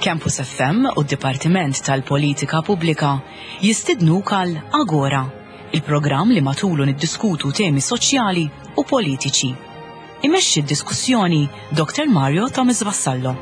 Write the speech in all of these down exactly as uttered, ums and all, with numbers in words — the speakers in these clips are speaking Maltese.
Campus F M u d-Dipartiment tal-Politika Pubblika jistidnuk għal Agora, il-programm li matulu niddiskutu temi soċjali u politiċi. Imexxi d-diskussjoni Doktor Mario Thomas Vassallo.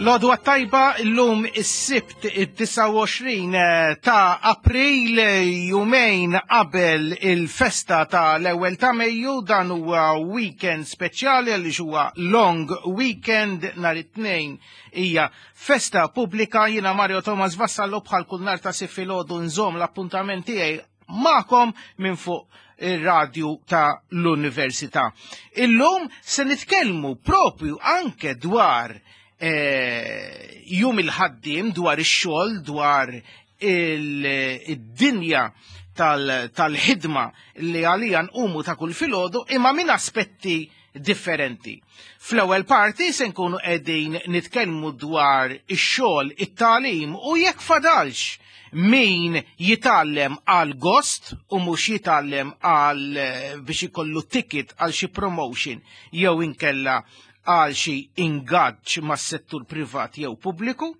L-għodwa t-tajba, illum is-Sibt id-disgħa u għoxrin eh, ta' April, jumejn qabel il-festa ta' l-ewwel ta' Mejju. Dan huwa weekend speċjali għaliex huwa long weekend, nhar it-Tnejn hija festa pubblika. Jiena Mario Thomas Vassallo, bħal kull nhar ta' Sibt filgħodu nżomm l-appuntament tiegħi magħkom minn fuq ir-radju ta' l-Università. Illum se nitkellmu propju anke dwar eh, jum il-ħaddim, dwar ix-xogħol, dwar il-dinja tal-ħidma li għalija nqumu ta' kull filgħodu, imma minn aspetti differenti. Fl-ewwel parti se nkunu qegħdin nitkellmu dwar ix-xogħol, it-tagħlim u jekk fadalx min jitgħallem għal gost u mhux jitgħallem għal eh, biex ikollu ticket għal xi promotion jew inkella għal xi ingaġġ mas-settur privat jew pubbliku.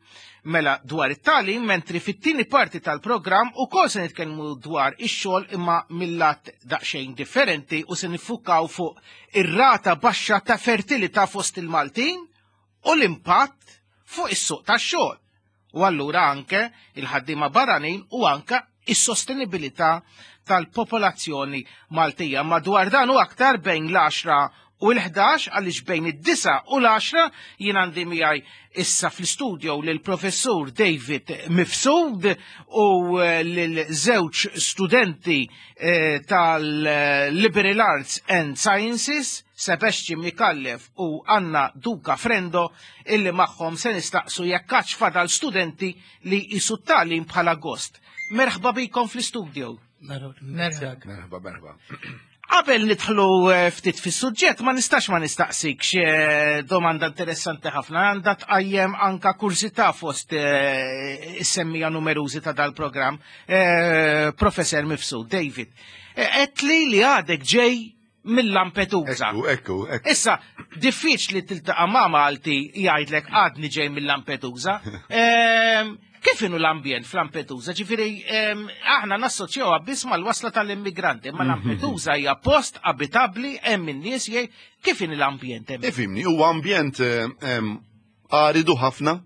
Mela dwar it-tagħlim, mentri fit-tieni parti tal-programm ukoll se nitkellmu dwar ix-xogħol, imma mill-lat daqsxejn differenti, u se niffukaw fuq ir-rata baxxa ta' fertilità fost il-Maltin u l-impatt fuq is-suq tax-xogħol. U allura anke il-ħaddiema barranin u anke is-sostenibilità tal-popolazzjoni Maltija. Madwar dan u aktar bejn l-għaxra u l-ħdax, għaliex bejn id-disgħa u l-għaxra jien għandi miegħi issa fl-studio lil professur David Mifsud u eh, lil żewġ studenti eh, tal-Liberal Arts and Sciences, Sebastian Mikallef u Anna Duca Frendo, illi magħhom se nistaqsu jekk għadx fadal studenti li jqisu t-tagħlim bħala gost. Merħba bikom fl-studio. Merħba, merħba. Qabel nidħlu eh, ftit fis-suġġett, ma nistax ma nistaqsikx eh, domanda interessanti ħafna, għandha tqajjem anka kurżità fost eh, is-semmiegħa numerużi ta' dal-programm. Professor Mifsud, David, għedtli li għadek ġej mill-Lampedusa. Ekku, ekku, ekku. Issa, diffiċli tiltaqa' ma' Malti jgħidlek għadni ġej mill-Lampedusa. Ehm, Kif inhu l-ambjent fl-Lampedusa? Ġifieri, ehm, aħna nassoċjawha biss mal-wasla tal-immigranti, ma Lampedusa hija post abitabbli, hemm in-nies jgħid, kif inhu l-ambjent hemm? Ifhimni, huwa ambjent eh, em, aridu ħafna,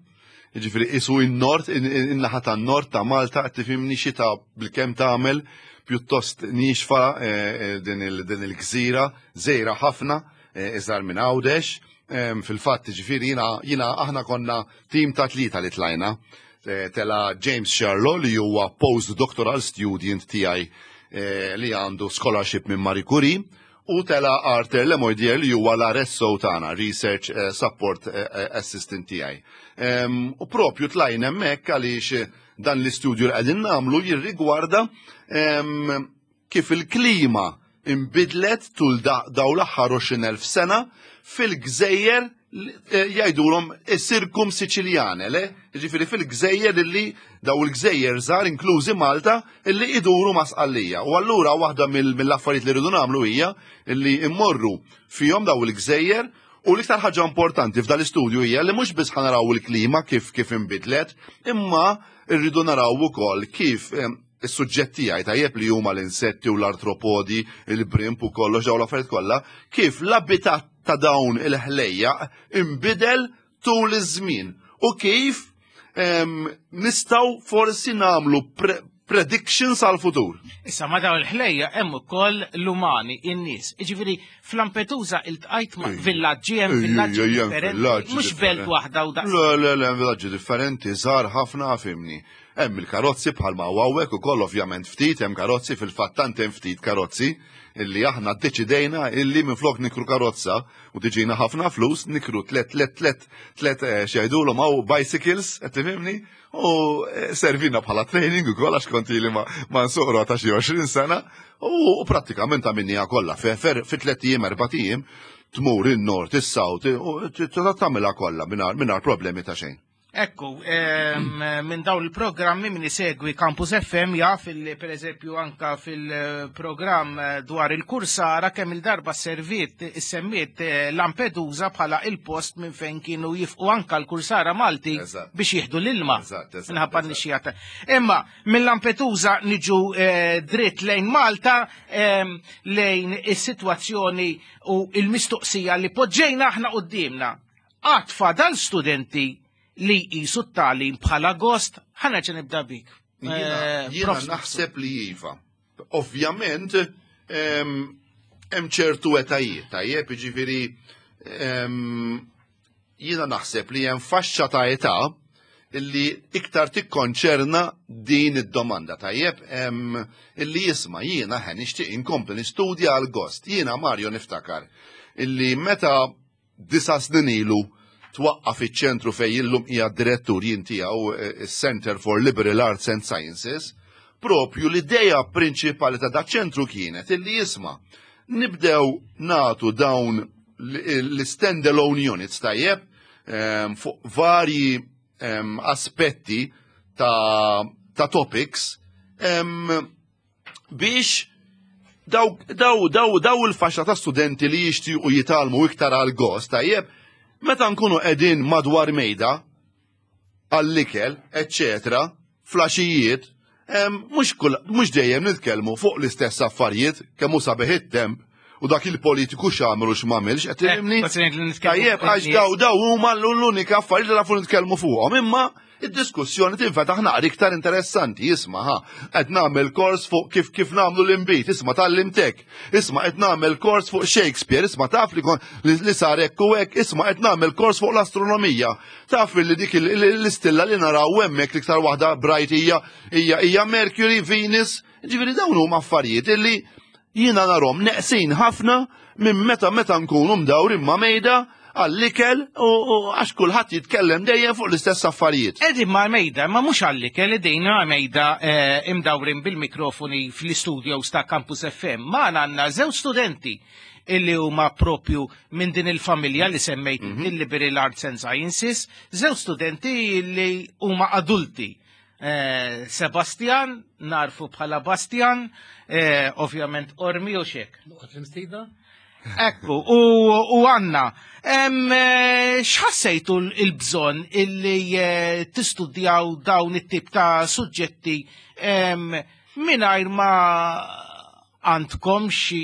ġifieri isu in-nord, in-naħa tan-nord ta' Malta, qed tifhimni, xita bil-kemm tagħmel, pjuttost nixfa eh, eh, din il- din il-gżira, żgħira ħafna, eh, iżgħar minn Għawdex. Em, Fil-fatt, ġifieri jiena jiena aħna konna tim ta' tlieta li tlajna. Eh, Tela James Charlo, li huwa postdoctoral student tiegħi eh, li għandu scholarship minn Marie Curie, u tela Arthur Lemoydier, li huwa l-R S O tagħna, Research eh, Support eh, eh, Assistant tiegħi. Em, U propju tlajna hemmhekk għaliex dan l-istudju li qegħdin nagħmlu jirrigwarda em, kif il-klima imbidlet tul da- daw l-aħħar għoxrin elf sena fil-gżejjer eh, jgħidulhom is-Sirkum Siċiljane, le? Ġifieri fil-gżejjer illi daw il-gżejjer żgħar, inklużi Malta, illi iduru ma' Sqallija. U allura waħda mill- mill-affarijiet li rridu nagħmlu hija illi immorru fihom daw il-gżejjer. U l-iktar ħaġa importanti f'dal istudju hija li mhux biss ħa naraw il-klima kif kif inbidlet, imma rridu naraw ukoll kif em, is-suġġett tiegħi, tajjeb, li huma l-insetti u l-artropodi, il-brimp u kollox dawn l-affarijiet kollha, kif l-abitat ta' dawn il-ħlejjaq imbidel tul iż-żmien u kif em, nistgħu forsi nagħmlu pre Predictions għal futur. Issa ma daw il-ħlejja hemm ukoll l-umani, in-nies. Jiġifieri f'Lampedusa iltqajt ma' villaġġi, hemm villaġġi differenti, mhux belt waħda u daqs. Le, le, le, villaġġi differenti, żgħar ħafna, fhimni. Hemm il-karozzi bħalma hawnhekk ukoll, ovvjament ftit hemm karozzi, fil-fatt tant hemm ftit karozzi illi aħna ddeċidejna illi minflok nikru karozza u tiġina ħafna flus, nikru tlet tlet tlet tlet eh, x'jgħidulhom hawn, bicycles, qed tifhimni? U eh, servina bħala training ukoll għax kont ili ma ma nsuq rota xi għoxrin sena u prattikament għamilniha kollha fi tliet ijiem, erbat ijiem, tmur in-nord, is-south, u tagħmilha kollha mingħajr problemi ta' xejn. Ekku, minn dawn il-programmi, min isegwi Campus F M jaf li per eżempju anka fil-programm dwar il-Kursara kemm il-darba servit semmiet eh, Lampedusa bħala il-post minn fejn kienu jifqu anka l-Kursara Malti biex jieħdu l-ilma. Minħabba nixxijata. Imma minn Lampedusa niġu eh, dritt lejn Malta, lejn is-sitwazzjoni u il-mistoqsija li poġġejna aħna qudiemna. Għad fadal studenti li jqisu t-tagħlim bħala gost? Ħa nerġa' nibda bik. Eh, jiena naħseb li iva. Ovvjament, hemm ċertu etajiet, tajjeb, jiġifieri jiena naħseb li hemm faxxa ta' età illi iktar tikkonċerna din id-domanda, tajjeb, illi jisma' jiena ħen nixtieq inkompli nistudja għal gost. Jiena, Mario, niftakar illi meta disa' snin ilu twaqqaf iċ-ċentru fej illum hija direttur jien tiegħu, eh, Center for Liberal Arts and Sciences, propju l-ideja prinċipali ta' dak ċentru kienet illi jisma' nibdew natu dawn l-standalone units, tajjeb, ehm, fuq varji ehm, aspetti ta', ta topics ehm, biex daw, daw, daw, daw il-faxxa ta' studenti li jixtiequ jitgħallmu iktar għal gost, tajjeb, meta nkunu qegħdin madwar mejda għall-ikel, eccetera, flaxijiet, mhux mhux dejjem nitkellmu fuq l-istess affarijiet, kemm hu sabiħ it-temp u dak il-politiku x'għamel u x'm'għamilx, qed tifhimni? Tajjeb, għax daw daw huma l-unika affarijiet li nafu nitkellmu fuqhom, imma id-diskussjoni tinfetaħ naqra iktar interessanti, isma' ha, qed nagħmel kors fuq kif kif nagħmlu l-inbid, isma' tgħallimtek, isma' qed nagħmel kors fuq Shakespeare, isma' taf li li sar hekk u hekk, isma' qed nagħmel kors fuq l-astronomija. Taf li dik l-istilla li naraw hemmhekk l-iktar waħda bright hija hija hija Mercury, Venus, ġifieri dawn huma affarijiet illi jiena narhom neqsin ħafna minn meta meta nkunu mdawrin ma' mejda għall-ikel u għax kulħadd jitkellem dejjem fuq l-istess affarijiet. Qegħdin ma' mejda, ma mhux għall-ikel, qegħdin ma' mejda eh, imdawrin bil-mikrofoni fl-studios ta' Campus F M. Ma għandna żewġ studenti illi huma propju minn din il-familja li semmejt, mm -hmm. il-Liberal Arts and Sciences, żewġ studenti li huma adulti. Eh, Sebastian, narfu bħala Bastian, eh, ovvjament Ormi u xek. Ekku, u għanna, eh, x'ħassejtu il-bżonn illi eh, tistudjaw dawn it-tip ta' suġġetti mingħajr ma għandkom xi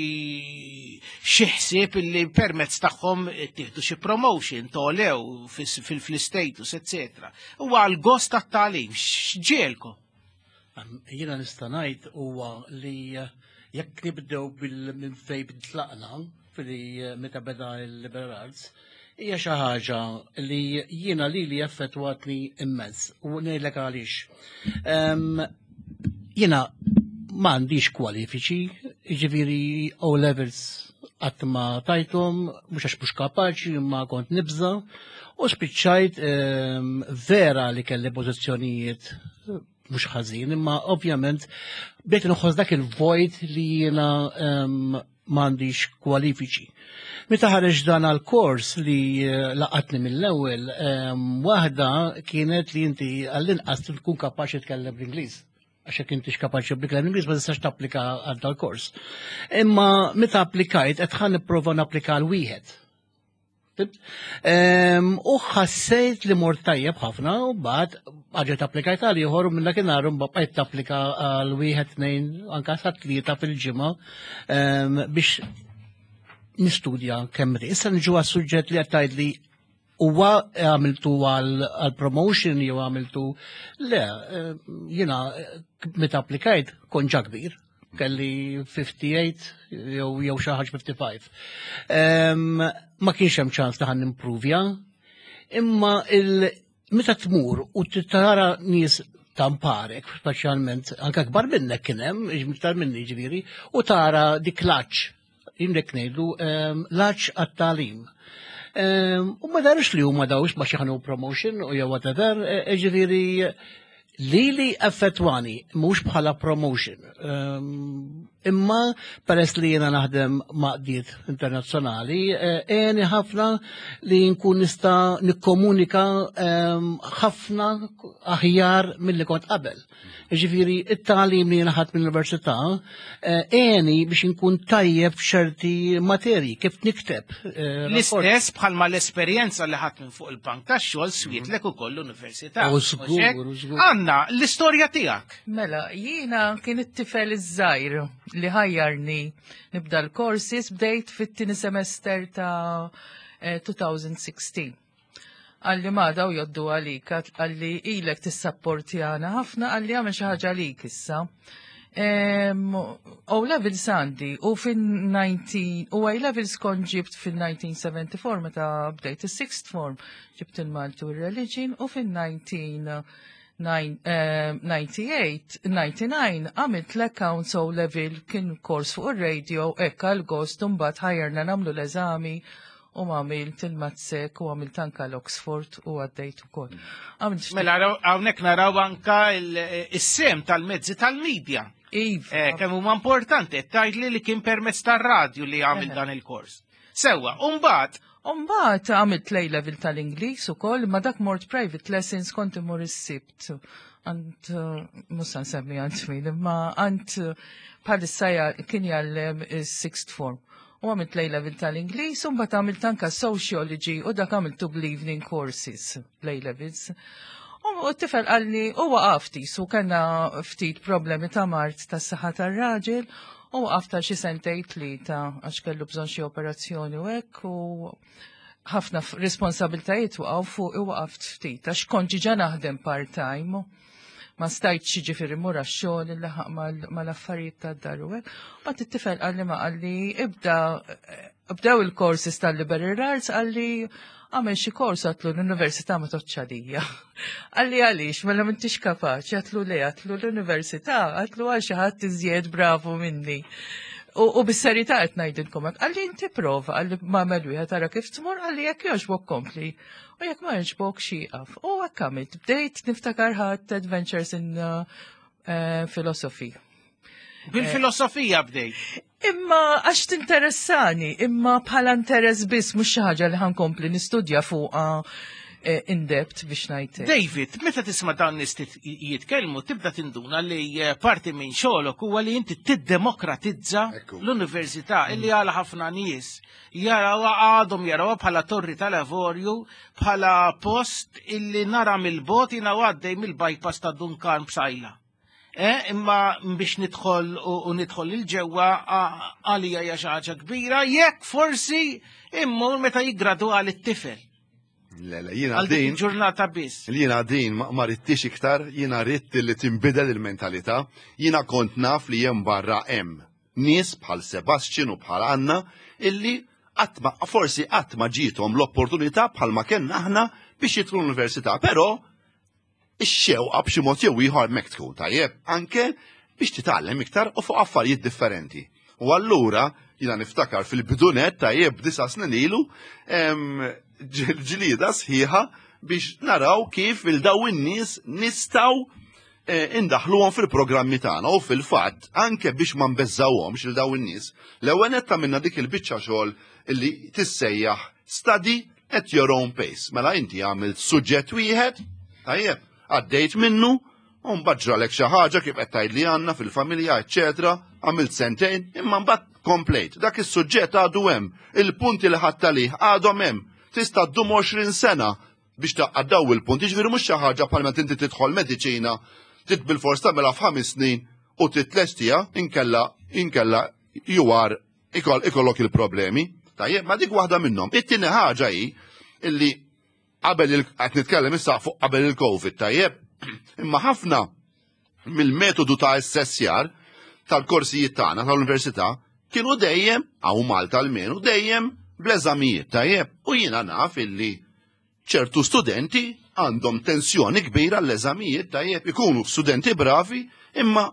xi ħsieb illi permezz tagħhom tieħdu xi promotion, tolew fil-status, eccetera? U għal gost tat-tagħlim, x'ġiegħelkom? Jiena nista' ngħid huwa li eh, jekk nibdew bil minn fejn tlaqna fili meta beda il-liberal arts, hija xi ħaġa li jiena li li effettwatni immens u ngħidlek għaliex. Jiena m'għandix kwalifiċi, jiġifieri O levels qatt ma tajthom, mhux għax mhux kapaċi, ma kont nibża, u spiċċajt vera li kelli pożizzjonijiet mhux ħażin, imma ovvjament bdejt nħoss dak il-vojt li jiena m'għandix kwalifiċi. Meta ħareġ dan għal-kors li eh, laqatni mill-ewwel, waħda kienet li inti għall-inqas tkun kapaċi tkellem bl-Ingliż. Għax jekk intix kapaċi bl Ingliż ma tistax tapplika għal dal-kors. Imma meta applikajt qed ħa nipprova napplika għal wieħed. U ħassejt li mort tajjeb ħafna u bad għaġet applikajt għal ieħor u minn dakinhar bqajt tapplika għal wieħed, tnejn, anka sa tlieta fil-ġimgħa biex nistudja kemm. Issa niġu għas-suġġett li qed li Huwa għamiltu għal promotion jew għamiltu le, eh, jiena eh, meta applikajt kont ġa kbir, kelli ħamsa u ħamsin jew jew xi ħaġa ħamsa u ħamsin. Em, Ma kienx hemm ċans li ħa nimprovja, imma il meta tmur u tara nies tamparek, speċjalment anke kbar minnek kien hemm, iktar minni ġifieri, u tara dik l-għatx, jimlek ngħidu em, l-għatx għat-tagħlim. Em, U ma darux li huma dawx ma xi ħanu promotion u jew whatever, e, ġifieri li li effettwani mhux bħala promotion. Em, Imma peress li jiena naħdem maqdiet internazzjonali, eh, għeni ħafna li nkun nista' nikkomunika em, ħafna aħjar milli kont qabel. Ġifieri, it-tagħlim li jiena ħadt mill-università eh, għeni biex nkun tajjeb f'ċerti materji, kif nikteb. eh, rapport. L-istess bħalma l-esperjenza li ħadd minn fuq il-bank tax-xogħol swietlek ukoll l-università. U żgur, Mhux hekk? u żgur. Anna, l-istorja tiegħek. Mela, jiena kien it-tifel iż-żgħir li ħajjarni nibda l-courses, bdejt fit-tieni semester ta' eh, elfejn u sittax. Qalli, "Ma daw jgħoddu għalik," qalli, "ilek tissapportjana ħafna," qalli, "għamel xi ħaġa għalik issa." Em, O levels għandi u fin-disgħin u A levels kont ġibt fil-elf disa' mija u erbgħa u sebgħin meta bdejt is-sixth form, ġibt il-Malti u religion, u fil-elf disa' mija tmeninjin, disgħa u tmenin għamilt l-accounts O level, kien kors fuq il-radio, hekk għal-gost, mbagħad ħajjarna nagħmlu l-eżami u għamilt il-MATSEC u għamilt anka l-Oxford u għaddejt ukoll. Għamilt ftit- Mela naraw- hawnhekk naraw anka il- is-sehem tal-mezzi tal-medja. Iva. Eh, kemm huma importanti, qed tgħidli li kien permezz tar-radju li għamil Eħe. dan il-kors. Sewwa, u mbagħad Umbagħad għamilt l level tal-Ingliż ukoll, ma dak mort private lessons, kont imur is-Sibt. Għand, mhux nsemmi għand min, imma għand bħalissa ja- kien jgħallem is-sixth form. U għamilt l level tal-Ingliż, u mbagħad għamilt anka sociology u dak għamiltu bl-evening courses, l levels. U t-tifel qalli, u waqafti, su kellna ftit problemi ta' mard ta' saħħa tar-raġel, u waqafta xi sentejn tlieta għax kellu bżonn xi operazzjoni u hekk, u ħafna f- responsabiltajiet waqgħu fuq, u waqaft ftit għax kont ġiġa naħdem part-time. Ma stajtx ġifieri mur għax-xogħol il-laħaq mal-affarijiet tad-dar u hekk. Mbagħad it-tifel qalli, ma qalli, ibda bdew il-courses tal-liberal arts, qalli, "Għamel xi kors." Għedtlu, "L-università ma tgħoddx għalija." Qalli, "Għaliex, mela m'intix kapaċi?" Għedtlu, "Le," għedtlu, "l-università," għedtlu, "għal xi ħadd iżjed bravu minni." U, u bis-serjetà qed ngħidilkom hekk. Qalli, "Inti prova," qalli, "agħmel wieħed, tara kif tmur," qalli, "jekk jogħġbok kompli. U jekk ma jogħġbok ieqaf." U hekk għamilt. Bdejt niftakar ħadd Adventures in uh, uh, Philosophy. Bil-filosofija bdejt. Imma għax tinteressani, imma bħala interess biss, mhux xi ħaġa li ħa nkompli nistudja fuqha eh, in depth biex ngħid. David, meta tisma' dawn nies jitkellmu tibda tinduna li eh, parti minn xogħolok huwa li inti tiddemokratizza Ekku. l-università illi għal ħafna nies jaraw għadhom jarawha bħala torri tal-avorju, bħala post illi nara mill-bogħod jiena għaddej mill-bypass ta' Dun Karm Psaila. Eh, imma biex nidħol u, u nidħol il-ġewwa għalija hija xi ħaġa kbira, jekk forsi immur meta jiggradwa it-tifel. Le, le, jiena Għal dik din, il-ġurnata biss. Jiena din ma ma ridtix iktar, jiena ridt li tinbidel il-mentalità, jiena kont naf li hemm barra hemm nies bħal Sebastian u bħal Anna illi qatt ma forsi qatt ma ġiethom l-opportunità bħal ma kellna aħna biex jidħlu l-università, però ix-xewqa b'xi mod jew ieħor hemmhekk tkun, tajjeb, anke biex titgħallem iktar u fuq affarijiet differenti. U allura jiena niftakar fil-bidunet, tajjeb, disa' snin ilu, em, ġ- ġlieda sħiħa biex naraw kif il-daw in-nies nistgħu eh, indaħluhom fil-programmi tagħna, u fil-fatt anke biex ma nbeżżawhomx il daw in-nies. L-ewwel netta minna dik il-biċċa xogħol illi tissejjaħ study at your own pace. Mela inti għamilt suġġett wieħed, tajjeb, għaddejt minnu, u mbagħad ġralek xi ħaġa kif qed tgħid li għandna fil-familja, eċetera, għamilt sentejn, imma mbagħad komplejt. Dak is-suġġett għadu hemm, il-punti li ħadd għalih għadhom hemm. Tista' ddum għoxrin sena biex taqgħad il-punti, ġifieri mhux xi ħaġa bħal meta inti tidħol mediċina, trid bil-fors tagħmilha f'ħames snin u titlestija, inkella inkella you are ikoll ikollok il-problemi. Tajjeb, ma dik waħda minnhom. It-tieni ħaġa hi illi Qabel il- qed nitkellem issa fuq qabel il-Covid, tajjeb. Imma ħafna mill-metodu ta' assessjar tal-korsijiet tagħna tal-università kienu dejjem, hawn Malta almenu, dejjem bl-eżamijiet, tajjeb. U jiena naf illi ċertu studenti għandhom tensjoni kbira l-eżamijiet, tajjeb, ikunu studenti bravi, imma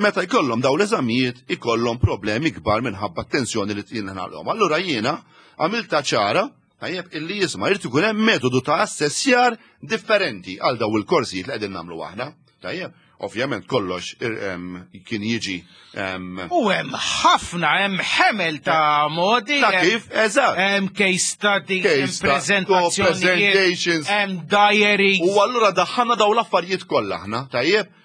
meta jkollhom daw l-eżamijiet ikollhom problemi kbar minħabba tensjoni li tinħalhom. Allura jiena għamilta ċara, tajjeb, illi jisma' jrid ikun hemm metodu ta' assessjar differenti għal daw il-korsijiet li qegħdin nagħmlu aħna. Tajjeb, ovvjament kollox ir- em, kien jiġi em, U hemm ħafna, hemm ħemel ta' modi. ta' hemm- kif, eżatt. Hemm case studies, hemm Case stu- prezentazzjonijiet, presentations. hemm diaries. U allura daħħalna daw l-affarijiet kollha aħna, tajjeb?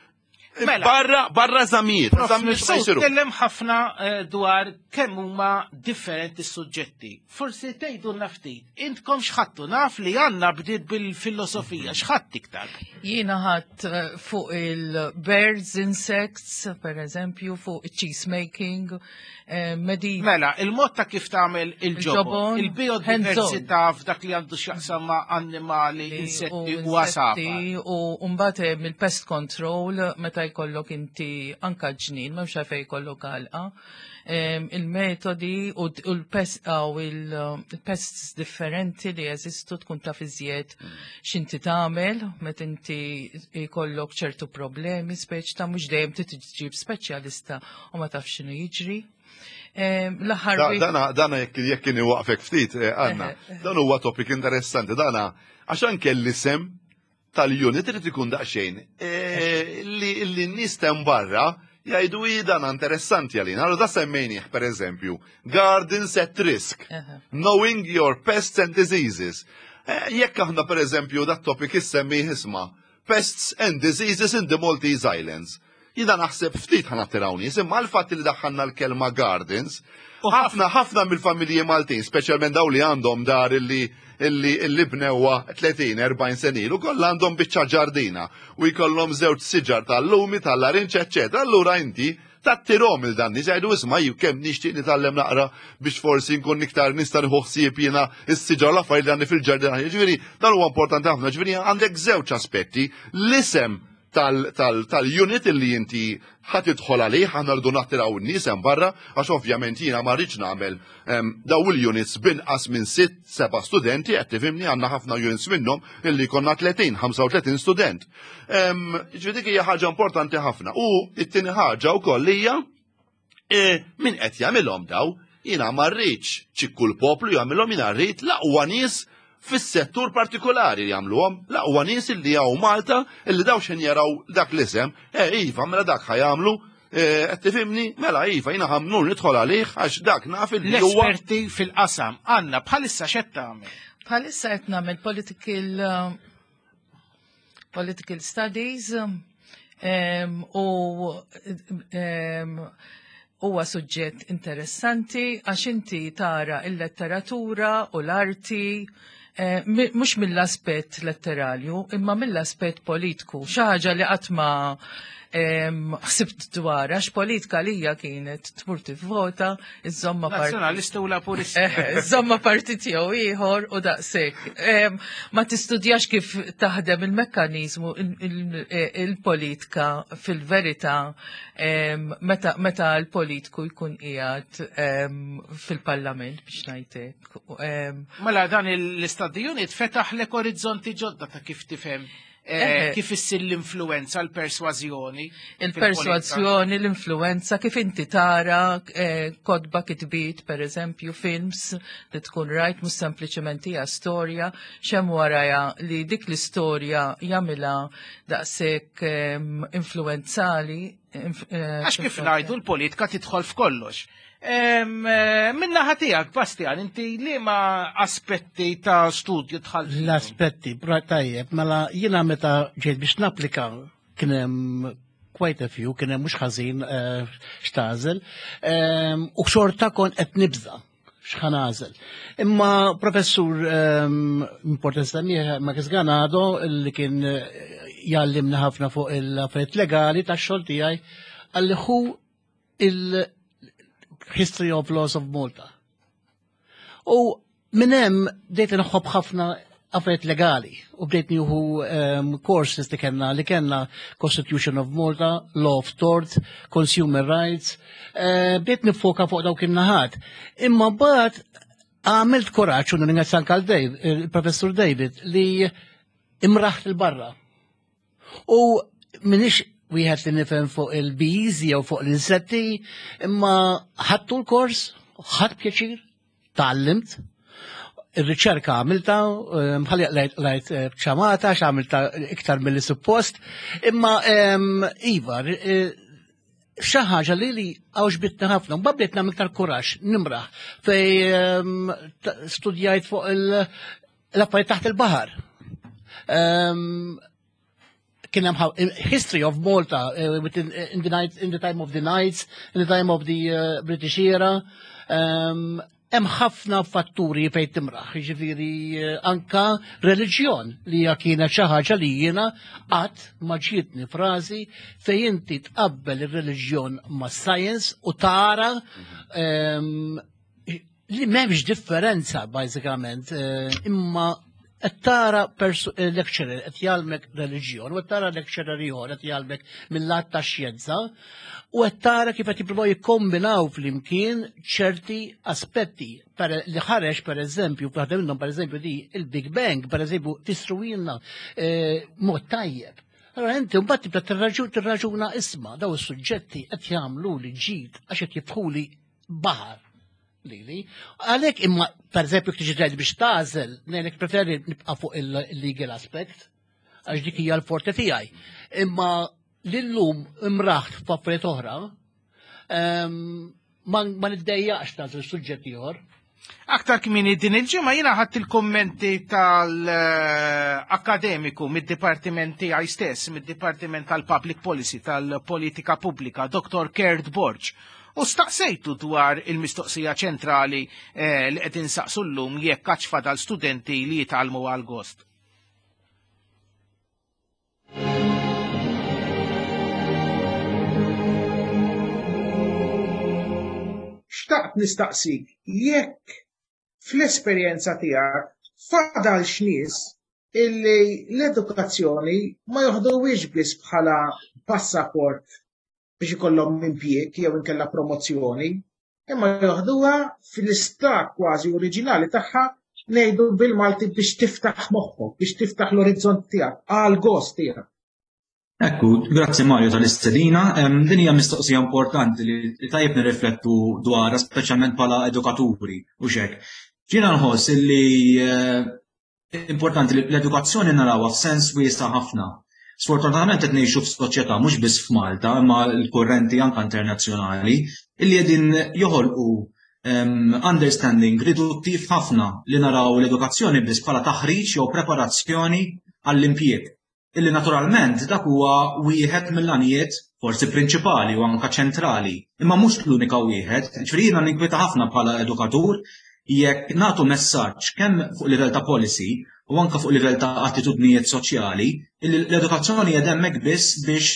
Mela. Barra, barra eżamijiet, Prof eżamijiet ma Mifsud jsiru. tkellem ħafna eh, dwar kemm huma differenti suġġetti. Forsi tgħidulna ftit, intkom x'ħadtu? Naf li għandna bdiet bil-filosofija, x'ħadd iktar? Jiena ħadt eh, fuq il-birds, insects, per eżempju, fuq cheese making, eh, medi Mela, il-mod ta' kif tagħmel il-ġobon, Il-ġobon, il-biodiversità f'dak li għandu x'jaqsam ma' annimali, insetti u għasafar. U mbagħad hemm il-pest control meta jkollok inti anka ġnien, m'hemmx għalfejn jkollok għalqa. Em, Il-metodi u d- u l-pest aw il-pests differenti li jeżistu, tkun taf iżjed x'inti tagħmel meta inti jkollok ċertu problemi, speċ ta' mhux dejjem trid tġib speċjalista u ma tafx x'inhu jiġri. Em, L-aħħar Da- wieħed- Dana, dana jekk jekk kien waqfek ftit, eh, Anna, dan huwa topic interessanti, dana għax anke l-isem tal-unit irid ikun daqsxejn eh, li li n-nies tem barra jgħidu: "I, dan interessanti għalina." Allora da semmejnieh, per eżempju, Gardens at Risk, Eħe. Knowing Your Pests and Diseases. Eh, Jekk aħna, per eżempju, dat topic issemmi isma' Pests and Diseases in the Maltese Islands. Jiena naħseb ftit ħa nattiraw nies, imma l-fatt li daħħalna l-kelma gardens, ħafna ħafna mill-familji Maltin, speċjalment daw li għandhom dar illi illi illi bnewha tletin erbgħin sena ilu, kollha għandhom biċċa ġardina u jkollhom żewġ siġar tal-lumi, tal-larinċ, eċċetera. Allura inti tattirahom lil dan nies, jgħidu: "Isma', ju kemm nixtieq nitgħallem naqra biex forsi nkun iktar nista' nieħu ħsieb jiena is-siġar, l-affarijiet li għandi fil-ġardina." Ġifieri dan huwa importanti ħafna, ġifieri għandek żewġ aspetti: l-isem tal-unit illi inti ħa tidħol għalih, aħna rridu nattiraw n-nies hemm barra, għax ovvjament jiena ma rridx nagħmel em, daw il-units binqas minn sitt, seba' studenti, qed tifhimni, għandna ħafna units minnhom illi konna tletin, ħamsa u tletin student. Em, Ġifieri dik hija ħaġa importanti ħafna. U it-tieni ħaġa wkoll hija e, min qed jagħmilhom daw, jiena ma rridx ċikku l-poplu jagħmilhom, jiena rrid l-aqwa nies fis-settur partikolari li jagħmluhom, l-aqwa nies illi hawn Malta, illi daw xejn jaraw dak l-isem, e iva, mela dak ħa jagħmlu, e, qed tifhimni, mela iva, jiena ħa mmur nidħol għalih għax dak naf illi huwa L-esperti fil-qasam. Anna, bħalissa x'qed tagħmel? Bħalissa qed nagħmel political uh, political studies um, u um, huwa suġġett interessanti għax inti tara il-letteratura u l-arti eh, mi- mhux mill-aspett letterarju imma mill-aspett politiku, xi ħaġa li qatt ma em, ħsibt dwar, għax politika lija kienet tmur tivvota, iżomma part Nazzjonalista u Laburista. Eh, Żomma partit jew ieħor u daqshekk. Em, Ma tistudjax kif taħdem il-mekkaniżmu il- il-politika fil-verità em, meta meta l-politiku jkun qiegħed em, fil-parlament, biex ngħidlek. Em, Mela dan l-study unit fetaħ lek orizzonti ġodda ta' kif tifhem eh, Eh. kif issir l-influenza, l-persważjoni. Il-persważjoni, l-influenza, kif inti tara eh, kotba, kitbiet, per eżempju, films li tkun rajt, mhux sempliċement hija storja, x'hemm warajha li dik l-istorja jagħmilha daqshekk em, influenzali. inf- eh, Għax kif ngħidu, l-politika tidħol f'kollox. Em, eh, Min-naħa tiegħek, Bastian, inti li ma aspetti ta' studju dħalt? L-aspetti, bra tajjeb, mela jiena meta ġejt biex napplika kien hemm quite a few, kien hemm mhux ħażin eh, x'tagħżel, Em, u xorta kont qed nibża x'ħa nagħżel. Imma professur um, importanti semmih, Marcus Ganado, li kien eh, jgħallimna ħafna fuq il-affarijiet legali tax-xogħol tiegħi, qalli ħu il-History of Laws of Malta. U minn hemm bdejt inħobb ħafna affarijiet legali u bdejt nieħu um, courses li kellna li kellna Constitution of Malta, Law of Tort, Consumer Rights, uh, bdejt nifoka fuq dawk in-naħat. Imma mbagħad għamilt kuraġġ u nirringrazzja anke Dave, il-Professur David, li imraħt 'il barra. U m'iniex wieħed li nifhem fuq il-bees jew fuq l-insetti, imma ħadtu l-kors, ħadt pjaċir, tgħallimt, ir-riċerka għamilta, bħalli lajt ċamata, x'għamilta iktar mill suppost, imma iva, xi ħaġa li li għoġbitni ħafna, mbagħad bdejt nagħmel iktar kuraġġ, nimraħ, fej studjajt fuq l-affarijiet taħt il-baħar. Kien hemm history of Malta uh, within, in, the night, in the time of the Knights, in the time of the uh, British era. Um, hemm ħafna fatturi fejn timraħ, jiġifieri anka reliġjon li hija kienet xi ħaġa li jiena qatt ma ġietni frażi fejn inti tqabbel ir-reliġjon ma' science u tara um, li m'hemmx differenza bażikament, imma qed tara lecturer qed jgħallmek reliġjon u qed tara lecturer ieħor qed jgħallmek mill-lat ta' xjenza u qed tara kif qed jippruvaw jikkombinaw flimkien ċerti aspetti li ħareġ per eżempju, waħda minnhom per eżempju di il-Big Bang, per eżempju, tistruwilna mod tajjeb. Allora inti mbagħad tibda tirraġuna isma' daw is-suġġetti qed jagħmlu li ġid għax qed jiftħuli baħar lili. Għalhekk imma per eżempju tiġi biex tagħżel, ngħidlek preferi nibqa' fuq il-legal aspect, għax dik hija l-forte tiegħi. Imma lillum imraħt f'affarijiet oħra, ma niddejjaqx nagħżel suġġett ieħor. Aktar kmieni din il-ġimgħa jiena ħadt il-kommenti tal-akademiku mid-dipartiment tiegħi stess, mid-Dipartiment tal-Public Policy, tal-Politika Pubblika, Dottor Kurt Borg. U staqsejtu dwar il-mistoqsija ċentrali eh, li qed insaqsu llum jekk għadx fadal studenti li jitgħallmu għal gost. Xtaqt nistaqsik jekk fl-esperjenza tiegħek fadal x'nies illi l-edukazzjoni ma joħduwiex biss bħala passaport biex ikollhom impjieg jew inkella promozzjoni, imma joħduha fl-istat kważi oriġinali tagħha ngħidu bil-Malti biex tiftaħ moħħok, biex tiftaħ l-orizzont tiegħek, għal gost tiegħek. Ekku, grazzi Mario tal-istedina. Din hija mistoqsija importanti li tajjeb nirriflettu dwarha, speċjalment bħala edukaturi u xek. Jiena nħoss li importanti li l-edukazzjoni narawha f'sens wiesa' ħafna. Sfortunatament qed ngħixu f'soċjetà mhux biss f'Malta, imma l-kurrenti anke internazzjonali illi qegħdin joħolqu understanding riduttiv ħafna li naraw l-edukazzjoni biss bħala taħriġ jew preparazzjoni għall-impjieg. Illi naturalment dak huwa wieħed mill-għanijiet forsi prinċipali u anka ċentrali, imma mhux l-unika wieħed. Ġifieri jiena ninkwieta ħafna bħala edukatur jekk nagħtu messaġġ kemm fuq livell ta' policy u anka fuq livell ta' attitudnijiet soċjali, illi l-edukazzjoni qiegħda hemmhekk biss biex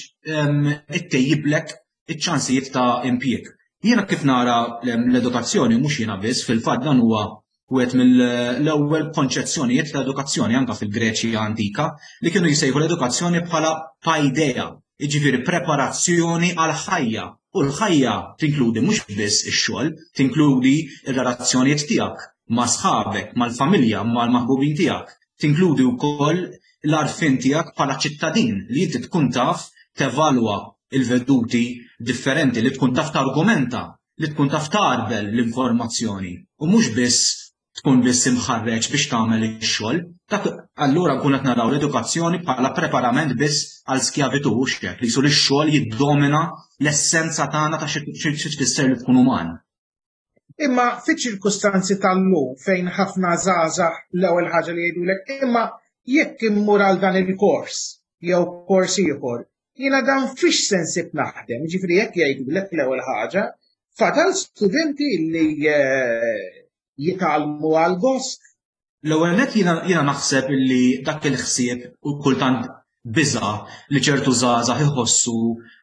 ittejjiblek iċ-ċansijiet ta' impjieg. Jiena kif nara l-edukazzjoni mhux jiena biss, fil-fatt dan huwa wieħed mill-ewwel konċezzjonijiet ta' edukazzjoni anka fil-Greċja antika li kienu jsejħu l-edukazzjoni bħala paideia, jiġifieri preparazzjoni għal ħajja. U l-ħajja tinkludi mhux biss ix-xogħol, tinkludi r-relazzjonijiet tiegħek ma' sħabek, mal-familja, mal-maħbubin tiegħek. Tinkludi wkoll l-għarfien tiegħek bħala ċittadin li inti tkun taf tevalwa il-veduti differenti, li tkun taf targumenta, li tkun taf tarbel l-informazzjoni u mhux biss tkun biss imħarreġ biex tagħmel ix-xogħol. Dak allura nkun qed naraw l-edukazzjoni bħala preparament biss għal skjavitu u x'hekk li sul ix-xogħol jiddomina l-essenza tagħna ta' xi tfisser li tkun uman. Imma fiċ-ċirkustanzi tal-lum fejn ħafna żgħażagħ l-ewwel ħaġa li jgħidulek imma jekk immur għal dan il-kors jew kors ieħor, jiena dan fiex se nsib naħdem, jiġifieri jekk jgħidulek l-ewwel ħaġa, fadal studenti li jitgħallmu għal gost. L-ewwel nett jiena naħseb illi dak il-ħsieb u kultant biża' li ċertu żgħażagħ iħossu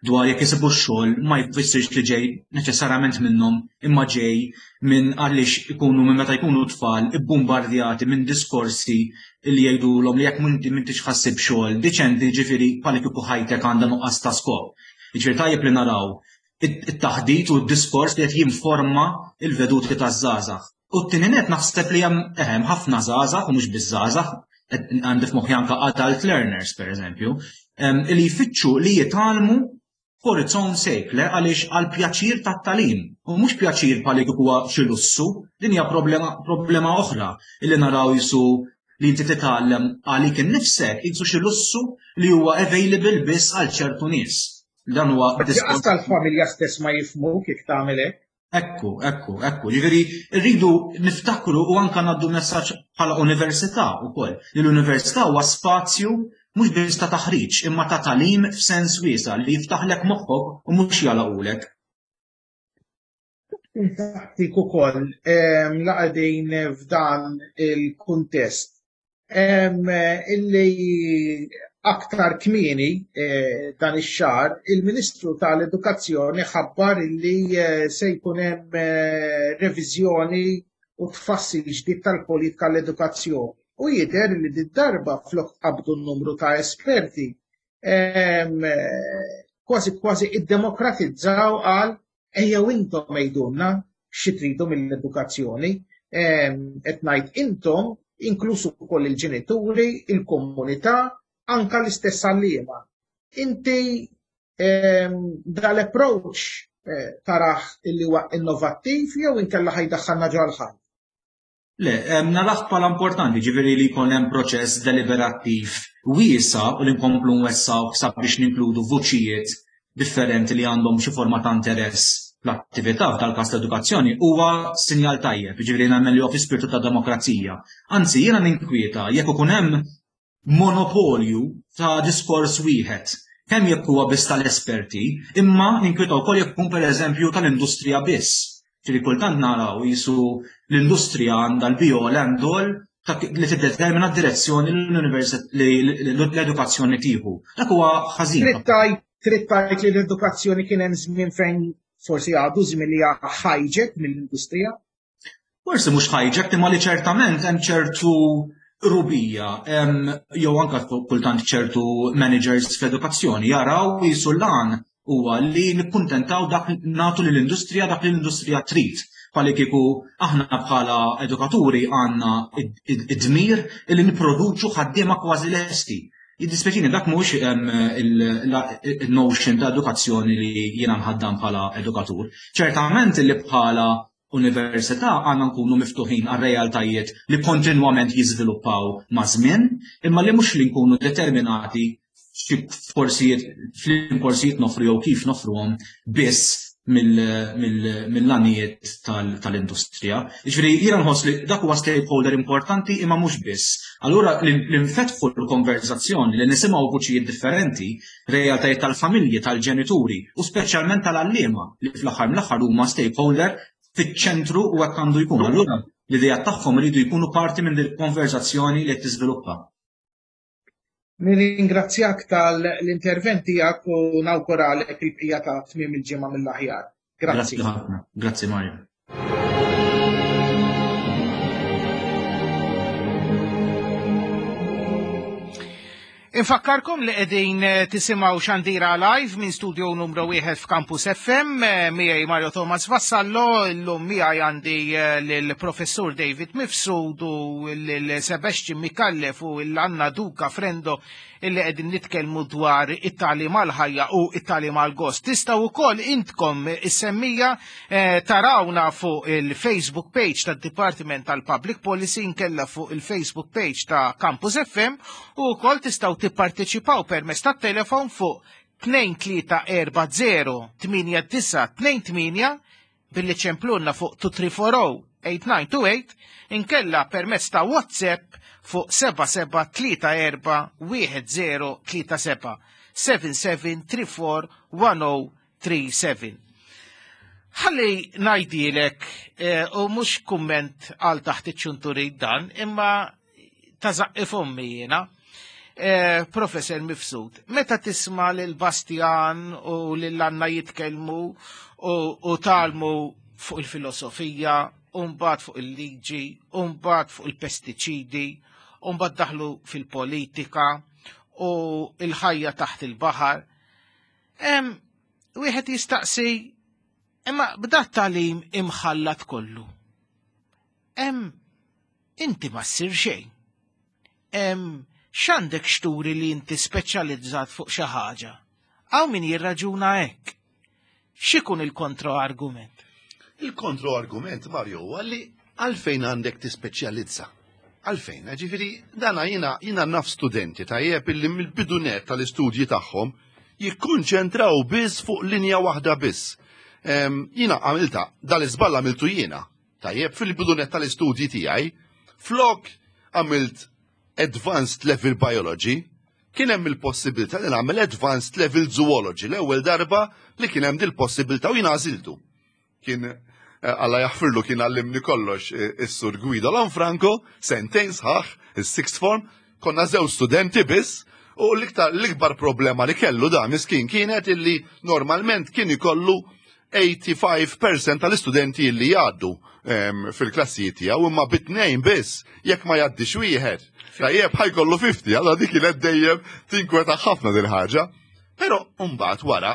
dwar jekk isibu x-xogħol ma jfissirx li ġej neċessarjament minnhom, imma ġej minn għaliex ikunu minn meta jkunu tfal ibbombardjati minn diskorsi li jgħidulhom li jekk m'inti m'intix ħa ssib xogħol diċenti, ġifieri bħal kieku ħajtek għandha nuqqas ta' skop. Jiġifieri tajjeb li naraw it-taħdit u d-diskors li qed jinforma il-veduti taż-żgħażagħ. U t-tieni net naħseb li hemm ehem ħafna żgħażagħ, u mhux biss żgħażagħ, għandi f'moħħi anke adult learners pereżempju, li jfittxu li jitgħallmu for its own sake, le għaliex għal pjaċir tat-tagħlim u mhux pjaċir bħal kieku huwa xi lussu. Din hija problema problema oħra illi naraw jisu li inti titgħallem għalik innifsek jisu xi lussu li huwa available biss għal ċertu nies. Dan huwa diskors tal-familja stess ma jifhmu kif tagħmel hekk. Ekku, ekku, ekku. Ġifieri rridu niftakru u anka ngħaddu messaġġ bħala università wkoll li l-università huwa spazju mhux biss ta' taħriġ imma ta' tagħlim f'sens wiesa' li jiftaħlek moħħok u mhux jalaqulek. Taħtik ukoll laqgħdin f'dan il-kuntest illi aktar kmieni dan ix-xahar il-Ministru tal-Edukazzjoni ħabbar illi se jkun hemm reviżjoni u tfassil ġdid tal-politika l-edukazzjoni. U jidher li d-darba flok qabdu n-numru ta' esperti kważi kważi iddemokratizzaw għal ejjew intom għidulna xi tridu mill-edukazzjoni, qed ngħid intom inklusu wkoll il-ġenituri, il-komunità, anka l-istess għalliema. Inti dal-approach taraħ illi huwa innovattiv jew inkella ħajdaħħalna ġo l-ħajt? Le, naraħ bħala importanti, ġifieri li jkun hemm proċess deliberattiv wiesa' u li nkomplu nwessaw sabiex ninkludu vuċijiet differenti li għandhom xi forma ta' interess fl-attività, f'dal-każ l-edukazzjoni, huwa sinjal tajjeb, ġifieri nemmen li huwa fi spiritu ta' demokrazija. Anzi, jiena ninkwieta jekk ikun hemm monopolju ta' diskors wieħed, kemm jekk huwa biss tal-esperti, imma ninkwieta wkoll jekk ikun pereżempju tal-industrija biss. Ġifieri kultant naraw jisu l-industrija għandha l-be-all and all li tiddetermina d-direzzjoni l-edukazzjoni tieħu. Dak huwa ħażin. Trid tgħid li l-edukazzjoni kien hemm żmien fejn forsi għadu żmien li hijacked mill-industrija? Forsi mhux hijacked, imma li ċertament hemm ċertu rubija, jew anke kultant ċertu managers fl-edukazzjoni jaraw jisu l-għan huwa li nikkuntentaw dak nagħtu lill-industrija dak li l-industrija trid. Bħali kieku aħna bħala edukaturi għandna id-dmir li nipproduċu ħaddiema kważi lesti. Jiddispjaċini dak mhux il-notion ta' edukazzjoni li jiena nħaddam bħala edukatur. Ċertament li bħala università għandna nkunu miftuħin għal realtajiet li kontinwament jiżviluppaw ma' żmien, imma li mhux li nkunu determinati xi korsijiet, fl-korsijiet nofru jew kif nofruhom biss mill-għanijiet tal-industrija. Jiġifieri jiena nħoss li dak huwa stakeholder importanti imma mhux biss. Allura li nfetħu l-konverzazzjoni, li nisimgħu vuċijiet differenti, realtajiet tal-familji, tal-ġenituri u speċjalment tal-għalliema li fl-aħħar mill-aħħar huma stakeholder fiċ-ċentru u hekk għandu jkun. Allura l-idea tagħhom iridu jkunu parti minn din il-konverzazzjoni li qed tiżviluppa. Nirringrazzjak tal-intervent tiegħek u nawguralek il-bqija ta' tmiem il-ġimgħa mill-aħjar. Grazzi. Grazzi ħafna. Grazzi Mario. Infakkarkom li qegħdin tisimgħu Xandira Live minn studio numru wieħed f'Campus F M, miegħi Mario Thomas Vassallo, illum miegħi għandi lill-Professur David Mifsud u lil Sebastian Micallef u l-Anna Duca Frendo illi qegħdin nitkellmu dwar it-tagħlim għall-ħajja u it-tagħlim għall-gost. Tistgħu wkoll intkom is-semmija tarawna fuq il-Facebook page tad-Dipartiment tal-Public Policy inkella fuq il-Facebook page ta' Campus F M u wkoll tistgħu tipparteċipaw permezz tat-telefon fuq tnejn tlieta erba' zero tmienja disa' tnejn tmienja billi ċemplunna fuq two three four oh eight nine two eight inkella permezz ta' WhatsApp fuq seba' seba' tlieta erba' wieħed zero tlieta seba' seven seven three four one oh three seven. Ħalli ngħidilek, u mhux kumment għal taħt iċ-ċunturi dan, imma ta' zaqqi fommi jiena. Eh, Professor Mifsud, meta tisma' lil Bastian u lil Anna jitkellmu u, u talmu fuq il-filosofija, u mbagħad fuq il-liġi, u mbagħad fuq il-pestiċidi, u mbagħad daħlu fil-politika u il-ħajja taħt il-baħar. Em, wieħed jistaqsi, imma b'dat tagħlim imħallat kollu. Em, inti ma ssir xejn. Em, x'għandek xturi li inti speċjalizzat fuq xi ħaġa? Hawn min jirraġuna hekk. X'ikun il-kontroargument? Il-kontroargument, Mario, huwa li għalfejn għandek tispeċjalizza. Għalfejn, ġifieri, dana jina, jina naf studenti tajjeb illi mill-bidu nett tal-istudji tagħhom jikkonċentraw biss fuq linja waħda biss. Em, Jina għamilta, dal-iżball għamiltu jiena, tajjeb, fil-bidu nett tal-istudji tiegħi, flok għamilt Advanced Level Biology, kien hemm il-possibilità li nagħmel Advanced Level Zoology l-ewwel darba li kien hemm dil-possibilità u jiena għażiltu. Kien eh, Alla jaħfirlu kien għallimni kollox eh, is-sur Guido Lanfranco, sentejn sħaħ, is-sixth form, konna żewġ studenti biss, u l-iktar l-ikbar problema li kellu da miskin kienet illi normalment kien ikollu tmien u tmenin fil-mija tal-istudenti illi jgħaddu em, fil-klassijiet tiegħu imma bit-tnejn biss jekk ma jgħaddix wieħed. Tajjeb ħa jkollu ħamsin, allora dik kienet dejjem tinkweta ħafna din ħaġa. Però mbagħad wara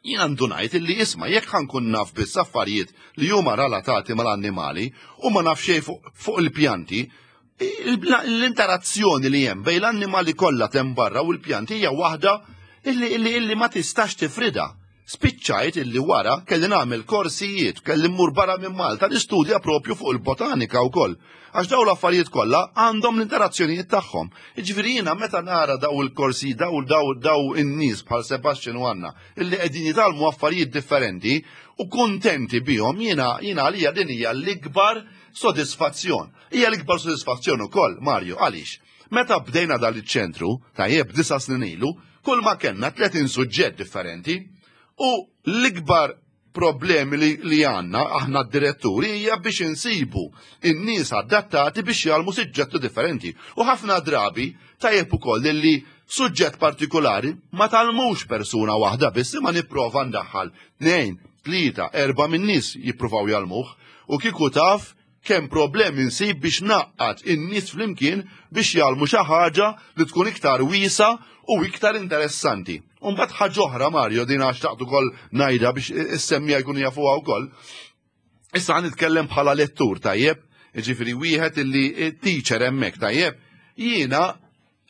jien għandu ngħid illi isma' jekk ħa nkun naf biss affarijiet li huma relatati mal-annimali u ma naf xejn fuq fuq il-pjanti, l-interazzjoni li hemm bejn l-annimali kollha hemm barra u l-pjanti hija waħda illi, illi, illi ma tistax tifrida. Spiċċajt illi wara kelli nagħmel korsijiet, kelli mmur barra minn Malta nistudja propju fuq il-botanika wkoll. Għax daw l-affarijiet kollha għandhom l-interazzjonijiet tagħhom. Jiġifieri jiena meta nara daw il-korsi, daw daw daw in-nies bħal Sebastian u Anna illi qegħdin jitgħallmu affarijiet differenti u kuntenti bihom jiena jiena għalija din hija l-ikbar sodisfazzjon. Hija l-ikbar sodisfazzjon ukoll, Mario, għaliex? Meta bdejna dal iċ-ċentru, tajjeb disa' snin ilu, kull ma kellna tletin suġġett differenti u l-ikbar problemi li, li għanna, aħna d-diretturi, hija biex insibu in-nies adattati biex jgħallmu suġġetti differenti. U ħafna drabi tajjeb ukoll li suġġett partikolari ma tgħallmux persuna waħda biss imma nipprova ndaħħal tnejn, tlieta, erba' minn nies jippruvaw jgħallmuh u kieku taf kemm problemi nsib biex ngħaqqad in-nies flimkien biex jgħallmu xi ħaġa li tkun iktar wiesa u iktar interessanti. Umbagħad ħaġa oħra Mario din għax xtaqt ukoll ngħidha biex is-semmiegħa jkunu jafuha wkoll. Issa ħa nitkellem bħala lettur tajjeb, jiġifieri wieħed illi teacher hemmhekk tajjeb. Jiena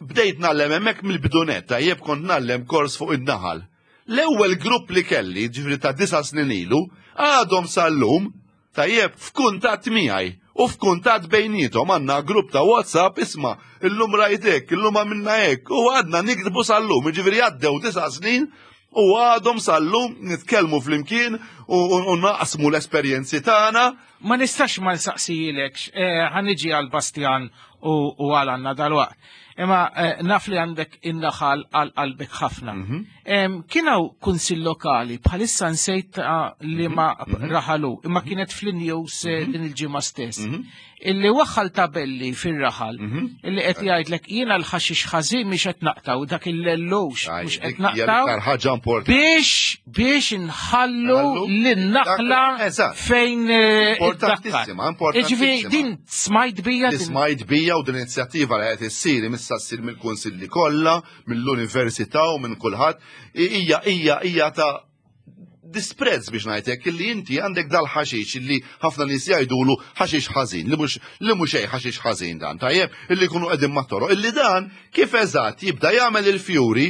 bdejt ngħallem hemmhekk mill-bidu nett tajjeb kont ngħallem kors fuq in-naħal. L-ewwel grupp li kelli, ġifieri ta' disa' snin ilu, għadhom sal-lum tajjeb f'kuntatt miegħi u f'kuntatt bejniethom għandna grupp ta' WhatsApp isma' illum rajtek, illum għamilna hekk u għadna niktbu sal-lum, jiġifieri għaddew disa' snin u għadhom sal-lum nitkellmu flimkien u, u, u naqsmu l-esperjenzi tagħna. Ma nistax ma nsaqsijilek, eh, ħa niġi għal Bastian u, u għal Anna dal-waqt. Imma eh, naf li għandek in-naħal għal qalbek ħafna. Em, Kien hawn kunsill lokali bħalissa nsejt ah, li ma raħalu, imma kienet fl-news eh, din il-ġimgħa stess. Illi waħħal tabelli fir-raħal illi qed jgħidlek jiena l-ħaxix ħażin mhix qed naqtaw dak il-lellux Aj, mhux qed dik hija naqtaw l-iktar ħaġa importanti. biex biex nħallu Nħallu l-naħla dak- eżatt. fejn eh, Importantissima, iddakkar. importantissima. Jiġifieri din smajt bija Li din smajt bija u din inizjattiva li qed issir issa ssir mill-kunsilli kollha, mill-università u minn kulħadd, hija hija hija ta' disprezz biex ngħidlek illi inti għandek dal-ħaxix illi ħafna nies jgħidulu ħaxix ħażin, li mhux li mhux xejn ħaxix ħażin dan, tajjeb, illi jkunu qegħdin mat-toroq, illi dan kif eżatt jibda jagħmel il-fjuri,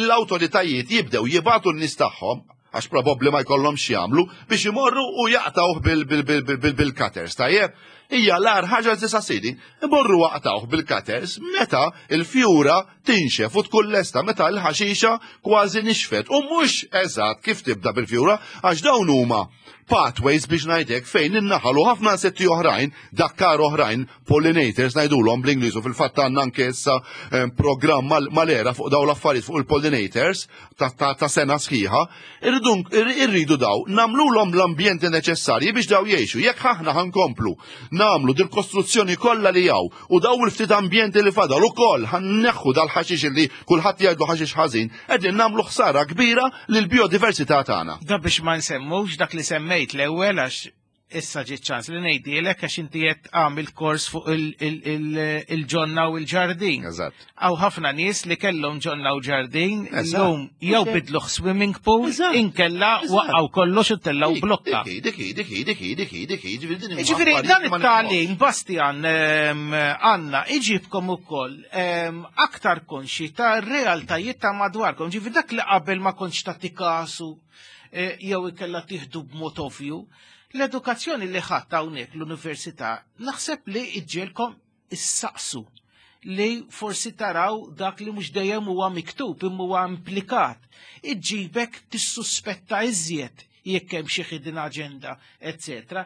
l-awtoritajiet jibdew jibagħtu n-nies tagħhom għax probabbli ma jkollhomx jagħmlu biex imorru u jaqtawh bil-cutters, tajjeb? Hija l-agħar ħaġa li tista' ssir, imorru jaqtawh bil-cutters meta il-fjura tinxef u tkun lesta meta l-ħaxixa kważi nixfet u mhux eżatt kif tibda bil-fjura għax dawn huma pathways biex ngħidlek fejn in-naħal u ħafna insetti oħrajn, dakkar oħrajn, pollinators ngħidulhom bl-Ingliż u fil-fatt għandna anke issa eh, programm mal-era fuq daw l-affarijiet fuq il-pollinators ta', ta, ta' sena sħiħa, irridu irridu daw nagħmluhom l-ambjenti neċessarji biex daw jgħixu. Jekk aħna ħa nkomplu Nagħmlu dil-kostruzzjoni kollha li hawn u daw il-ftit ambjenti li fadal ukoll ħa nneħħu dal-ħaxix li kulħadd jgħidlu ħaxix ħażin, qegħdin nagħmlu ħsara kbira lill-biodiversità tagħna. Da biex ma nsemmux dak li semmejt l-ewwel, għax issa ġiet ċans li ngħidilek, għax inti qed għamil kors fuq il-ġonna u l-ġardin. Eżatt. Hawn ħafna nies li kellhom ġonna u ġardin, Eżatt. illum jew bidluh swimming pool, Eżatt. inkella Eżatt. waqgħu kollox u tellgħu blokka. Dik, dik, dik, dik, dik, dik, ġifieri din huma Ġifieri, affarijiet dan li ma it-tagħlim, Bastian, ehm, Anna, iġibkom ukoll ehm, aktar konxi ta' realtajiet ta' madwarkom. Ġifieri dak li qabel ma kontx tagħti kasu eh, jew ikella tieħdu b'mod ovvju. L-edukazzjoni li ħadd hawnhekk l-università naħseb li iġġielkom issaqsu li forsi taraw dak li mhux dejjem huwa miktub imma huwa implikat. Iġġibek tissuspetta iżjed jekk hemm xi hidden agenda, eccetera.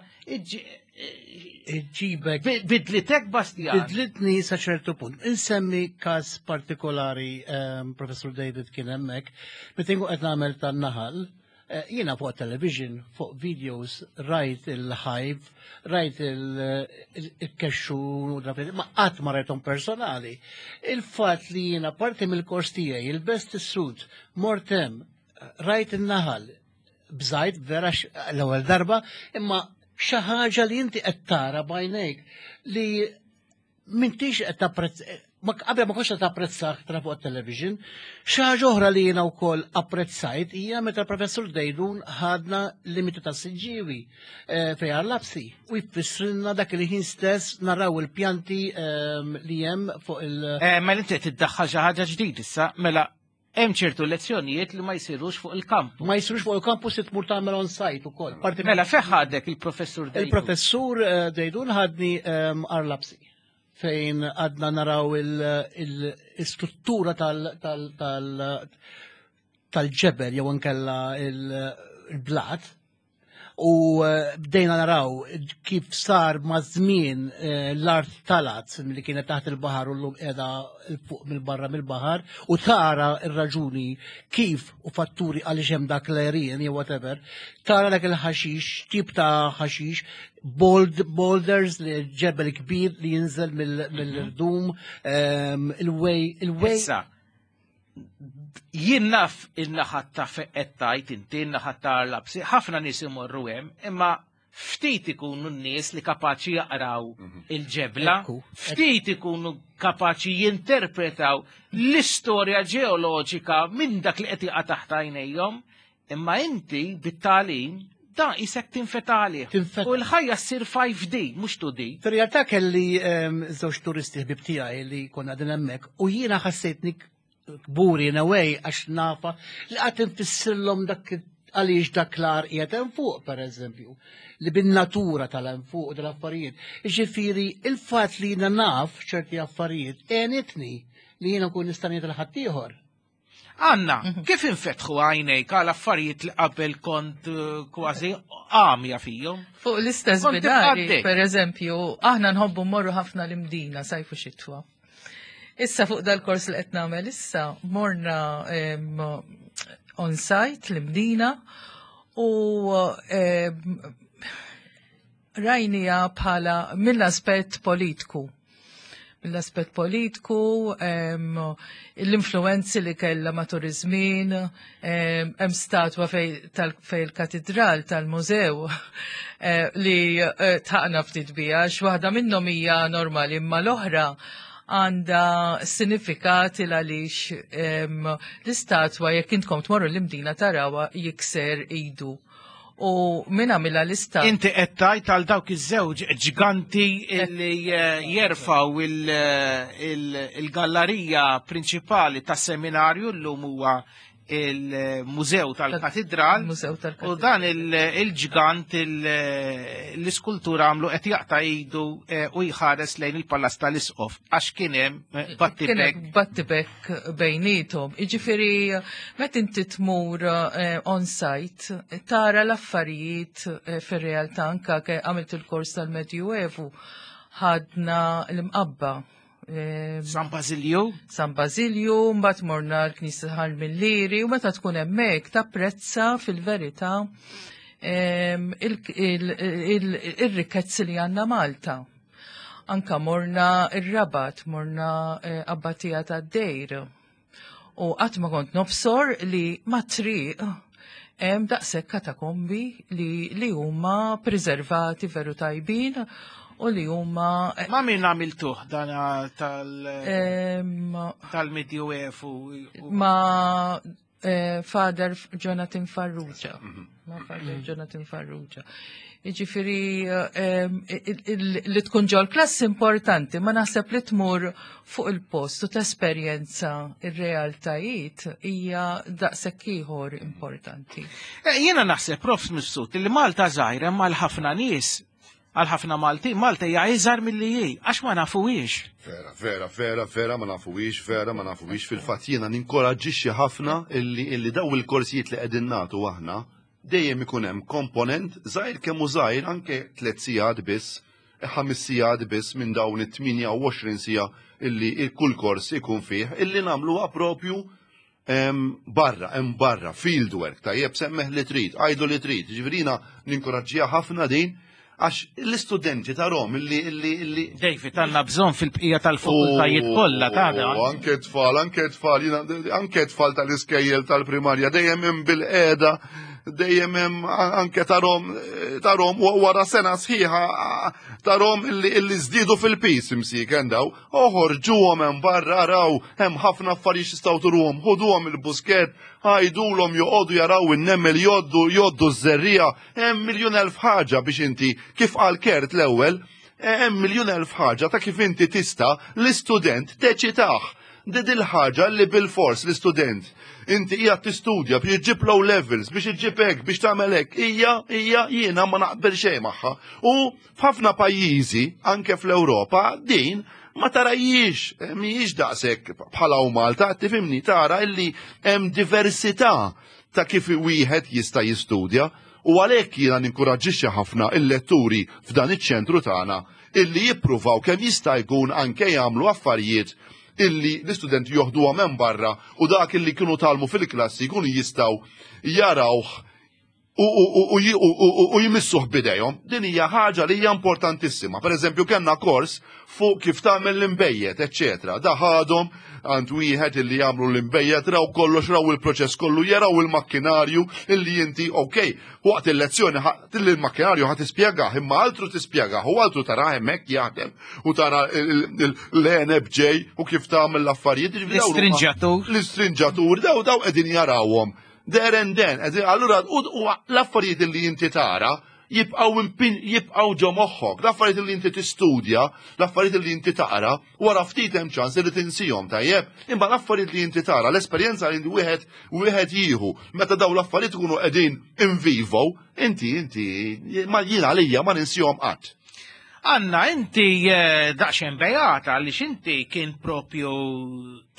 Iġġibek. Bidlitek, Bastian? Bidlitni sa ċertu punt. Insemmi każ partikolari, ehm, Professor David kien hemmhekk, meta nkun qed nagħmel tan-naħal, eh, jiena fuq television, fuq videos, rajt il-hive, rajt il-kexxu, ma qatt ma rajthom personali. Il-fatt li jiena parti mill-kors tiegħi, il-best suit, mort hemm, rajt il-naħal, bżajt vera l-ewwel darba, imma xi ħaġa li inti qed tara b'għajnejk li m'intix qed tapprezz ma qabel ma kontx qed tapprezzah tra fuq television. Xi ħaġa oħra li jiena wkoll apprezzajt hija meta Professur Dejdun ħadna limiti ta' Siġġiewi eh, fejn Lapsi u jfissrilna dak li ħin stess naraw il-pjanti ehm, li hemm fuq il- Eh, Mela inti qed tiddaħħal xi ħaġa ġdid issa, mela hemm ċertu lezzjonijiet li ma jsirux fuq il-kamp. Ma jsirux fuq il-campus, tmur tagħmel on site ukoll. Parti Mela fejn ħadek il-professur Dejdun? Il-professur eh, Dejdun ħadni ehm, Għar Lapsi fejn għadna naraw il-struttura tal-ġebel jew nkella il-blat u eh, bdejna naraw kif sar ma' żmien eh, l-art talat li kienet taħt il-baħar u llum qiegħda fuq mill-barra mill-baħar u tara ir-raġuni kif u fatturi għaliex hemm dak l-għerien jew whatever, tara dak il-ħaxix, tip ta' ħaxix, bold, boulders li ġebel kbir li jinżel mill-irdum, ehm, il-way, il-way. Issa, jien naf il-naħat ta' feqet tajt inti, il-naħat ta' Lapsi, ħafna nies imorru hemm, imma ftit ikunu n-nies li kapaċi jaqraw il-ġebla, Ekku. ftit ikunu kapaċi jinterpretaw l-istorja ġeoloġika minn dak li qed jaqa' taħt għajnejhom, imma inti bit-tagħlim da isek tinfeta għalih. Tinfeta. U l-ħajja ssir five D, mhux two D. Fir-realtà kelli ehm, żewġ turisti ħbib tiegħi li konna qegħdin hemmhekk u jiena ħassejtni kburi in a way għax nafa li qatt infissirlhom dak għaliex dak l-għar qiegħed hemm fuq, pereżempju, li bin-natura tal-hemm fuq u dal-affarijiet. Ġifieri il-fatt li jiena naf ċerti affarijiet għenitni li jiena nkun nista' ngħid lil ħaddieħor. Anna, kif infetħu għajnejk għal affarijiet li qabel kont eh, kważi għamja fihom? Fuq l-istess Kont binari, tibqa' per eżempju, aħna nħobbu mmorru ħafna l-Imdina sajfu xitwa. Issa fuq dal-kors li qed nagħmel issa morna em, on site l-Imdina u em, rajnija bħala mill-aspett politiku. Mill-aspett politiku, em, l-influenzi li kella matul iż-żmien, em, hemm statwa fej, tal, fej il-katedral tal-mużew eh, li eh, taqna ftit bija, x'waħda minnhom hija normali, imma l-oħra għandha sinifikat il għaliex em, l-istatwa jekk intkom tmorru l-Imdina tarawha jikser idu. U min għamilha l-istatwa? Inti qed tgħid għal dawk iż-żewġ ġganti li eh, jerfaw il- il- il-gallerija prinċipali tas-seminarju, llum huwa il-Mużew tal-Katidral. Mużew tal-Katedral. U dan il- il-ġgant il- l-iskultura għamlu qed jaqta' idu eh, u jħares lejn il-Palast tal-Isqof għax kien hemm eh, battibek. Kien hemm battibek bejnietom. Iġifieri, meta inti tmur eh, on-site, tara l-affarijiet eh, fir-realtà. Anka ke għamilt il-kors tal-Medjuevu, ħadna l-Imqabba. Eh, San Basilju. San Basilju, mbagħad morna l-Knisja Ħal Millieri u meta tkun hemmhekk tapprezza fil-verità em, il- il- il- ir-rikkezzi li għandna Malta. Anka morna ir-Rabat, morna eh, Abbatija tad-Dejr. U qatt ma kont nobsor li mat-triq hemm daqshekk katakombi li, li huma preservati veru tajbin u li huma Ma min għamiltuh dan tal em, tal-Medjuevu? u- ma eh, Father Jonathan Farrugia. Ma Father Jonathan Farrugia. Jiġifieri eh, il- il- li tkun ġol klass importanti, ma naħseb li tmur fuq il-post u tesperjenza ir-realtajiet hija daqshekk ieħor importanti. Eh, Jiena naħseb, Prof Mifsud, li Malta żgħira imma għal ħafna nies, għal ħafna Malti, Malta hija iżgħar milli hi, għax ma nafuhiex. Vera, vera, vera, vera, ma nafuhiex, vera, ma nafuhiex. Fil-fatt jiena ninkoraġġixxi ħafna illi, illi daw il-korsijiet li qegħdin nagħtu aħna dejjem ikun hemm komponent żgħir kemm hu żgħir, anke tliet sigħat biss, ħames sigħat biss minn dawn it-tmienja u għoxrin siegħa illi kull kors ikun fih, illi nagħmluha propju em, barra, hemm barra, field work, tajjeb, semmih li trid, għajdu li trid, ġifieri jiena ninkoraġġiha ħafna din, għax l-istudenti tarahom illi illi illi David, għandna bżonn fil-bqija tal-fakultajiet kollha ta' U anke tfal, anke tfal, jiena- anke tfal tal-iskejjel tal-primarja, dejjem hemm bil-qeda, dejjem hemm anke tarahom, tarahom wara sena sħiħa, tarahom illi illi żdiedu fil-pis imsieken daw, oħorġuhom hemm barra, araw, hemm ħafna affarijiet jistgħu turuhom, ħuduhom il-Buskett, għajdulhom joqogħdu jaraw in-nemel jgħoddu jgħoddu ż-żerriegħa, hemm miljun elf ħaġa biex inti, kif qal Kurt l-ewwel, hemm miljun elf ħaġa ta' kif inti tista' l-istudent teċitah. Di dil-ħaġa li bil-fors l-istudent inti hija tistudja biex iġġib low levels, biex iġġib hekk, biex tagħmel hekk, hija hija jiena ma naqbel xejn magħha. U f'ħafna pajjiżi, anke fl-Ewropa, din ma tarahiex, eh, mhijiex daqshekk bħala u Malta, tifhimni, tara illi hemm diversità ta' kif wieħed jista' jistudja u għalhekk jiena ninkoraġġixxi ħafna il-letturi f'dan iċ-ċentru tagħna illi jippruvaw kemm jista' jkun anke jagħmlu affarijiet illi l-istudenti joħduha minn barra u dak illi kienu tgħallmu fil-klassi jkunu jistgħu jarawh u, u, u, u, u, u, u jmissuh bidejhom. Din hija ħaġa li hija importantissima. Per eżempju, kellna kors fuq kif tagħmel l-imbejjed, eċċetera. Da ħadhom għand wieħed illi jagħmlu l-imbejjed, raw kollox, raw il-proċess kollu, jaraw il-makkinarju illi inti, ok, waqt il-lezzjoni il-makkinarju ħa tispjegah, imma altru tispjegah, u altru tara hemmhekk jaħdem u tara l-għeneb ġej u kif tagħmel l-affarijiet. Ġifieri dawn huma- L-istrinġatur. L-istrinġatur, daw daw qegħdin jarawhom. There and then, qegħdin- allura u u l-affarijiet li inti tara jibqaw impin, jibqaw ġo moħħok, l-affarijiet li inti tistudja, l-affarijiet li inti taqra, wara ftit hemm ċans li tinsihom, tajjeb. Imma l-affarijiet li inti tara, l-esperjenza li wieħed wieħed jieħu, meta daw l-affarijiet ikunu qegħdin in vivo, inti inti ma jiena għalija ma ninsihom qatt. Anna, inti eh, daqsxejn bejata għaliex inti kien propju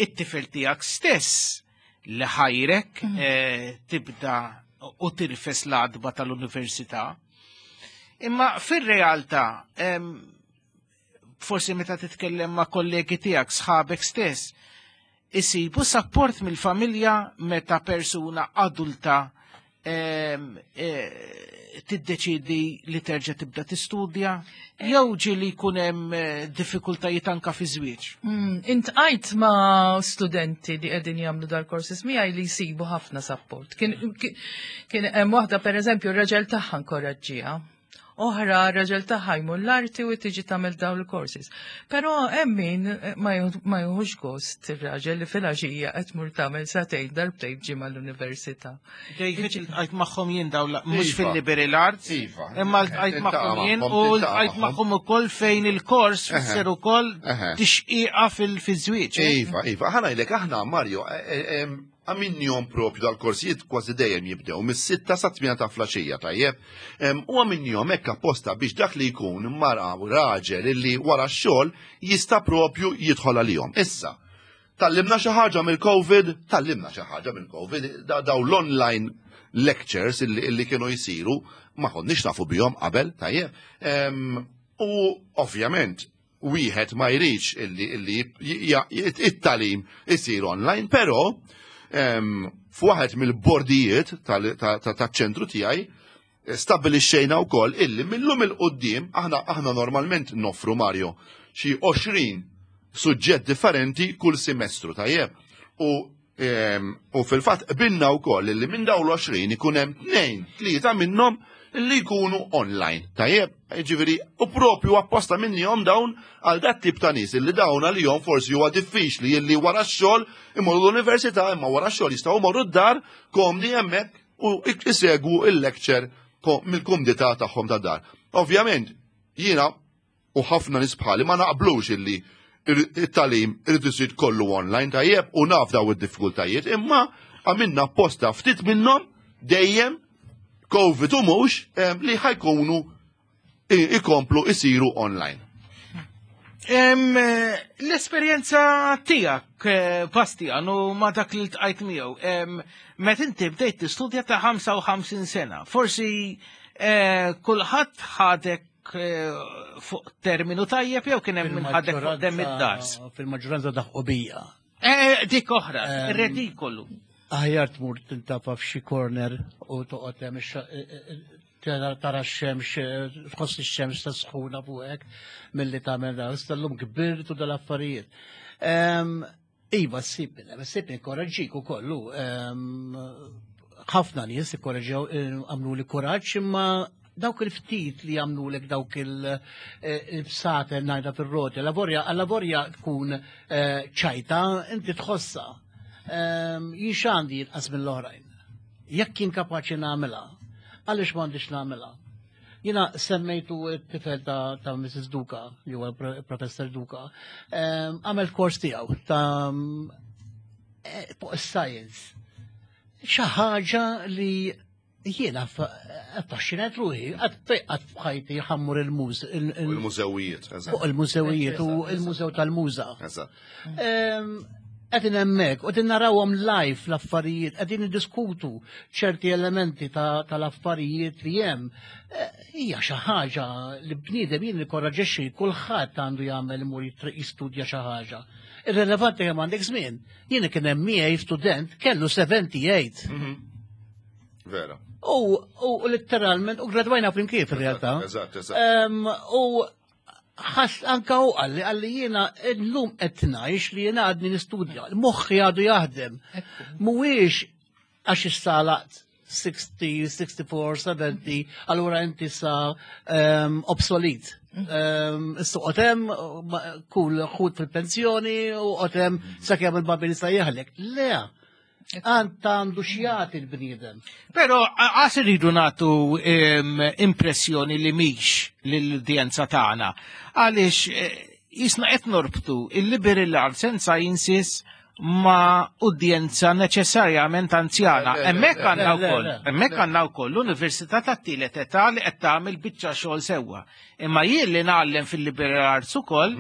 it-tifel tiegħek stess li ħajrek eh, tibda u tirfes l-għatba tal-università. Imma fir-realtà, em, forsi meta titkellem ma' kollegi tiegħek, sħabek stess, isibu support mill-familja meta persuna adulta em, eh, tiddeċidi li terġa' tibda tistudja, jew ġieli jkun hemm eh, diffikultajiet anka fi żwieġ? Mm, Iltqajt ma' studenti li qegħdin jagħmlu dal-courses miegħi li jsibu ħafna support. Kien kien hemm waħda, pereżempju, r-raġel tagħha nkoraġġiha. Oħra, r-raġel tagħha jmur l-arti u tiġi tagħmel dawn il-courses. Però hemm min ma jieħu- ma jieħux gost ir-raġel li filgħaxija qed tmur tagħmel sagħtejn darbtejn ġimgħa l-università. David, iltqajt magħhom jien daw la- mhux Iva. fil-liberal arts, Iva. imma ltqajt Tiltaqa' magħhom jien magħhom, u tiltaqa' ltqajt magħhom. magħhom ukoll fejn il-kors Eħe. fisser ukoll Eħe. tixqiqa fil-żwieġ. eh? Iva, Iva, ħa ngħidlek aħna, Mario, għamilnihom propju dal-korsijiet kważi dejjem jibdew mis-sitta sa tmienja ta' filgħaxija, tajjeb. Em, U għamilnihom hekk apposta biex dak li jkun mara u raġel illi wara x-xogħol jista' propju jidħol għalihom. Issa, tgħallimna xi ħaġa mill-Covid, tgħallimna xi ħaġa mill-Covid, da- daw l-online lectures illi, illi kienu jisiru, ma konniex nafu bihom qabel, tajjeb. Em, U ovvjament, wieħed ma jridx illi, illi j- j- it-tagħlim isir online, però em, f'waħed mill-bordijiet tal- ta- ta- taċ-ċentru tiegħi Stabilixxejna wkoll illi millum 'il quddiem aħna aħna normalment noffru, Mario, xi għoxrin suġġett differenti kull semestru, tajjeb. U ehm, u fil-fatt qbilna wkoll illi minn dawn l-għoxrin ikun hemm tnejn, tlieta minnhom li jkunu online. Tajjeb, ġifieri, u propju apposta minnihom dawn għal dat tip ta' nies illi dawn għalihom forsi huwa diffiċli illi wara x-xogħol imorru l-università, imma wara x-xogħol jistgħu jmorru d-dar komdi hemmhekk u isegwu il-lecture mill-kumdità tagħhom ta' dar. Ovvjament, jiena u ħafna nies bħali ma naqblux illi it-tagħlim irid isir kollu online, tajjeb, u naf daw id-diffikultajiet, imma għamilna apposta ftit minnhom dejjem, COVID u mhux, li ħa jkunu ikomplu isiru online. L-esperjenza tiegħek, eh, Bastian, u ma dak li ltqajt miegħu, meta inti bdejt tistudja ta' ħamsa u ħamsin sena, forsi eh, kulħadd ħadek eh, fuq terminu tajjeb jew kien hemm min ħadek fuq demm id-dars? Fil-maġġoranza daħqu bija. Dik oħra, redikolu. Aħjar tmur tintafa f'xi corner u toqgħod hemm tara x-xemx, tħoss ix-xemx ta' sħuna fuqek milli tagħmel dan. Issa llum kbirtu dal-affarijiet. Iva, ssib, ssib inkoraġġik ukollu. Ħafna nies ikkoraġġew, għamlu li kuraġġ, imma dawk il-ftit li għamlu dawk il-bsaten ngħidha fil-roti, lavorja, lavorja tkun ċajta, inti tħossa. Jien x'għandi inqas mill-oħrajn? Jekk jien kapaċi nagħmilha, għaliex m'għandix nagħmilha? Jiena semmejtu t-tifel ta', ta Missus Duka, li huwa Professor Duka, għamel kors tiegħu ta' fuq science. Xi ħaġa li jiena affaxxinat ruħi, qatt f'ħajti ħa mmur il-muż. Il-mużewijiet. Fuq il-mużewijiet u il-mużew tal-muża. Qegħdin hemmhekk, u qegħdin narawhom live l-affarijiet, qegħdin niddiskutu ċerti elementi tal-affarijiet li hemm. Hija xi ħaġa li bniedem jien nikkoraġġixxi kulħadd għandu jagħmel imur jistudja xi ħaġa. Irrelevanti kemm għandek żmien. Jien kien hemm miegħi student kellu sebgħa u sebgħin. Vera. U, u letteralment, u gradwajna flimkien fil-realtà. Eżatt, eżatt. U ħass anka u qalli, qalli jiena llum qed ngħix li jiena għadni nistudja, moħħi għadu jaħdem. Mhuwiex għax issa għalaqt sittin, sitta u sittin, sebgħin, allura inti sa um, obsolet. Um, Issa qotem, kull ħut fil-pensjoni u qotem sakemm il-babi nista' jeħlek. Le, għand għandu x'jagħti l-bniedem. Pero għas irridu nagħtu impressjoni li mhix lill-udjenza tagħna. Għaliex eh, jisna qed norbtu il-liberal arts and sciences ma' udjenza neċessarjament anzjana. Hemmhekk għandna wkoll, hemmhekk għandna wkoll l-Università tat-tielet età li qed tagħmel biċċa xogħol sewwa. Imma jien li ngħallem fil-liberal arts ukoll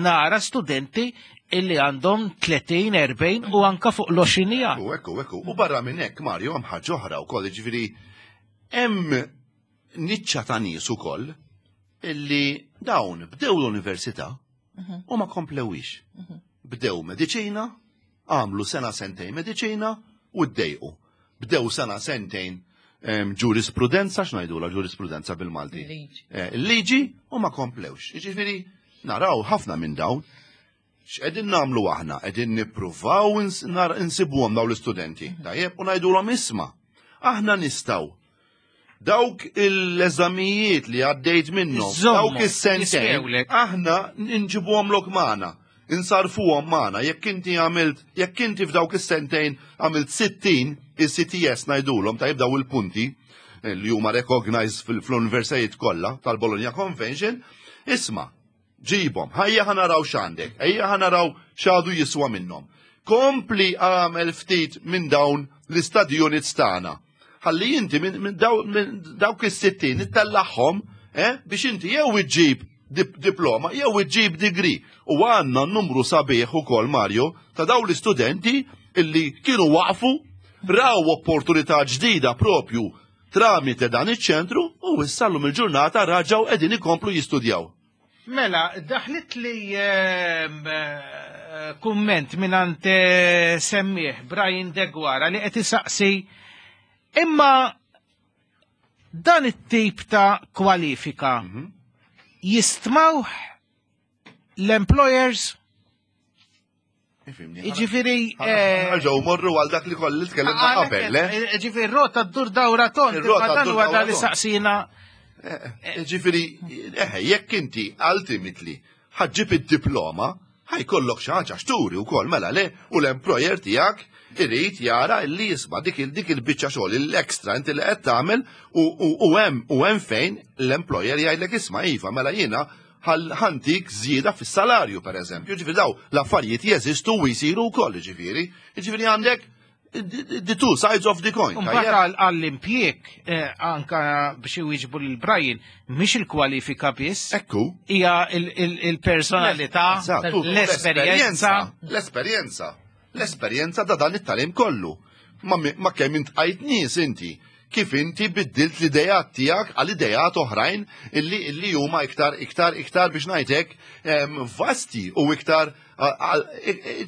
nara studenti illi għandhom tletin, erbgħin u anka fuq l-għoxrin. U ekku, ekku. U barra minn hekk, Mario, hemm ħaġa oħra wkoll, ġifieri hemm niċċa ta' nies ukoll illi dawn bdew l-università u ma komplewix. Bdew mediċina, għamlu sena sentejn mediċina u ddejqu. Bdew sena sentejn ġurisprudenza, x'ngħidula ġurisprudenza bil-Malti? Il-liġi, u ma komplewx. Ġifieri, naraw ħafna minn dawn. X'qegħdin nagħmlu aħna? Qegħdin nippruvaw insibuhom dawn l-istudenti. Tajjeb, u ngħidulhom: isma', aħna nistgħu dawk l-eżamijiet li għaddejt minnhom, dawk is-sentejn, aħna nġibuhom lok magħna, insarfuhom magħna. Jekk inti għamilt, jekk inti f'dawk is-sentejn għamilt sittin il-E C T S ngħidulhom, tajjeb, daw il-punti eh, li huma recognized fl-universitajiet kollha tal-Bologna Convention, isma', ġibhom, ħajja ħa naraw x'għandek, ejja ħa naraw x'għadu jiswa minnhom. Kompli għamel ftit minn dawn l-study units tagħna. Ħalli inti minn dawk is-sittin ittellagħhom eh, biex inti jew iġġib diploma jew iġġib degree. U għandna numru sabiħ ukoll, Mario, ta' dawn l-istudenti illi kienu waqfu, raw opportunità ġdida propju tramite dan iċ-ċentru u issa llum il-ġurnata reġgħu qegħdin ikomplu jistudjaw. Mela, daħlit li ehm, eh, kumment minn eh, semmiegħ Brian Deguara li qed isaqsi imma Dan it-tip ta' kwalifika jistmawh l-employers? Ifhimni. Iġifieri, eh, Ġew morru għal dak li kolli tkellimna qabel, le? Ġifieri, rota ddur dawra tond, Ir-rota imma dan ddur huwa dawra dan li tond. saqsina. Ġifieri, eħe, jekk inti ultimately ħa ġġib id-diploma, ħa jkollok xi ħaġa x'turi wkoll, mela le, u l-employer tiegħek irid jara li jisma' dik il dik il-biċċa xogħol l-extra inti li qed tagħmel u u hemm u hemm fejn l-employer jgħidlek, "Isma' iva, mela jiena ħa ntik żieda fis-salarju", per eżempju. Ġifieri daw l-affarijiet jeżistu u jsiru wkoll ġifieri. Ġifieri għandek the two sides of the coin. Mbagħad għall-impjieg, eh, anka biex iwieġbu lil Brian, mhix il-kwalifika biss. Ekku. Hija il-personalità, l-esperjenza. L-esperjenza. L-esperjenza da dan it-tagħlim kollu. Ma kemm int għajt nies inti, kif inti biddilt l-idejat tiegħek għal idejat oħrajn illi illi huma iktar iktar iktar biex ngħidlek vasti u iktar,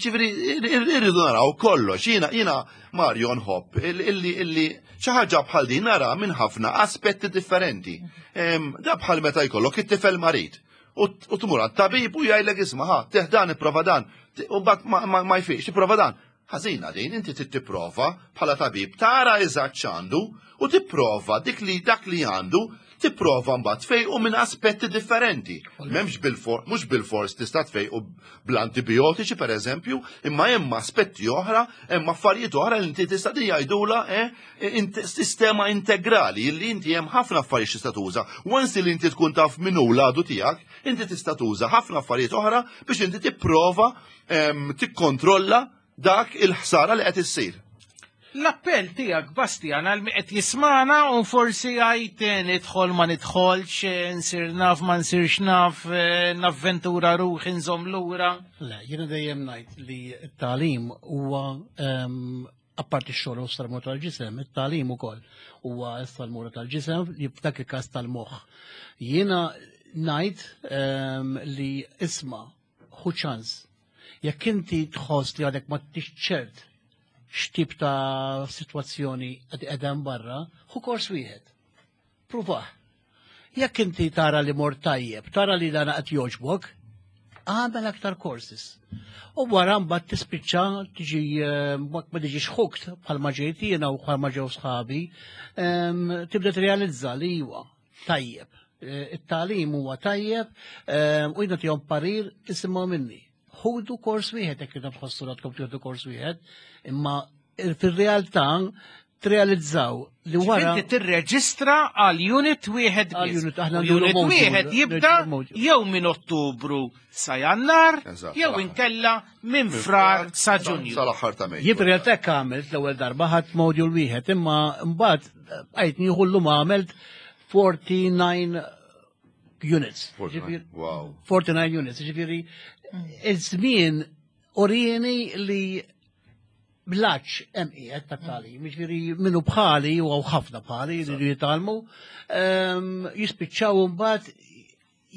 ġifieri irridu naraw kollox. Jiena jiena Mario nħobb illi illi xi ħaġa bħal din nara minn ħafna aspetti differenti. Da bħal meta jkollok it-tifel marid u tmur għat-tabib u jgħidlek, "Isma' ħa, tih dan, ipprova dan", u mbagħad ma jfiqx, tipprova dan. Ħażina din, inti trid tipprova bħala tabib tara eżatt x'għandu u tipprova dik li dak li għandu, tipprova mbagħad tfejqu minn aspetti differenti. M'hemmx bil-for, mhux bil-fors tista' tfejqu bl-antibiotiċi pereżempju, imma hemm aspetti oħra, hemm affarijiet oħra li inti tista' jgħidula eh, sistema integrali li inti hemm ħafna affarijiet tista' tuża. Once li inti tkun taf min hu l-għadu tiegħek, inti tista' tuża ħafna affarijiet oħra biex inti tipprova tikkontrolla dak il-ħsara li qed issir. L-appell tiegħek, Bastian, għal qed jismana u forsi għajt nidħol ma nidħolx, nsir naf ma nsirx naf, navventura ruħi, nżomm lura. Le, jiena dejjem ngħid li t-tagħlim huwa, apparti x-xogħol u s-salmura tal-ġisem, it-tagħlim ukoll huwa s-salmura tal-ġisem li f'dak il-każ tal-moħħ. Jiena ngħid li isma', ħu ċans. Jekk inti tħoss li għadek ma ċert x'tip ta' sitwazzjoni qed qegħdem barra, ħu kors wieħed. Pruvah. Jekk inti tara li mort tajjeb, tara li dana qed jogħġbok, għamel aktar courses. U wara mbagħad tispiċċa tiġi eh, ma tiġix hooked bħalma ġejt jiena u bħalma ġew sħabi, em, tibda tirrealizza li huwa tajjeb. Eh, It-tagħlim huwa tajjeb em, u jiena tihom parir, isimgħu minni. Ħudu kors wieħed jekk intom tħossu għadkom tieħdu kors wieħed, imma fir-realtà trealizzaw li wara Inti tirreġistra għal unit wieħed Għal biss. unit, aħna U nduru unit module, wieħed jibda nduru module. jew minn Ottubru sa Jannar, Eżatt, jew sal-aħħar. inkella minn Frar sa Ġunju. Sal-aħħar ta' Mejju. Jien fir-realtà hekk għamilt l-ewwel darba, ħadt module wieħed, imma mbagħad għajt nieħu llum għamilt forty-nine units. forty-nine, Ġifieri- wow. forty-nine units, ġifieri iż-żmien orieni li blaċ hemm qiegħed tat-tagħlim, ġifieri minnu bħali u hawn ħafna bħali li jridu jitgħallmu, ehm, jispiċċaw mbagħad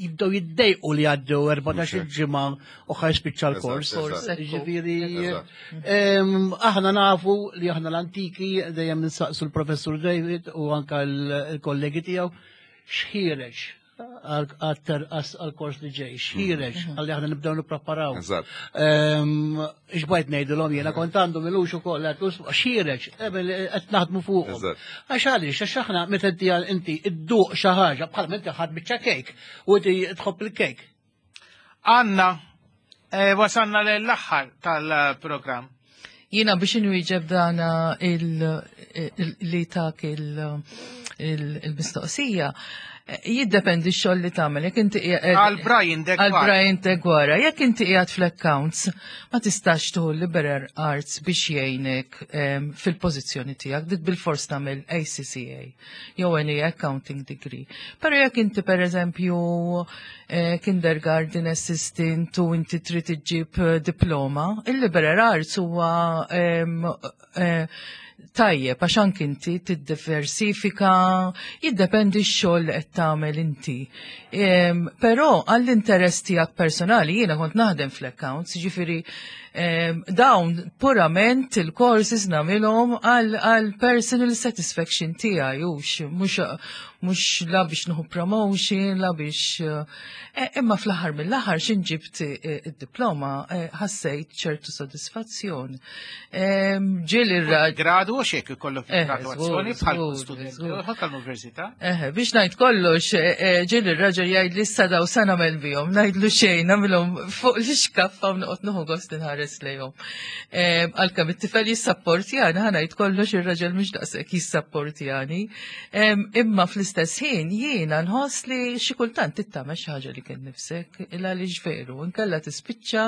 jibdew jiddejqu li għaddew erbatax-il ġimgħa u ħa jispiċċa l-kors. Eżatt, eżatt. Ġifieri Eżatt. ehm, aħna nafu li aħna l-antiki dejjem ninsaqsu l-professur David u anka l-kollegi tiegħu x'ħiereġ għal-kors li ġej, x'ħiereġ għalli aħna nibdew nippreparaw. Eżatt. Ixbajt ngħidilhom jiena kont għandu milux ukoll għedtlu, "X'ħiereġ, qed naħdmu fuqhom." Eżatt. Għax għaliex, għax aħna meta inti inti idduq xi ħaġa bħal meta ħadd biċċa kejk u inti tħobb il-kejk. Anna, eh, wasanna l-aħħar tal-programm. Jiena biex inwieġeb dana il- il- li tak il- il- il-mistoqsija, eh, jiddependi x-xogħol li tagħmel. Jekk inti qiegħed- Għal Brian Deguara. Għal Brian Deguara. Jekk inti qiegħed fl-accounts, ma tistax tieħu liberal arts biex jgħinek em, fil-pożizzjoni tiegħek, dik bil-fors tagħmel A C C A jew any accounting degree. Però jekk inti pereżempju eh, kindergarten assistant u inti trid iġġib eh, diploma, il-liberal arts huwa em, eh, tajjeb għax anki inti tiddiversifika, jiddependi x-xogħol li qed tagħmel inti. Em, Però għall-interess tiegħek personali, jiena kont naħdem fl-accounts, ġifieri Dawn purament il-courses nagħmilhom għal personal satisfaction tiegħi, hux mhux la biex nieħu promotion, la biex imma fl-aħħar mill-aħħar x'in ġibt id-diploma ħassejt ċertu sodisfazzjon. Ġieli r Gradu u xek ikollok graduazzjoni bħal studenti tal-università. Biex ngħid kollox, ġieli r-raġel jgħid li issa daw sa nagħmel bihom, ngħidlu xejn, nagħmilhom fuq l-ixkaffa u noqgħod nieħu gost inħares lejhom. Għalkemm it-tifel jissapportjani, ħa ngħid kollox ir-raġel mhux daqshekk jissapportjani. Imma fl-istess ħin jiena nħoss li xi kultant tittamel xi ħaġa li kien nifsek, illa li veru, inkella tispiċċa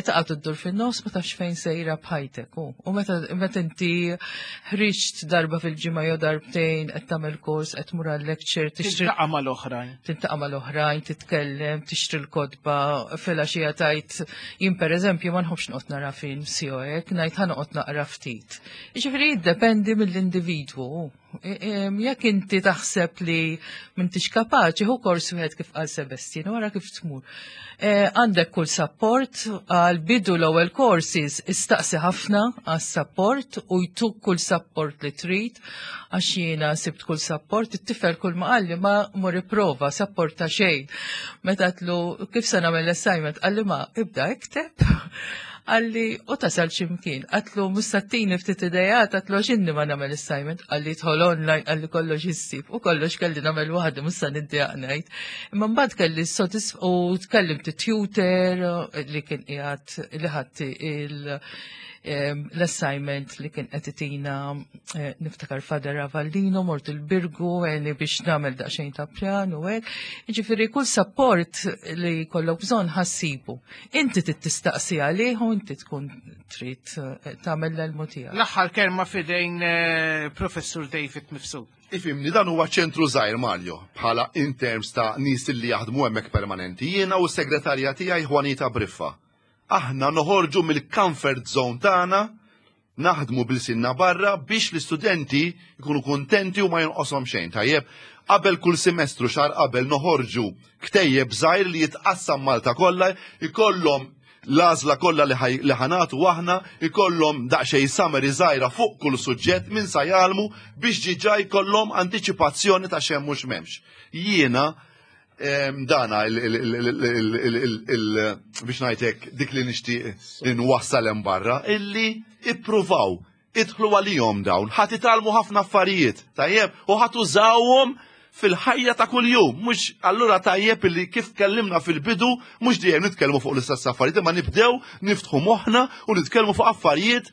taqa' ddur fin-nofs ma tafx fejn sejra b'ħajtek. U meta inti ħriġt darba fil-ġimgħa jew darbtejn qed tagħmel kors, qed tmur għal-lecture, tixtri Tiltaqa' mal-oħrajn. Tiltaqa' mal-oħrajn, titkellem, tixtri l-kotba, filgħaxija tajt jien pereżempju ma nħobbx noqgħod nara films jew hekk, ngħid ħa noqgħod naqra ftit. Jiġifieri jiddependi mill-individwu. Jekk inti taħseb li m'intix kapaċi, ħu kors wieħed kif qal Sebastian, wara kif tmur. Għandek kull support, għal bidu l-ewwel courses istaqsi ħafna għas support u jtuk kull support li trid, għax jiena sibt kull support, it-tifel kull ma qalli ma mur ipprova support ta' xejn. Meta tlu kif se nagħmel l-assignment, qalli ma ibda ikteb. Qalli, u tasal ximkien, għatlu mustattini ftit idejat, għatlu xinni ma nagħmel assignment, qalli tħol online, qalli kollox issib, u kollox kelli nagħmel waħda musta niddejaq ngħid. Imma mbagħad kelli sodisf u tkellimt tutor li kien qiegħed li ħadd il- l-assignment li kien qed itina niftakar Father Avallino, mort il-Birgu, għeni biex nagħmel daqsxejn ta' pjan u hekk. Jiġifieri kull support li jkollok bżonn ħassibu. Inti trid tistaqsi għalih u inti tkun trid tagħmel l-elmu tiegħek. L-aħħar kelma fidejn Professur David Mifsud. Ifimni, dan huwa ċentru żgħir Mario, bħala in terms ta' nies li jaħdmu hemmhekk permanenti. Jiena u s-segretarja tiegħi Juanita Briffa. Aħna noħorġu mill-comfort zone tagħna, naħdmu bil-sinna barra biex l-istudenti jkunu kontenti u ma jonqoshom xejn. Tajjeb, qabel kull semestru xahar qabel noħorġu ktejjeb żgħir li jitqassam Malta kollha, ikollhom l-għażla kollha li ħanatu aħna, ikollhom daqsxejn summary żgħira fuq kull suġġett minn sa jgħallmu biex ġiġa jkollhom antiċipazzjoni ta' xemm mhux m'hemmx. Jiena dana biex ngħidlek dik li nixtieq li nwassal hemm barra illi ippruvaw idħlu għalihom dawn, ħadd itgħallmu ħafna affarijiet, tajjeb, u ħadd użawhom fil-ħajja ta' kuljum, mhux allura tajjeb illi kif kellimna fil-bidu, mhux dejjem nitkellmu fuq l-istess affarijiet, imma nibdew niftħu moħħna u nitkellmu fuq affarijiet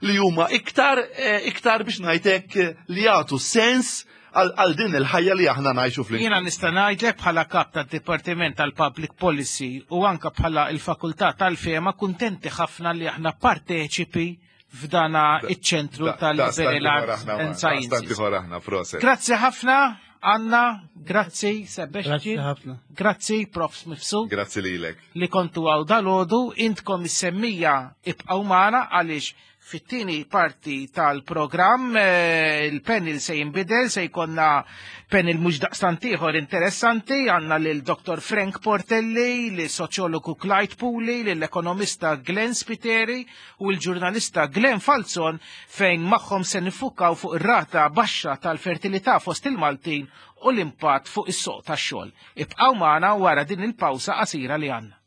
li huma iktar iktar biex ngħidlek li jagħtu sens għal din il-ħajja li aħna ngħixu fl. Jiena nista' ngħidlek bħala kap tad-Dipartiment tal-Public Policy u anka bħala il-Fakultà tal-Fema kuntenti ħafna li aħna parteċipi f'dana iċ-ċentru tal-Liberal Arts and Sciences. Grazzi ħafna, Anna, grazzi Sebastian, grazzi Prof Mifsud. Grazzi lilek. Li kontu għaw dal-għodu, intkom is-semmija ibqgħu magħna għaliex fit-tieni parti tal-programm il-panel se jinbidel, se jkollna panel mhux daqstant ieħor interessanti, għandna lil Doktor Frank Portelli, lil soċjologu Clyde Puli, lill-ekonomista Glenn Spiteri u l-ġurnalista Glenn Falzon, fejn magħhom se nifukaw fuq ir-rata baxxa tal-fertilità fost il-Maltin u l-impatt fuq is-soq tax-xogħol. Ibqgħu magħna wara din il-pawsa qasira li għandna.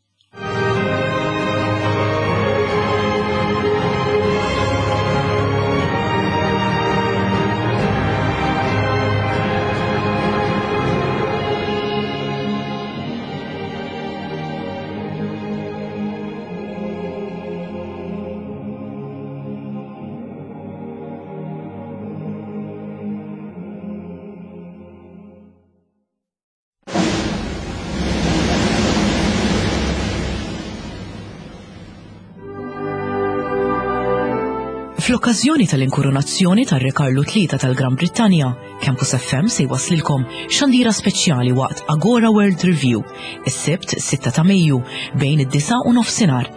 Fl-okkażjoni tal-inkoronazzjoni tar-Re Karlu tlieta tal-Gran Brittanja, Campus F M se jwaslilkom xandira speċjali waqt Agora World Review, is-Sibt sitta ta' Mejju bejn id-disa u nofsinhar.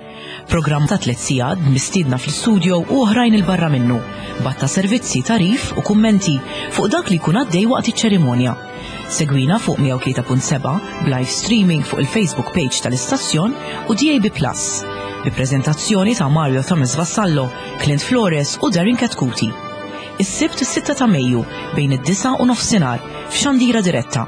Programm ta' tliet sigħat mistiedna fl-istudio u oħrajn il-barra minnu, batta servizzi, tarif u kummenti fuq dak li jkun għaddej waqt iċ-ċerimonja. Segwina fuq mija u tlieta punt seba' b'live streaming fuq il-Facebook page tal-istazzjon u D A B Plus. bi preżentazzjoni ta' Mario Thomas Vassallo, Clint Flores u Darren Chetcuti. Is-Sibt is-sitta ta' Mejju bejn id-disgħa u nofsinhar f'Xandira Diretta.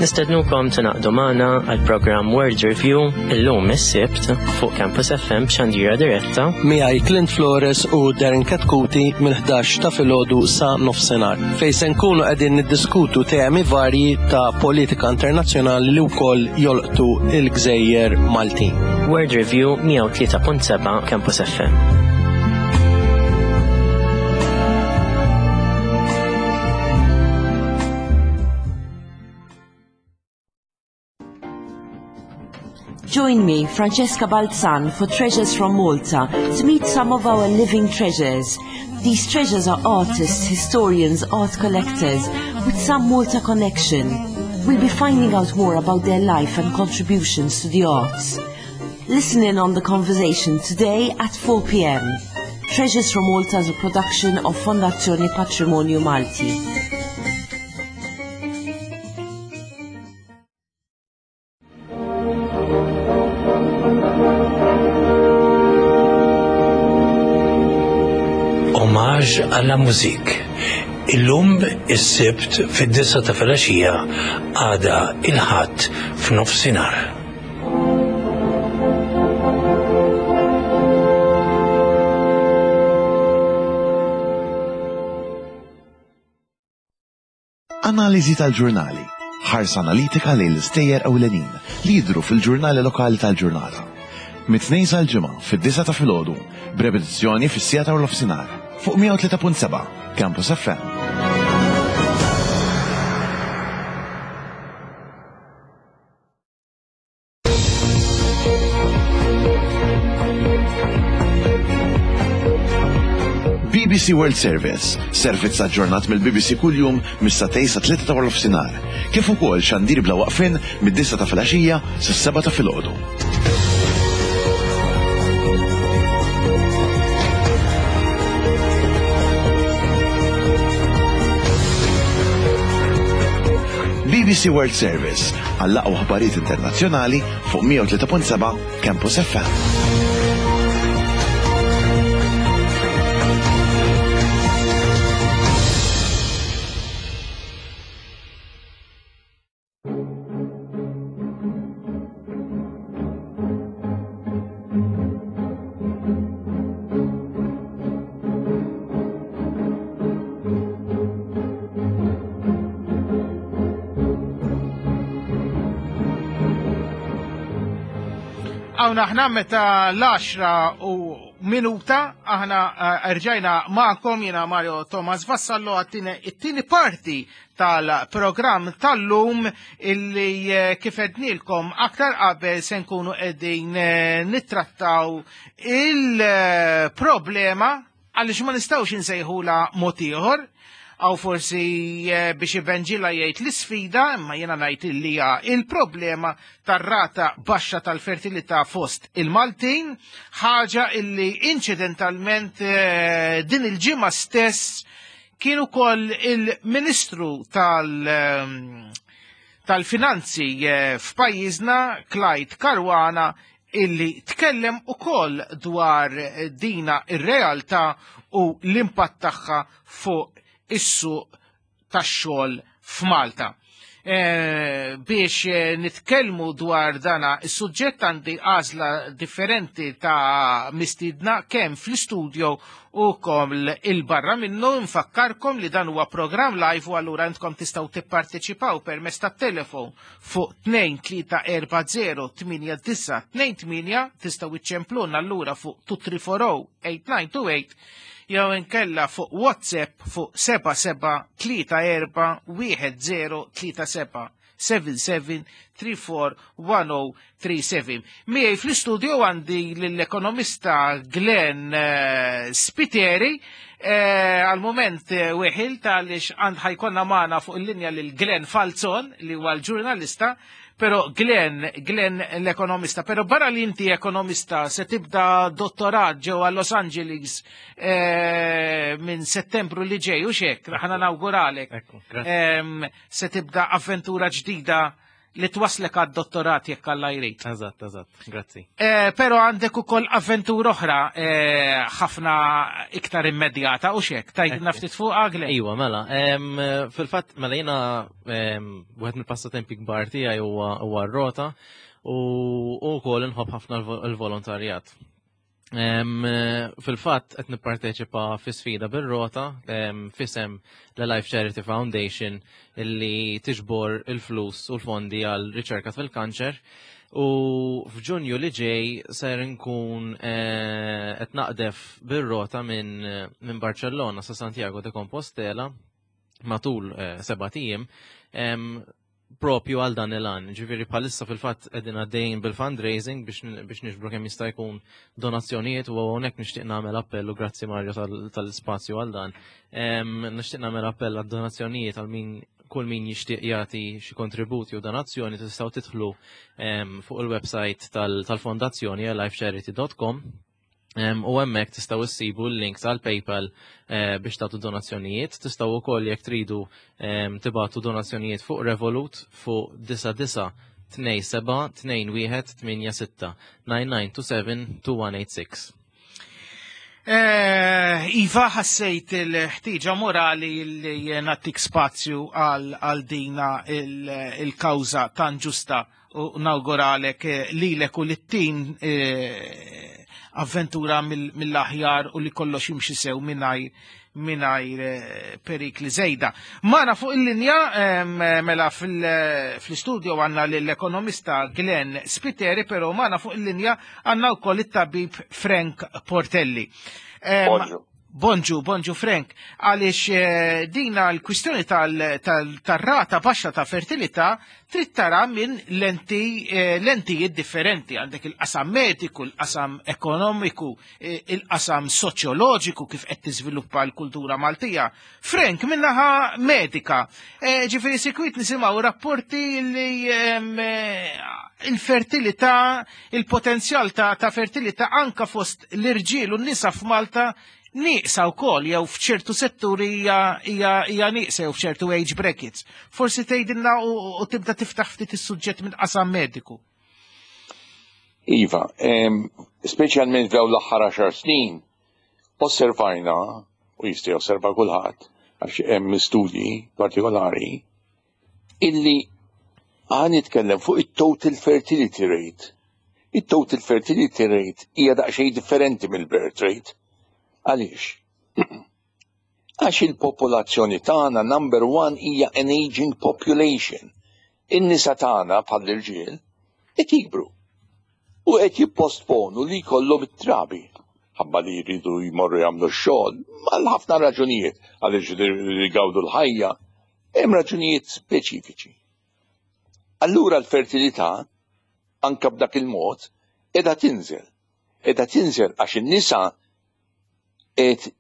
Nistednukom tingħaqdu magħna għal programm World Review illum is-Sibt fuq Campus F M b'Xandira Diretta. Miegħi Clint Flores u Darren Chetcuti mill-ħdax ta' filgħodu sa nofsinhar, fejn se nkunu qegħdin niddiskutu temi varji ta' politika internazzjonali li wkoll jolqtu il-gżejjer Maltin. World Review mija u tlieta punt seba' Campus F M. Join me, Francesca Balzan, for Treasures from Malta to meet some of our living treasures. These treasures are artists, historians, art collectors with some Malta connection. We'll be finding out more about their life and contributions to the arts. Listen in on the conversation today at four p m. Treasures from Malta is a production of Fondazione Patrimonio Malti. Hommage à la musique. Illum is-Sibt fid-disgħa ta' filgħaxija, għada il-Ħadd f'nofsinhar. Analiżi tal-ġurnali. Ħarsa analitika lejn l-istejjer ewlenin li jidru fil-ġurnali lokali tal-ġurnata. Mit-Tnejn sal-Ġimgħa fid-disgħa ta' filgħodu, b'repetizzjoni fis-siegħa ta' nofsinhar fuq mija u tlieta punt seba' Campus F M. B B C World Service, servizz aġġornat mill-B B C kuljum mis-sagħtejn sa tlieta ta' nofsinhar, kif ukoll xandir bla waqfin mid-disgħa ta' filgħaxija sas-sebgħa ta' filgħodu. B B C World Service għall-aqwa aħbarijiet internazzjonali fuq mija u tlieta punt seba' Campus F M. Hawn aħna meta l-għaxra u minuta aħna eh, rġajna magħkom, jiena Mario Thomas Vassallo, għat-tieni it-tieni parti tal-programm tal-lum illi eh, kif għednilkom aktar qabel se nkunu qegħdin eh, nittrattaw il-problema, għaliex ma nistgħux insejħula mod ieħor, għaw forsi eh, biex Evanġila jgħid l-isfida, imma jiena ngħid illi hija il-problema tar-rata baxxa tal-fertilità fost il-Maltin, ħaġa illi inċidentalment eh, din il-ġimgħa stess kien ukoll il-Ministru tal- ehm, tal-Finanzi eh, f'pajjiżna, Clyde Caruana, illi tkellem ukoll dwar dina ir-realtà u l-impatt tagħha fuq is-suq tax-xogħol f'Malta. E, biex eh, nitkellmu dwar dana is-suġġett għandi għażla differenti ta' mistidna kemm fl-istudio u koll il-barra minnu. Nfakkarkom li dan huwa program live u allura intkom tistgħu tipparteċipaw permezz tat-telefon fuq tnejn tlieta erba' żero tmienja disgħa tnejn tmienja, tistgħu iċċempluna allura fuq tnejn tlieta erba' żero tmienja disgħa tnejn tmienja jew inkella fuq WhatsApp fuq seba' seba' tlieta erba' wieħed żero tlieta seba', seba' seba' tlieta erba' wieħed żero tlieta seba'. Miegħi fl-istudio għandi l-ekonomista Glenn eh, Spiteri, eh, għal-moment eh, weħil għaliex għand ħa jkollna magħna fuq il-linja lil Glenn Falzon li huwa l-ġurnalista, Pero Glenn, Glenn l-ekonomista, pero barra li inti ekonomista se tibda dottorat ġewwa Los Angeles eh, minn Settembru li ġej, u xek, ħana nawguralek. Em, se tibda avventura ġdida li twaslek għad-dottorat jekk Alla jrid. Eżatt, eżatt, grazzi. Eh, pero għandek ukoll avventura oħra eh, ħafna iktar immedjata u xek, tgħidilna ftit fuqha, Glenn? Iwa, mela, em, fil-fatt, mela jiena em, wieħed mill-passatempi kbar tiegħi huwa huwa r-rota u u wkoll inħobb ħafna l- l-volontarjat. Em, Fil-fatt qed nipparteċipa fi sfida bir-rota em, f'isem l-Life Charity Foundation illi tiġbor il-flus u l-fondi għal riċerka fil-kanċer. U f'Ġunju li ġej ser nkun eh, qed naqdef bir-rota minn minn Barcellona sa Santiago de Compostela matul eh, sebat ijiem em, propju għal dan il-għan. Ġifieri bħalissa fil-fatt qegħdin għaddejjin bil-fundraising biex biex niġbru kemm jista' jkun donazzjonijiet u hawnhekk nixtieq nagħmel appell u grazzi Mario tal- tal-ispazju għal dan. Em, Nixtieq nagħmel appell għad donazzjonijiet għal min kull min jixtieq jagħti xi kontributi u donazzjoni tistgħu tidħlu em, fuq il-website tal- tal-fondazzjoni lifecharity dot com. Em, u hemmhekk tistgħu issibu l-link tal-PayPal eh, biex tagħtu donazzjonijiet. Tistgħu wkoll jekk tridu em, tibagħtu donazzjonijiet fuq Revolut fuq disa disa tnejn seba' tnejn wieħed tmienja sitta nine nine two seven two one eight six. Eh, Iva, ħassejt il-ħtiġa morali li nagħtik spazju għal għal dina il- il-kawża tan ġusta u nawguralek eh, lilek u lit-tim eh, avventura mill- mill-aħjar u li kollox jimxi sew mingħajr mingħajr eh, perikli żejda. Magħna fuq il-linja em, mela fil- fl-istudio għandna l-ekonomista Glenn Spiteri, pero magħna fuq il-linja għandna wkoll it-tabib Frank Portelli. Em, Bonġu. Bonġu, bonġu Frank, għaliex eh, dina l-kwistjoni tal-rata baxxa ta' fertilità trid tara minn lenti, eh, lentijiet differenti. Għandek il-qasam mediku, il-qasam ekonomiku, eh, il-qasam soċjoloġiku kif qed tiżviluppa l-kultura Maltija. Frank, minnaħa medika, eh, ġifieri sikwit nisimgħu rapporti li em, eh, il-fertilità, il-potenzjal ta', ta' fertilità anka fost l-irġiel u n-nisa f'Malta nieqsa wkoll jew f'ċertu setturi hija hija hija nieqsa jew f'ċertu age brackets. Forsi tgħidilna u, u tibda tiftaħ ftit is-suġġett minn qasam mediku. Iva, em, speċjalment f'dawn l-aħħar għaxar snin, osservajna, u jista' josserva kulħadd, għax hemm studji partikolari, illi ħa nitkellem fuq it-total fertility rate. It-total fertility rate hija daqsxejn differenti mill-birth rate. Għaliex? Għax il-popolazzjoni tagħna, number one, hija an aging population. In-nisa tagħna bħall-irġiel qed jikbru u qed jippostponu li jkollhom it-trabi ħabba li jridu jmorru jagħmlu x-xogħol għal ħafna raġunijiet, għaliex jgawdu l-ħajja, hemm raġunijiet speċifiċi. Allura l-fertilità anka b'dak il-mod qiegħda tinżel. Qiegħda tinżel għax in-nisa qed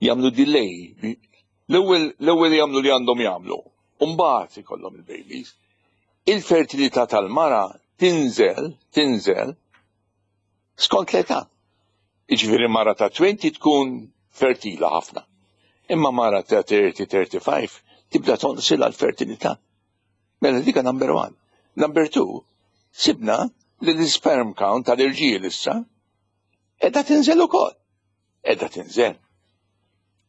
jagħmlu delay. L-ewwel l-ewwel jagħmlu li għandhom jagħmlu, u mbagħad ikollhom il-babies. Il-fertilità tal-mara tinżel, tinżel skont l-età. Iġifieri mara ta' għoxrin tkun fertila ħafna. Imma mara ta' tletin, tlieta u tletin tibda tonqsilha l-fertilità. Mela dika number one. Number two, sibna li l-sperm count tal-irġiel issa qiegħda tinżel ukoll. Qiegħda tinżel.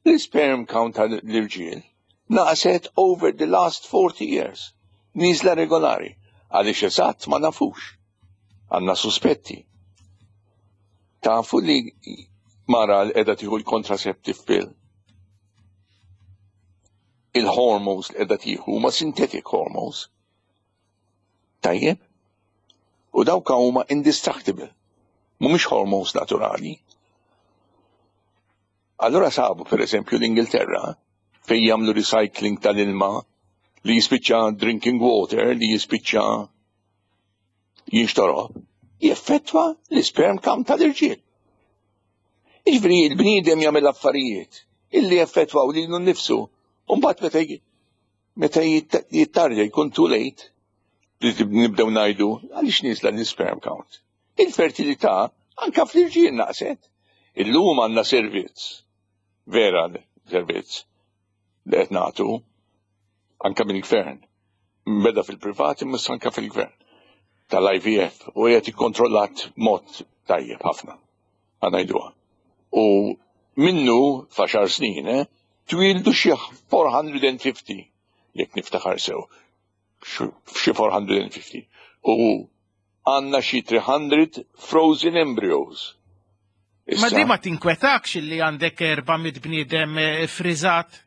L-sperm count tal-irġiel naqset over the last forty years. Niżla regolari. Għaliex eżatt ma nafux. Għandna suspetti. Tafu li mara li qiegħda tieħu l-contraceptive pill, il-hormones li qiegħda tieħu huma synthetic hormones. Tajjeb? U dawk huma indestructible. Mhumiex hormones naturali. Allora sabu, per eżempju, l-Ingilterra fejn jagħmlu recycling tal-ilma li jispiċċa drinking water, li jispiċċa jinxtorob, jeffettwa l-sperm count tal-irġiel. Iġifieri il-bniedem jagħmel affarijiet illi jeffettwaw lilu nnifsu u mbagħad meta meta jittardja jkun too late. Li nibdew ngħidu għaliex nieżla l-sperm count. Il-fertilità anka fl-irġiel naqset. Illum għandna servizz, vera servizz, li qed nagħtu anka mill-gvern. Beda fil-privat imma anka fil-gvern tal-I V F u qed ikkontrollat mod tajjeb ħafna. Ħa ngħiduha. U minnu f'għaxar snin, eh, twildu xi erba' mija u ħamsin jekk niftakar sew. Xi erba' mija u ħamsin. U għandna xi tliet mija frozen embryos. Ma di ma tinkwetakx li għandek erba' mitt bniedem eh, friżat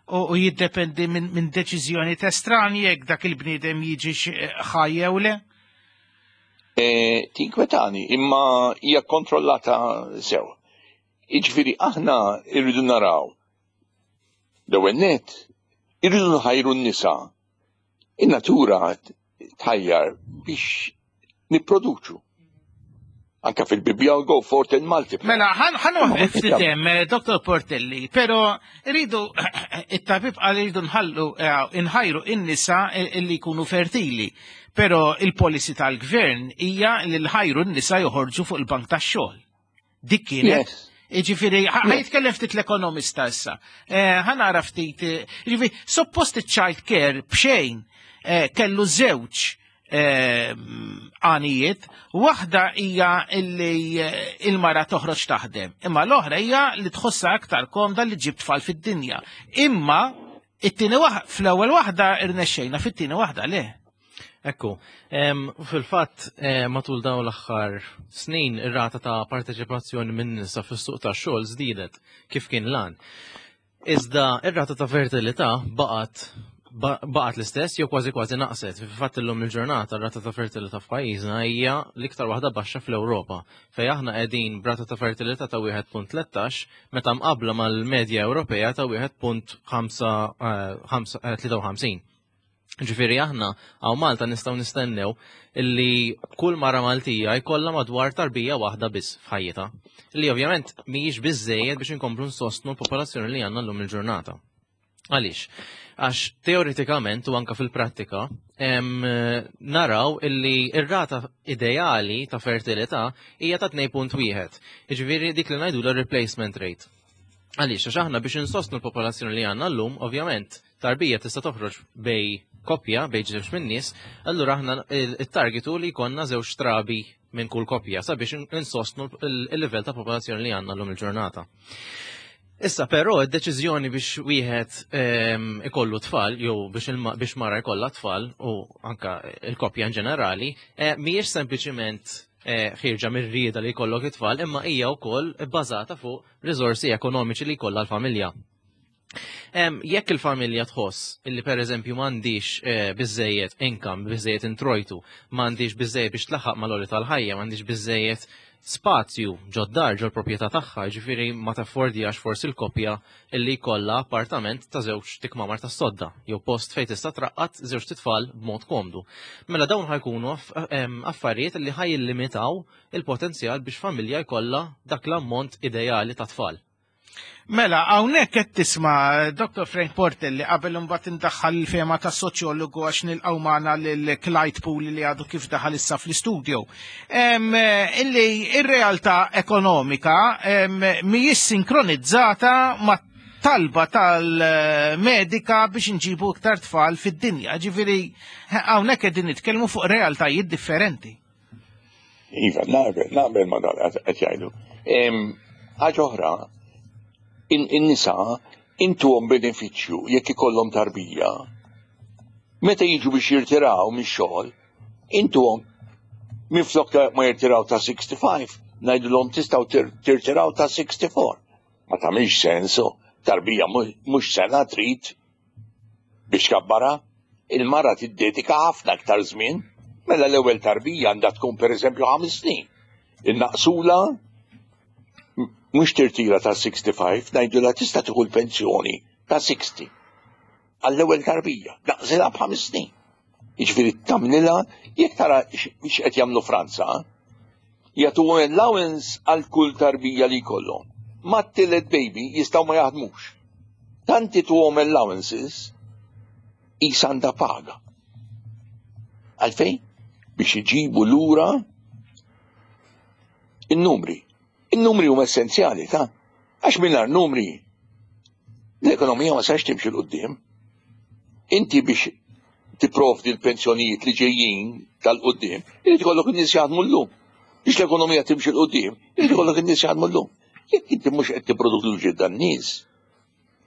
u, u jiddependi minn min deċiżjoni estranji jekk dak il-bniedem jiġix eh, ħaj jew le? E, tinkwetani, imma hija kontrollata sew. Jiġifieri aħna irridu naraw. L-ewwel net, irridu nħajru n-nisa. In-natura tħajjar biex nipproduċu. Anka fil-Bibja, "Go forth and multiply." Mela, ħa nieqaf ftit hemm, eh, Dottor Portelli, pero rridu, it-tabib qal rridu nħallu, eh, nħajru in-nisa illi jkunu fertili. Pero il-policy tal-gvern hija li l-ħajru n-nisa joħorġu fuq il-bank tax-xogħol. Dik kienet. Ġifieri, ħa jitkellem ftit l-ekonomista issa. Eh, ħa nara ftit, ġifieri, suppost il-child care b'xejn kellu żewġ għanijiet, waħda hija illi il-mara toħroġ taħdem, imma l-oħra hija li tħossha aktar komda li ġib tfal fid-dinja. Imma it-tieni waħda, fl-ewwel waħda irnexxejna, fit-tieni waħda le. Ekku, fil-fatt matul dawn l-aħħar snin ir-rata ta' parteċipazzjoni minn nisa fis-suq tax-xogħol żdiedet kif kien lan. Iżda ir-rata ta' fertilità baqgħet baqgħet l-istess jew kważi kważi naqset. Fil-fatt illum il-ġurnata r-rata ta' fertilità f'pajjiżna hija l-iktar waħda baxxa fl-Ewropa, fejn aħna qegħdin b'rata ta' fertilità ta' wieħed punt tlettax meta mqabbla mal-medja Ewropea ta' wieħed punt tlieta u ħamsin. Ġifieri aħna hawn Malta nistgħu nistennew illi kull mara Maltija jkollha madwar tarbija waħda biss f'ħajjitha. Li ovvjament mhijiex biżejjed biex inkomplu nsostnu l-popolazzjoni li għandna llum il-ġurnata. Għaliex? Għax teoretikament u anka fil-prattika em, naraw illi ir-rata ideali ta' fertilità hija ta' tnejn punt wieħed. Jiġifieri dik li ngħidu replacement rate. Għaliex, għax aħna biex insostnu l-popolazzjoni li għandna llum, ovvjament, tarbija tista' toħroġ bejn koppja, bejn żewġ minn nies, allura aħna il-targetu li jkollna żewġ trabi minn kull koppja sabiex insostnu il-livell ta' popolazzjoni li għandna llum il-ġurnata. Issa però id-deċiżjoni biex wieħed ehm, ikollu tfal jew biex biex mara jkollha tfal u anka il-koppja in ġenerali eh, mhijiex sempliċiment eh, ħierġa mir-rieda li jkollok it-tfal, imma hija wkoll bbażata fuq riżorsi ekonomiċi li jkollha l-familja. Jekk il-familja tħoss illi per eżempju m'għandix eh, biżejjed income, biżejjed introjtu, m'għandix biżejjed biex tlaħħaq mal-għoli tal-ħajja, m'għandix biżejjed spazju ġod-dar ġol proprjetà tagħha, ġifieri ma taffordjax forsi l-koppja illi jkollha appartament ta' żewġ kmamar ta' sodda jew post fejn tista' traqqat żewġ titfal b'mod komdu. Mela dawn ħa jkunu affarijiet li ħa jillimitaw il-potenzjal biex familja jkollha dak l-ammont ideali ta' tfal. Mela, hawnhekk qed tisma' Dottor Frank Portelli qabel imbagħad indaħħal il-fehma ta' soċjologu għax nilqgħu magħna lil Clyde Pool li għadu kif daħal issa fl-istudio. Illi ir-realtà ekonomika mhijiex sinkronizzata ma' talba tal-medika biex nġibu iktar tfal fid-dinja. Ġifieri hawnhekk qegħdin nitkellmu fuq realtajiet differenti. Iva, naqbel, naqbel ma dan qed jgħidu. Ħaġa oħra, in-nisa intuhom benefiċċju jekk ikollhom tarbija. Meta jiġu biex jirtiraw mix-xogħol, intuhom minflok ma jirtiraw ta' sixty-five, ngħidulhom tistgħu tirtiraw ta' sixty-four. Ma tagħmilx sensu, tarbija mhux sena trid biex kabbara. Il-mara tiddedika ħafna aktar żmien, mela l-ewwel tarbija għandha tkun pereżempju ħames snin. Innaqsula mhux tirtira ta' sixty-five, ngħidulha tista' tieħu l-pensjoni ta' sixty għall-ewwel tarbija, naqsilha b'ħames snin. Jiġifieri tagħmlilha jekk tara x'qed jagħmlu Franza, jagħtu allowance għal kull tarbija li jkollhom. Mat-tielet baby jistgħu ma jaħdmux. Tanti tuhom allowances qisha għandha paga. Għalfejn? Biex iġibu lura in-numri. In-numri huma essenzjali, ta' għax mingħajr numri l-ekonomija ma sax timxi 'l quddiem. Inti biex tipprovdi l-pensjonijiet li ġejjin tal-quddiem, irid ikollok in-nies jaħdmu llum. Biex l-ekonomija timxi 'l quddiem, irid ikollok in-nies jaħdmu llum. Jekk inti mhux qed tipproduċi dan-nies,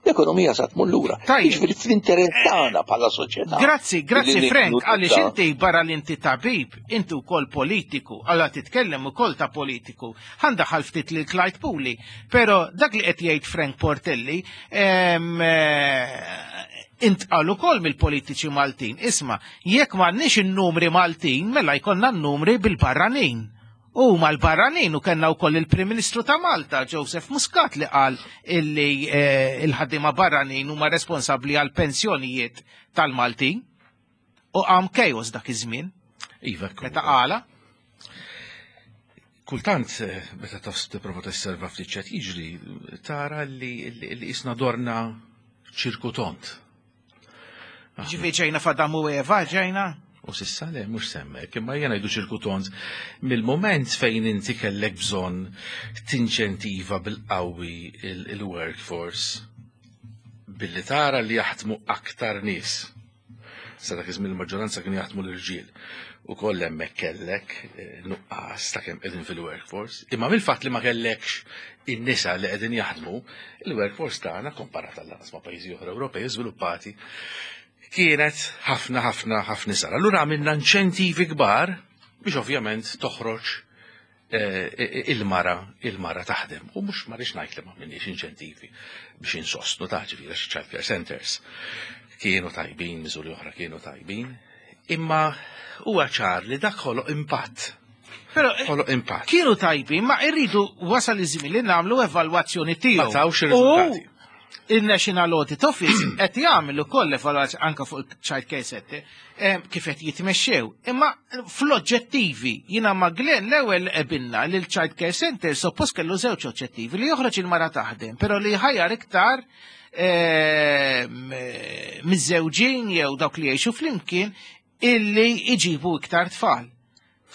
l-ekonomija sa tmur lura. Jiġifieri fl-interess tagħna bħala soċjetà. Grazzi, grazzi Illi Frank, nibnu għaliex ta' inti barra li inti tabib, inti wkoll politiku, għalla titkellem ukoll ta' politiku. Ħa ndaħħal ftit lil Clyde Puli, però dak li qed jgħid Frank Portelli, em, eh, intqal ukoll mill-politiċi Maltin. Isma', jekk m'għandniex in-numri Maltin, mela jkollna n-numri bil-barranin. U mal-barranin u kellna wkoll il-Prim Ministru ta' Malta, Joseph Muscat, li qal illi eh, il-ħaddiema barranin huma responsabbli għal pensjonijiet tal-Maltin. U qam chaos dak iż-żmien. Iva, Meta qala. Kultant, eh, meta tos tipprova tosserva ftit x'qed jiġri, tara li li li isna dorna ċirku tond. Ġifieri ġejna f'Adam u Eva, ġejna? U s'issa le, mhux semmek, imma jena ngħidu ċirku tond, mill-moment fejn inti kellek bżonn tinċentiva bil-qawwi il-workforce billi tara li jaħdmu aktar nies. Sa dak iż-żmien il-maġġoranza kienu jaħdmu l-irġiel. U koll hemmhekk kellek eh, nuqqas ta' kemm qegħdin fil-workforce. Imma mill-fatt li ma kellekx in-nisa li qegħdin jaħdmu, il-workforce tagħna komparat għall ma' pajjiżi oħra Ewropej żviluppati kienet ħafna ħafna ħafna sar. Allura għamilna inċentivi kbar biex ovvjament toħroġ eh, il-mara il-mara taħdem. U mhux ma rridx ngħid li ma għamilniex inċentivi biex insostnu ta' ġifieri child care centers. Kienu tajbin, miżuri oħra kienu tajbin, imma huwa ċar li dak ħoloq impatt. Però Ħoloq impatt. kienu tajbin, ma irridu wasal iż-żmien li nagħmlu evalwazzjoni tiegħu. Ma tawx ir-riżultati. U il-National Audit Office qed jagħmel ukoll evalwazzjoni anke fuq il-Child Care Center eh, kif qed jitmexxew. Imma fl-oġġettivi jiena ma' Glenn l-ewwel qbilna li l-Child Care Center suppost kellu żewġ oġġettivi li joħroġ il-mara taħdem, però li ħajjar iktar eh, miżżewġin jew dawk li jgħixu flimkien illi iġibu iktar tfal.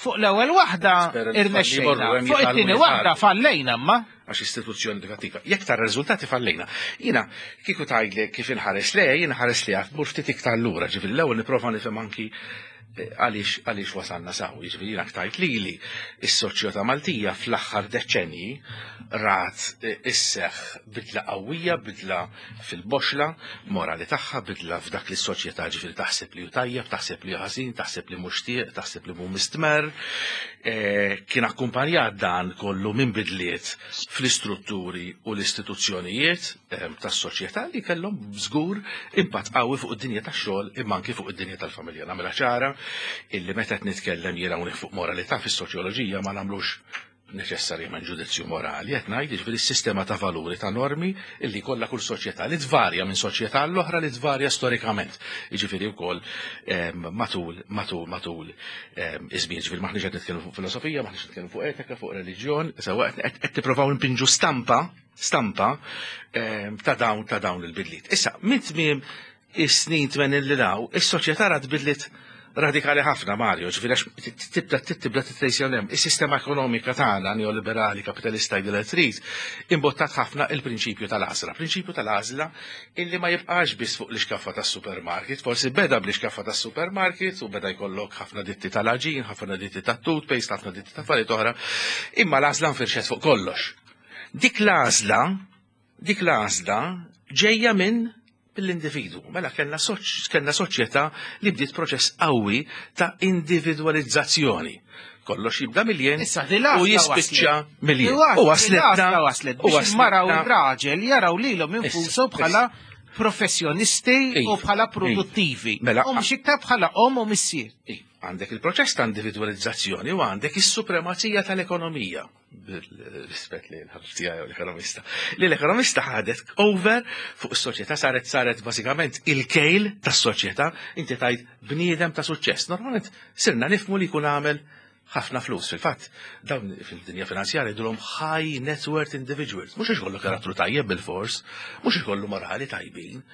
Fuq l-ewwel waħda Spera li irnexxejna, jmorru hemm fuq jitgħallmu it-tieni waħda jitgħallmu. fallejna ma. Għax istituzzjoni edukattiva. Jekk tara riżultati fallejna. Jiena kieku tgħidli kif inħares le, jiena ħares li għad mur ftit iktar lura, ġifieri l-ewwel nipprova nifhem anki eh, għaliex għaliex wasalna saw, jiġifieri jiena ktajt lili is-soċjetà Maltija fl-aħħar deċenji rat eh, isseħ bidla qawwija, bidla fil-boxla morali tagħha, bidla f'dak li s-soċjetà ġifieri taħseb li hu tajjeb, taħseb li hu ħażin, taħseb li mhux tieq, taħseb li mhu mistmer. Eh, Kien akkumpanjat dan kollu minn bidliet fl-istrutturi u l-istituzzjonijiet eh, tas-soċjetà li kellhom żgur impatt qawwi fuq id-dinja tax-xogħol imma anki fuq id-dinja tal-familja. Nagħmilha ċara illi meta qed nitkellem jiena hawnhekk fuq moralità fis-soċjoloġija ma nagħmlux neċessarjament ġudizzju morali, qed ngħid jiġifieri s-sistema ta' valuri ta' normi illi kollha kull soċjetà li tvarja minn soċjetà għall-oħra li tvarja storikament. Jiġifieri wkoll em, matul matul matul em, iż-żmien, jiġifieri maħniex qed nitkellmu fuq filosofija, maħniex nitkellmu fuq etika, fuq reliġjon, sewwa qed qed tippruvaw npinġu stampa stampa em, ta' dawn ta' dawn il-bidliet. Issa, minn tmiem is-snin tmenin li daw, is-soċjetà rat bidliet radikali ħafna, Mario, ġifieri għax tibda tibda titrejsja hemm. Is-sistema ekonomika tagħna neoliberali kapitalista jgħidilha trid, imbottat ħafna il-prinċipju tal-għażla. Prinċipju tal-għażla illi ma jibqax biss fuq l-iskaffa tas-supermarket, forsi beda bl-iskaffa tas-supermarket u beda jkollok ħafna ditti tal-għaġin, ħafna ditti tat-toothpaste, ħafna ditti ta' affarijiet oħra, imma l-għażla nfirxet fuq kollox. Dik l-għażla, dik l-għażla ġejja minn mill-individu. Mela kellna soċ, kellna soċjetà li bdiet proċess qawwi ta' individualizzazzjoni. Kollox jibda mill-jien Issa di l-għażla u jispiċċa waslet. mill-jien. U U waslitna waslet u biex il-mara u waslitna- r-raġel jaraw lilhom infushom Issa, bħala professjonisti u Iva, bħala produttivi. Mela, U mhux iktar bħala om u missier. Għandek il-proċess ta' individualizzazzjoni u għandek is-supremazija tal-ekonomija. Bil-rispett li l-ħabib tiegħi u l-ekonomista. Li l-ekonomista ħadet over fuq is-soċjetà saret saret bażikament il-kejl tas-soċjetà, inti tajt bniedem ta' suċċess. Normalment sirna nifmu li jkun għamel ħafna flus. Fil-fatt, dawn fil-dinja finanzjarja jgħidulhom high net worth individuals. Mhux ikollu karattru tajjeb bil-fors, mhux ikollu morali tajbin.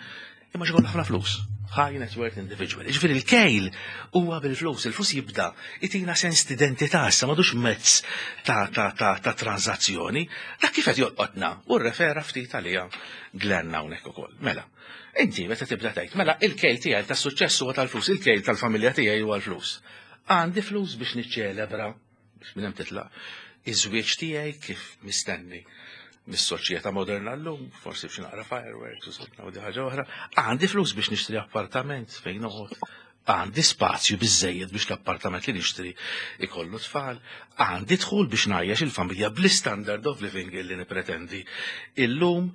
Imma xi ħafna flus. High net worth individual. Ġifieri il-kejl huwa bil-flus, il-flus jibda itina sens d'identità, issa m'għadux mezz ta' ta' ta' ta' tranzazzjoni. Dak kif qed jolqotna u rrefera ftit għalija Glenn hawnhekk ukoll. Mela, inti meta tibda tgħid, mela il-kejl tiegħi tas-suċċess huwa tal-flus, il-kejl tal-familja tiegħi huwa l-flus. Għandi flus biex niċċelebra, biex minn hemm titlaq, iż-żwieġ tiegħi kif mistenni mis-soċjetà moderna llum, forsi biex naqra fireworks u sotna u di ħaġa oħra, għandi flus biex nixtri appartament fejn noqgħod, għandi spazju biżejjed biex l-appartament li nixtri ikollu tfal, għandi dħul biex ngħajjex il-familja bl-standard of living li nipretendi illum.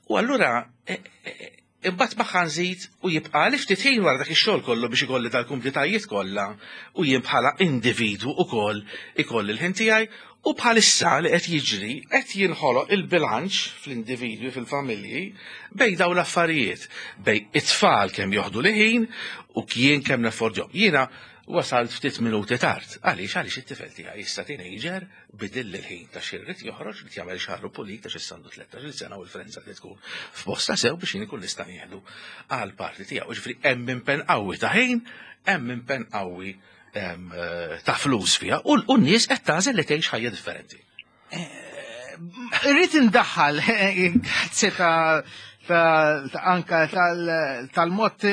U allura e, e, imbagħad magħha nżid u jibqa' li ftit ħin wara dak ix-xogħol kollu biex ikolli dal-kumplitajiet kollha u jien bħala individwu ukoll ikolli l-ħin tiegħi. U bħalissa li qed jiġri qed jinħoloq il-bilanċ fl-individwi, fil-familji, bejn dawn l-affarijiet, bejn it-tfal kemm joħdu li ħin u kien kemm neffordjhom. Jiena wasalt ftit minuti tard. Għaliex? Għaliex it-tifel tiegħi issa teenager bidil il-ħin ta' xirrit joħroġ li jagħmel xagħru pulit għax issa għandu tlettax-il sena u l-frenza li tkun f'posta sew biex jien ikun nista' nieħdu għal parti tiegħu. Ġifieri hemm impenn qawwi ta' ħin, hemm impenn qawwi ta' flus fiha u n-nies qed tagħżel li tgħix ħajja differenti. Irrid indaħħal, grazzi ta' anka tal-mod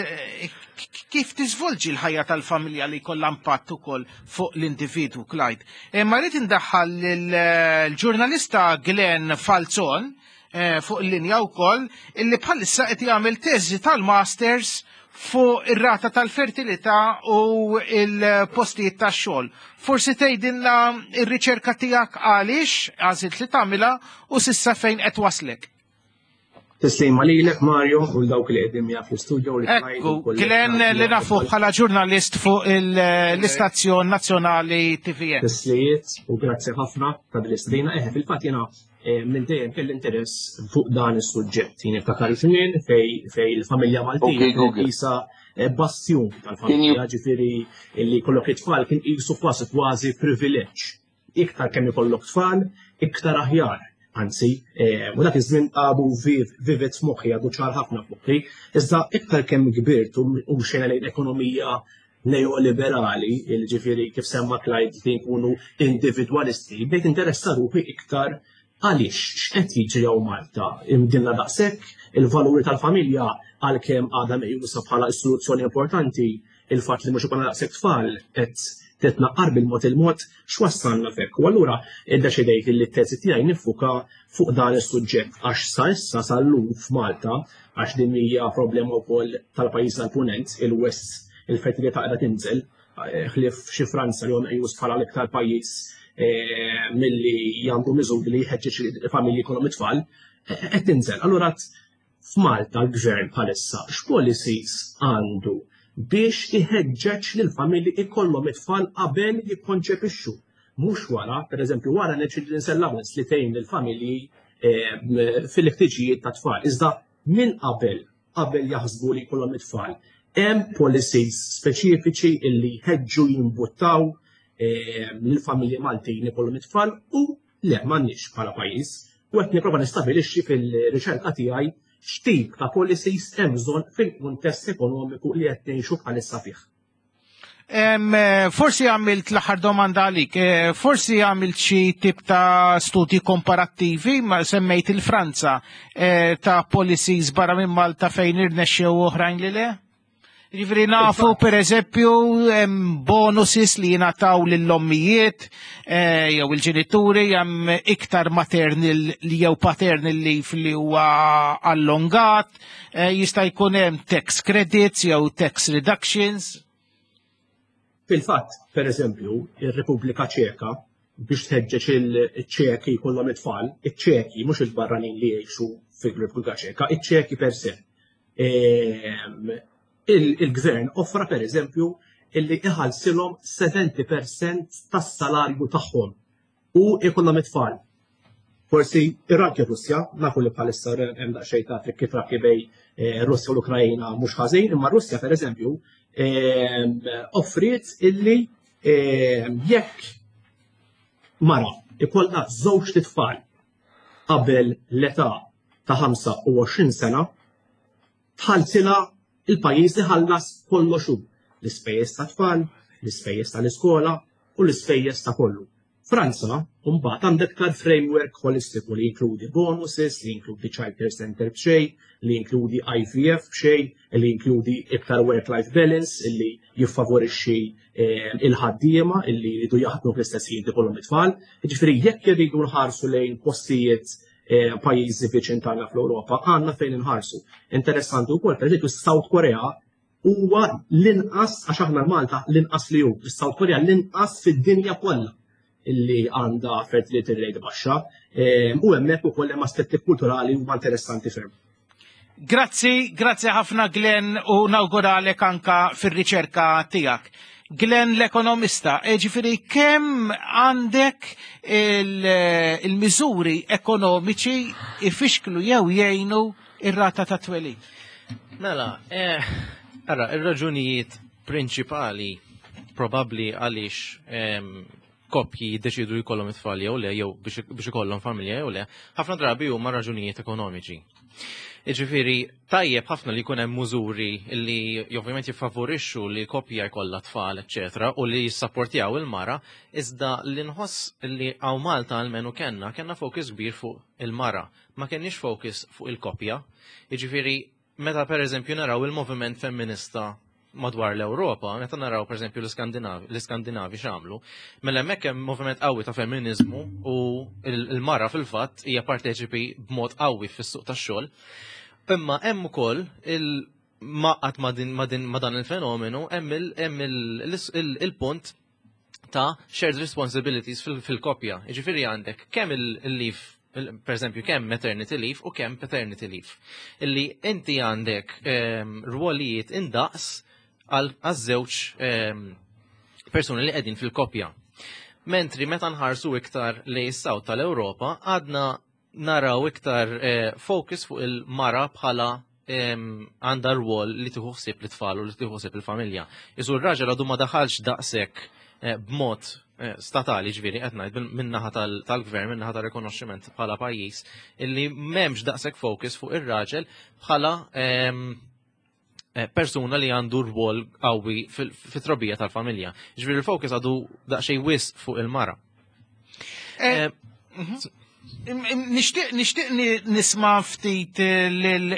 kif tiżvolġi l-ħajja tal-familja li jkollha impatt ukoll fuq l-individwu, Clyde. Ma rrid indaħħal l-ġurnalista Glenn Falzon fuq il-linja wkoll, illi bħalissa qed jagħmel teżi tal-masters fuq ir-rata tal-fertilità u il-postijiet tax-xogħol. Forsi tgħidilna r-riċerka tiegħek għaliex għażilt li tagħmilha u s'issa fejn qed waslek. Tislima lilek, Mario, u dawk li qegħdin miegħek fl-istudio li Ekku, Glenn li nafu bħala ġurnalist fuq l-istazzjon nazzjonali T V N. Tislijiet u grazzi ħafna ta' dil-istedina. Eħe, fil-fatt jiena minn dejjem kelli interess fuq dan is-suġġett. Jien niftakar żmien fej fej il-familja Maltija qisha bastjun tal-familja, ġifieri li jkollok it-tfal kien qisu kważi kważi privileġġ. Iktar kemm ikollok tfal, iktar aħjar. Anzi, u dak iż-żmien għadu vivid f'moħħi, għadu ċar ħafna f'moħħi, iżda iktar kemm kbirt u mxejna lejn ekonomija neoliberali, ġifieri kif semma Clyde li nkunu individwalisti, bdejt interessa ruħi iktar għaliex x'qed jiġri hawn Malta. Imbdilna daqshekk il-valuri tal-familja, għalkemm għadha meqjusa bħala istituzzjoni importanti, il-fatt li mhux ikollna daqshekk tfal qed titnaqqar bil-mod il-mod, x'wassalna fek. U allura iddeċidejt li t-teżi tiegħi niffuka fuq dan is-suġġett, għax sa issa, sal-lum f'Malta, għax din hija problema wkoll tal-pajjiż tal-Punent, il-West, il-fertilità qiegħda tinżel, ħlief xi Franza li huwa meqjus bħala l-iktar pajjiż milli għandu miżuri li jħeġġeġ il-familji jkollhom it-tfal, qed tinżel. Allura f'Malta l-gvern bħalissa x'policies għandu biex iħeġġeġ lill-familji ikollhom it-tfal qabel jikkonċepixxu? Mhux wara, pereżempju wara children's allowance li tgħin lill-familji fil-ħtiġijiet ta' tfal. Iżda minn qabel, qabel jaħsbu li jkollhom it-tfal, hemm policies speċifiċi illi jħeġġu, jimbuttaw lill-familji Maltin ikollhom it-tfal u le m'għandniex bħala pajjiż? U qed nipprova nistabilixxi fil-riċerka tiegħi x'tip ta' policies hemm bżonn fil-kuntest ekonomiku li qed ngħixu bħalissa fih. Forsi għamilt l-aħħar domanda għalik, eh, forsi għamilt xi tip ta' studji komparattivi, ma semmejt il-Franza, eh, ta' policies barra minn Malta fejn irnexxew, oħrajn li le? Ġifieri nafu, per eżempju, bonuses li jingħataw lill-ommijiet eh, jew il-ġenituri, hemm iktar maternal li jew paternal leave li huwa allongat, jista' jkun hemm tax credits jew tax reductions. Fil-fatt, per eżempju, ir-Repubblika Ċeka, biex tħeġġeġ il-Ċeki jkollhom it-tfal, iċ-Ċeki, mhux il-barranin li jgħixu fil-Repubblika Ċeka, iċ-Ċeki per se. Ehm, il-gvern offra, per eżempju, illi iħallsilhom sebgħin fil-mija tas-salarju tagħhom u jkollhom it-tfal. Forsi ir-anke Russja, nafu li bħalissa hemm daqsxejn ta' kif trakki bejn eh, Russja u l-Ukrajna mhux ħażin, imma Russja, per eżempju, ehm, offriet illi ehm, jekk mara ikollha żewġ tfal qabel l-età ta' ħamsa u għoxrin sena, Tħallsilha il-pajjiż iħallas kollox hu. L-ispejjeż tat-tfal, l-ispejjeż tal-iskola u l-ispejjeż ta' kollu. Franza, mbagħad għandek iktar framework holistiku li jinkludi bonuses, li jinkludi child care center b'xejn, li jinkludi I V F b'xejn, li jinkludi iktar work-life balance, li jiffavorixxi eh, il-ħaddiema illi jridu jaħdmu fl-istess ħin ikollhom it-tfal. Jiġifieri jekk irridu nħarsu lejn postijiet eh, pajjiżi viċin tagħna fl-Ewropa, għandna fejn inħarsu. Interessanti wkoll, pereżempju, South Korea huwa l-inqas, għax aħna Malta l-inqas li hu, South Korea l-inqas fid-dinja kollha illi għandha fertility rate baxxa eh, u hemmhekk ukoll hemm aspetti kulturali huma interessanti ferm. Grazzi, grazzi ħafna, Glenn, u nawguralek anka fir-riċerka tiegħek. Glenn l-ekonomista, e ġifieri kemm għandek il-miżuri ekonomiċi ifixklu jew jgħinu ir-rata ta' twelid? Mela, eh, ara, ir-raġunijiet prinċipali probabli għaliex em, koppji jiddeċidu jkollhom it-tfal jew le, jew biex biex ikollhom familja jew le, ħafna drabi huma raġunijiet ekonomiċi. Iġifieri, tajjeb ħafna li jkun hemm mużuri li ovvjament jiffavorixxu li koppja jkollha tfal, eċetera, u li jissapportjaw il-mara, iżda li nħoss li hawn Malta almenu kellna, kellna focus kbir fuq il-mara, ma kenniex focus fuq il-koppja. Iġifieri, meta per eżempju naraw il-moviment femminista madwar l-Ewropa, meta naraw per eżempju l-Iskandinavi l-Iskandinavi x'għamlu, mela hemmhekk hemm moviment qawwi ta' femminizmu u il-mara fil-fatt hija parteċipi b'mod qawwi fis-suq tax-xogħol. Imma hemm ukoll il maqat ma' din ma' din ma' dan il-fenomenu hemm il-punt ta' shared responsibilities fil-koppja. Jiġifieri għandek kemm il-leave, per eżempju, kemm maternity leave u kemm paternity leave. Illi inti għandek ehm, rwolijiet indaqs għal żewġ ehm, persuni li qegħdin fil-koppja. Mentri meta nħarsu iktar li s-south tal-Ewropa, għadna naraw iktar eh, focus fuq il-mara bħala ehm, għandha rwol li tieħu ħsieb l-tfal u li tieħu ħsieb il-familja. Isu r-raġel għadu ma daħalx daqshekk eh, b'mod eh, statali, ġifieri, qed ngħid min-naħa tal-gvern, min-naħa tal-rikonoxximent bħala pajjiż, illi m'hemmx daqshekk focus fuq ir-raġel bħala ehm, eh, persuna li għandu rwol qawwi fit-trobbija tal-familja. Ġifieri il-focus għadu daqsxejn wisq fuq il-mara. Eh, mhm. Nixtieq nixtieq nisma' ftit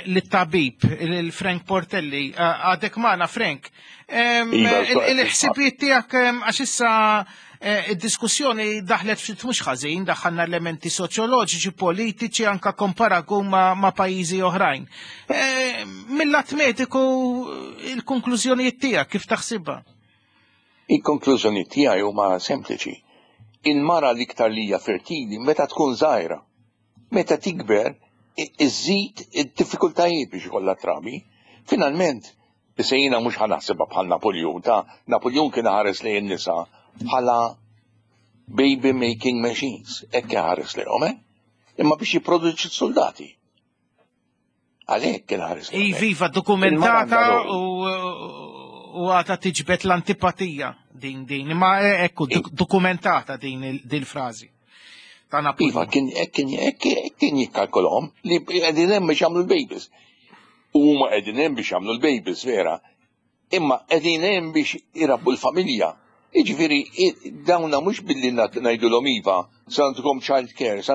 lit-tabib, il-Frank Portelli. Għadek magħna, Frank? Iva, Il-ħsibijiet tiegħek, għax issa eh, id-diskussjoni daħlet ftit mhux ħażin, daħħalna elementi soċjoloġiċi, politiċi, anka komparagun ma', ma pajjiżi oħrajn. Eh, Mill-lat mediku, il-konklużjonijiet tiegħek kif taħsibha? Il-konklużjoni tiegħi huma sempliċi. Il-mara l-iktar li hija fertili meta tkun żgħira. Meta tikber, iżid id-diffikultajiet biex ikollha trabi. Finalment, issa jiena mhux ħa naħsibha bħal Napoleon, ta' Napoleon kien ħares lejn nisa bħala baby making machines, hekk ħares lejhom, eh? Imma biex jipproduċi soldati. Għalhekk kien ħares lejhom. Iva, dokumentata u u għata tiġbet l-antipatija din din, imma ekku dokumentata din il-frażi. Ta' Napoleon. Iva, kien kien kien jikkalkolhom li qegħdin hemm biex jagħmlu l-babies. Huma qegħdin hemm biex jagħmlu l-babies, vera. Imma qegħdin hemm biex irabbu l-familja. Jiġifieri dawna mhux billi ngħidulhom iva, se nagħtukom child care, sa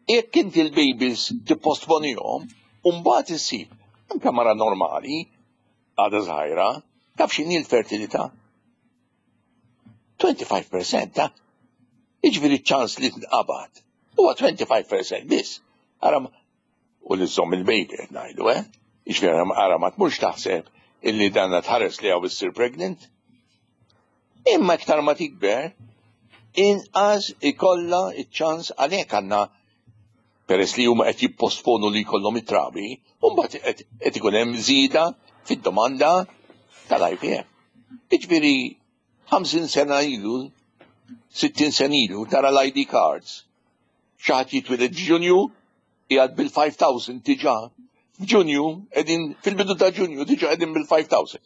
jekk inti l-babies tipposponihom, u mbagħad issib anke mara normali għadha żgħira, taf x'inhi l-fertilità? twenty-five percent ta' jiġifieri ċans li tnqabad. Huwa twenty-five percent biss. Ara u li żomm il-baby qed ngħidu, eh? Jiġifieri ara ma tmurx taħseb illi danna tħares li hawn issir pregnant. Imma iktar ma tikber, inqas ikollha iċ-ċans. Għalhekk għandna, peress li huma qed jipposponu li jkollhom it-trabi, u mbagħad qed ikun hemm żieda fid-domanda tal-I V F. Jiġifieri ħamsin sena ilu, sittin sena ilu, tara l-I D cards. Xi ħadd jitwieled f'Ġunju, qiegħed bil-five thousand diġà. F'Ġunju, qegħdin fil-bidu ta' Ġunju diġà qegħdin bil-five thousand.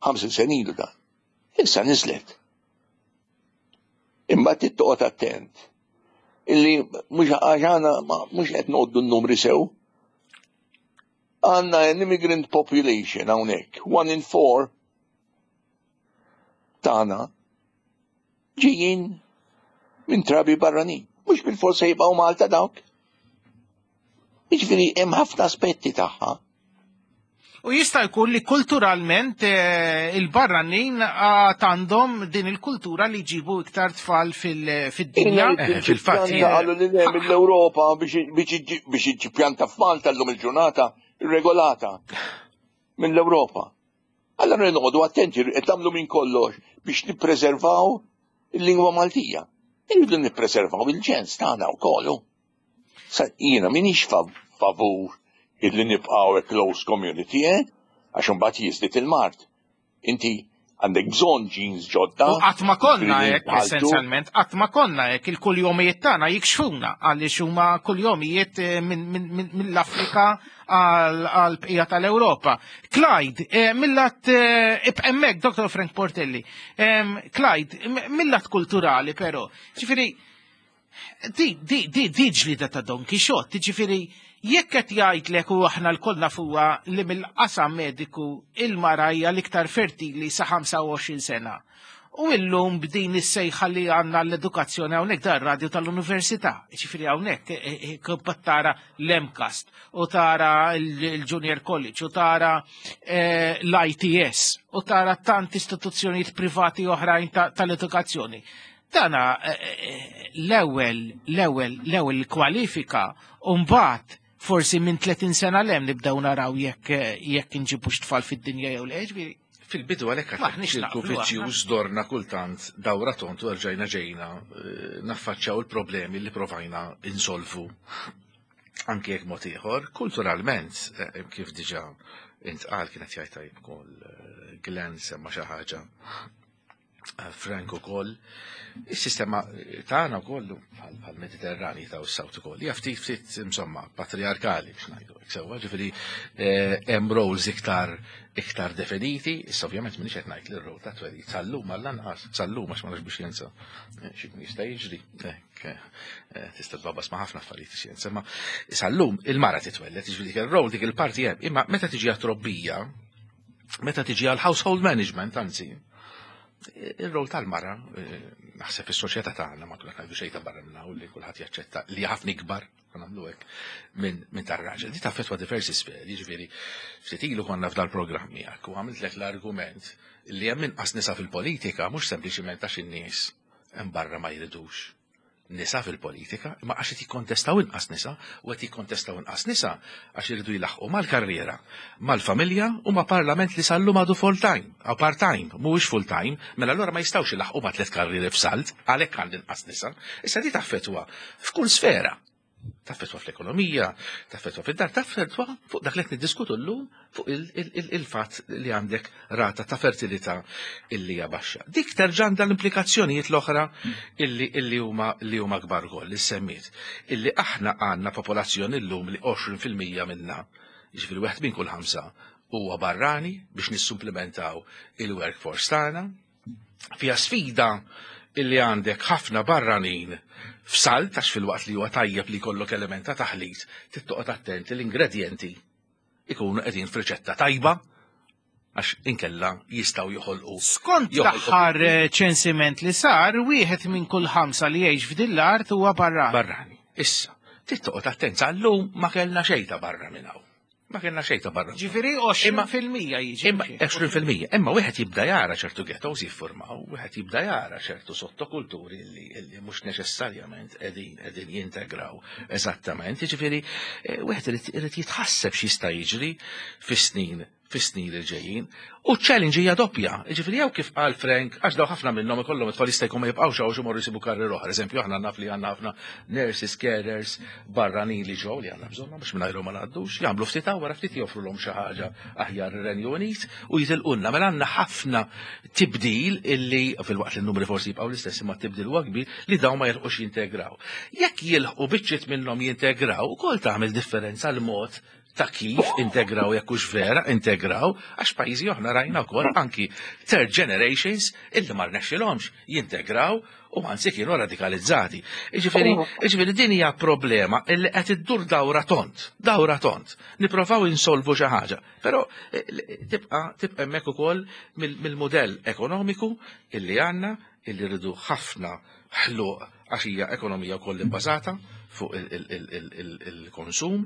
ħamsin sena ilu da. Issa niżlet. Imma trid toqgħod attent. Illi mhux għaxana mhux qed ngħoddu n-numri sew. Għandna an immigrant population hawnhekk, one in four tagħna ġejjin minn trabi barranin. Mhux bil-forsa jibqgħu Malta dawk. Jiġifieri hemm ħafna aspetti tagħha. U jista' jkun li kulturalment eh, il-barranin għad għandhom din il-kultura li jġibu iktar tfal fil-dinja. Eh, fil-fatt, Qalu li le mill-Ewropa biex iġġib pjanta f'Malta llum il-ġurnata regolata mill-Ewropa. Allora noqogħdu attenti qed tagħmlu minn kollox biex nippreservaw il-lingwa Maltija. Irridu nippreservaw il-ġens tagħna wkoll. Sa jiena m'iniex favur illi nibqgħu a close community, eh? Għax imbagħad jiżdied il-mard. Inti għandek bżonn genes ġodda. U qatt ma konna hekk essenzjalment, qatt ma konna hekk il-kuljomijiet tagħna jikxfuna għaliex huma kuljomijiet eh, mill-Afrika għal bqija tal-Ewropa. Clyde, eh, mill-lat eh, hemmhekk Dr. Frank Portelli. Clyde, mill-lat kulturali però, ġifieri di di di di ġlida ta' Don Quixote, ġifieri jekk qed jgħidlek u aħna lkoll nafuha li mill-qasam mediku il-mara hija l-iktar fertili sa ħamsa u għoxrin sena. U illum b'din is-sejħa li għandna l-edukazzjoni hawnhekk dar radio tal-università, ġifieri hawnhekk eh, eh, eh, tara l-MCAST u tara l-Junior College u tara l-I T S u tara tant istituzzjonijiet privati oħrajn tal-edukazzjoni. Dana l-ewwel l-ewwel l-ewwel kwalifika u mbagħad forsi minn tletin sena 'l hemm nibdew naraw jekk jekk inġibux tfal fid-dinja jew le, ġifieri. Fil-bidu għalhekk ċirku vizzjuż dorna kultant dawra tont u rġajna ġejna eh, naffaċċjaw il-problemi li provajna insolvu anke jekk mod ieħor, kulturalment, eh, kif diġà intqal kienet jgħid tajjeb ukoll eh, Glenn semma xi ħaġa Frank ukoll. Is-sistema tagħna wkoll bħal Mediterrani ta' s-South ukoll hija ftit ftit insomma patriarkali biex ngħidu hekk sewwa, ġifieri eh, hemm roles iktar iktar definiti, issa ovvjament m'iniex qed ngħid li r-role ta' twelid sal-lum għall-anqas, sal-lum għax ma nafx biex jensa eh, xi jista' jiġri, eh, tista' tbabbas ma' ħafna affarijiet xjenza, ma sal-lum il-mara titwelled, ġifieri dik ir-role dik il-parti hemm, imma meta tiġi għat-trobbija, meta tiġi għal household management, anzi, il-rol tal-mara, eh, naħseb fis-soċjetà tagħna ma kulħadd ngħidu xejn ta' barra minna u li kulħadd jaċċetta li ħafna ikbar nagħmlu hekk minn min tar-raġel. Di taffettwa diversi sferi, jiġifieri ftit ilu konna f'dal programm miegħek u għamiltlek l-argument li hemm inqas nisa fil-politika mhux sempliċiment għax in-nies hemm barra ma jridux nisa fil-politika, imma għax qed jikkontestaw inqas nisa u qed jikkontestaw inqas nisa għax iridu jilaħqu mal-karriera, mal-familja u ma' parlament li sal-lum għadu full-time, għaw part-time, mhuwiex full-time, mela allura ma jistgħux jilaħqu ma' tliet karrieri f'salt, għalhekk għand inqas nisa. Issa di taffetwa f'kull sfera. Taffetwa fl-ekonomija, taffetwa fid-dar, taffetwa fuq dak li qed niddiskutu llum fuq il-fatt li għandek rata ta' fertilità illi hija baxxa. Dik terġa' għandha l-implikazzjonijiet l-oħra illi illi huma li huma kbar ukoll li semmiet. Illi aħna għandna popolazzjoni llum li għoxrin fil-mija minna, jiġifieri wieħed minn kull ħamsa huwa barrani biex nissumplementaw il-workforce tagħna. Fija sfida illi għandek ħafna barranin f'salt, għax fil-waqt li huwa tajjeb li jkollok element ta' taħlit, trid toqgħod attenti l-ingredjenti ikunu qegħdin f'riċetta tajba għax inkella jistgħu joħolqu. Skont l-aħħar eh, ċensiment li sar, wieħed minn kull ħamsa li jgħix f'din l-art huwa barrani. Barrani. Issa, trid toqgħod attent sal-lum ma kellna xejn ta' barra minn hawn. Ma kellna xejn ta' barra. Ġifieri għoxrin fil-mija jiġi. Imma għoxrin fil-mija, imma wieħed jibda jara ċertu ghettos jiffurmaw, wieħed jibda jara ċertu sottokulturi li, li mhux neċessarjament qegħdin qegħdin jintegraw eżattament. Jiġifieri eh, wieħed irid irid jitħasseb x'jista' jiġri fis-snin fis-snin li ġejjin. U challenge hija doppja. Jiġifieri jew kif qal Frank, għax daw ħafna minnhom ikollhom it-tfal jista' jkun ma jibqgħux hawn imorru jsibu karriera oħra. Eżempju, aħna naf li għandna ħafna nurses, carers, barranin li ġew li għandna bżonnhom biex mingħajrhom ma ngħaddux, jagħmlu ftit hawn wara ftit joffrulhom xi ħaġa aħjar ir-Renju Unit u jitilqulna. Mela għandna ħafna tibdil illi fil-waqt li n-numri forsi jibqgħu l-istess imma tibdil huwa kbir li dawn ma jilħqux jintegraw. Jekk jilħqu biċċiet minnhom jintegraw, ukoll tagħmel differenza l-mod Ta' kif integraw, jekk hux vera integraw, għax pajjiżi oħra rajna wkoll anki third generations illi ma rnexxilhomx jintegraw u anzi kienu radikalizzati. Jiġifieri, jiġifieri din hija problema illi qed iddur dawra tond, dawra tond. Nipprovaw insolvu xi ħaġa, però eh, tibqa' tibqa' hemmhekk ukoll mill-mudell ekonomiku illi għandna, illi rridu ħafna ħluq għax hija ekonomija wkoll ibbażata fuq il-konsum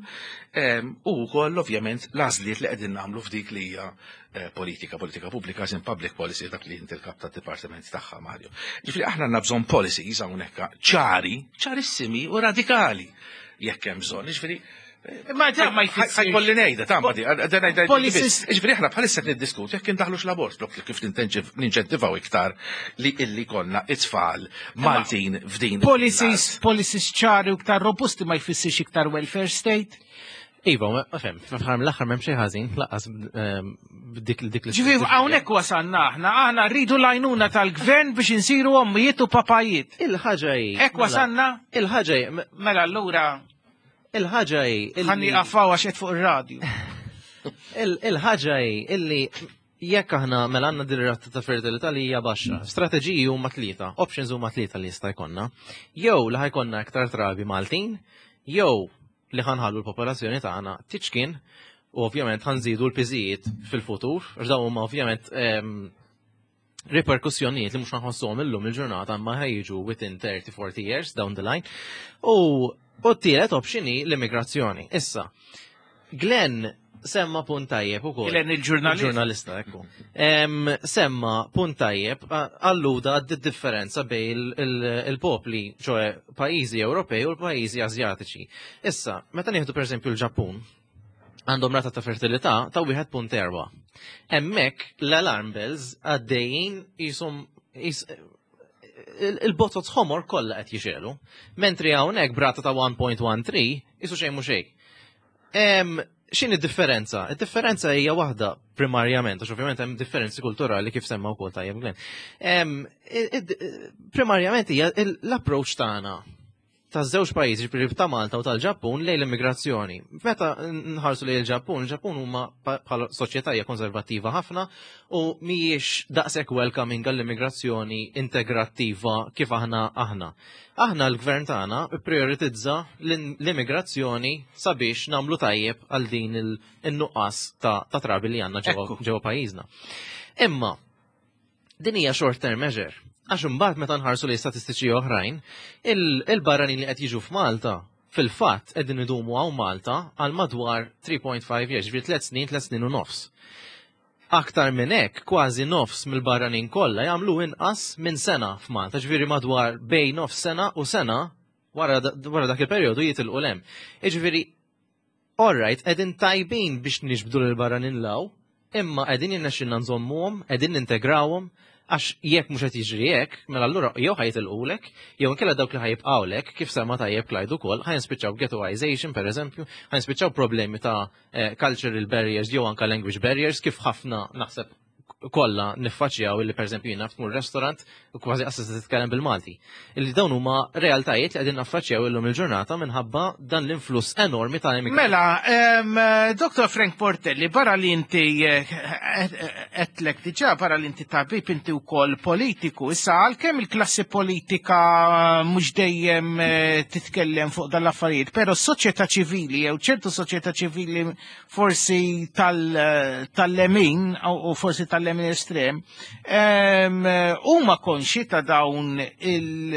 u wkoll ovvjament l-għażliet li qegħdin nagħmlu f'dik li hija eh, politika, politika pubblika, in public policy, dak li inti l-kap tad-dipartiment tagħha, Mario. Ġifieri aħna għandna bżonn policies hawnhekk ċari, ċarissimi u radikali jekk hemm bżonn. Ġifieri Ma da ma jfissirx. Ħa jkolli ngħidha, ta' ma di, ngħidha. Policies- Ġifieri aħna bħalissa qed niddiskutu jekk indaħlux l-abort, blok kif ninċentivaw iktar li illi konna it-tfal Maltin f'din. Policies, policies ċari u iktar robusti ma jfissirx iktar welfare state. Iva, ma fem, fl-aħħar mill-aħħar m'hemm xejn ħażin, lanqas ehm, dik dik l Ġifieri hawnhekk wasalna aħna, aħna rridu l-għajnuna tal-gvern biex insiru ommijiet u papajiet. Il-ħaġa hi. Hekk wasalna? Il-ħaġa hi. Mela allura Il-ħaġa hi. Ħa nieqaf għax qed fuq ir-radju. Il-ħaġa hi illi jekk aħna mela għandna din ir-rata ta' fertilità li hija baxxa, strateġiji huma tlieta, options huma tlieta li jista' jkollna. Jew li ħa jkollna iktar trabi Maltin, jew li ħa nħallu l-popolazzjoni tagħna tiċkien u ovvjament ħa nżidu l-piżijiet fil-futur, għax dawn huma ovvjament ehm, riperkussjonijiet li mhux nħossuhom illum il-ġurnata imma ħa jiġu within thirty forty years down the line. U u t-tielet option hi l-immigrazzjoni. Issa, Glenn semma punt tajjeb ukoll. Glenn il-ġurnalist. Il-ġurnalista, ekku. Em, semma punt tajjeb, a- alluda għad differenza bejn il- il- il-popli, ċoè pajjiżi Ewropej u l-pajjiżi Azjatiċi. Issa, meta nieħdu per eżempju l-Ġappun, għandhom rata ta' fertilità ta' wieħed punt erbgħa. Hemmhekk l-alarm bells għaddejjin jisom il-botot ħomor kollha qed jixegħlu. Mentri hawnhekk b'rata ta' wieħed punt wieħed tlieta jisu xejn mhu xejn. Em, X'inhi d-differenza? Id-differenza hija waħda primarjament, għax ovvjament hemm differenzi kulturali kif semma wkoll tajjeb Glenn. Em, id- id- Primarjament hija l-approach tagħna ta' żewġ pajjiżi, ġifieri ta' Malta u tal-Ġappun, lejn l-immigrazzjoni. Meta nħarsu lejn il-Ġappun, il-Ġappun huma pa- bħala soċjetà hija konservattiva ħafna u mhijiex daqshekk welcoming għall-immigrazzjoni integrattiva kif aħna aħna. Aħna l-gvern tagħna prioritizza l-immigrazzjoni sabiex nagħmlu tajjeb għal din il-nuqqas ta' ta' trabi li għandna ġewwa ġewwa pajjiżna. Imma din hija short term measure. Għax imbagħad meta nħarsu li statistiċi oħrajn, il- il-barranin li qed jiġu f'Malta fil-fatt qegħdin idumu hawn Malta għal madwar three point five years, ġifieri tliet snin, tliet snin u nofs. Aktar minn hekk, kważi nofs mill-barranin kollha jagħmlu inqas minn sena f'Malta, ġifieri madwar bejn nofs sena u sena, wara wara dak il-perjodu jitilqu 'l hemm. Jiġifieri, alright, qegħdin tajbin biex niġbdu l-barranin 'l hawn, imma qegħdin jirnexxilna nżommuhom, qegħdin nintegrawhom, għax jekk mhux qed jiġri hekk, mela allura jew ħa jitilqulek, jew inkella dawk li ħa jibqgħulek, kif semma tajjeb Clyde ukoll, ħa jispiċċaw ghettoization pereżempju, ħa jispiċċaw problemi ta' eh, cultural barriers jew anka language barriers, kif ħafna naħseb kollha niffaċċjaw illi pereżempju jiena tmur restaurant u kważi qas titkellem bil-Malti. Illi dawn huma realtajiet li qegħdin naffaċċjaw illum il-ġurnata minħabba dan l-influss enormi ta' immigranti. Mela, em, Doktor Frank Portelli, barra li inti eh, għedtlek diġà, barra li inti tabib, inti wkoll politiku. Issa, għalkemm il-klassi politika mhux dejjem eh, titkellem fuq dal-affarijiet, però s-soċjetà ċivili, jew ċertu soċjetà ċivili forsi tal- tal-lemin, u forsi tal-lemin estrem, em, huma konxi ta' dawn il-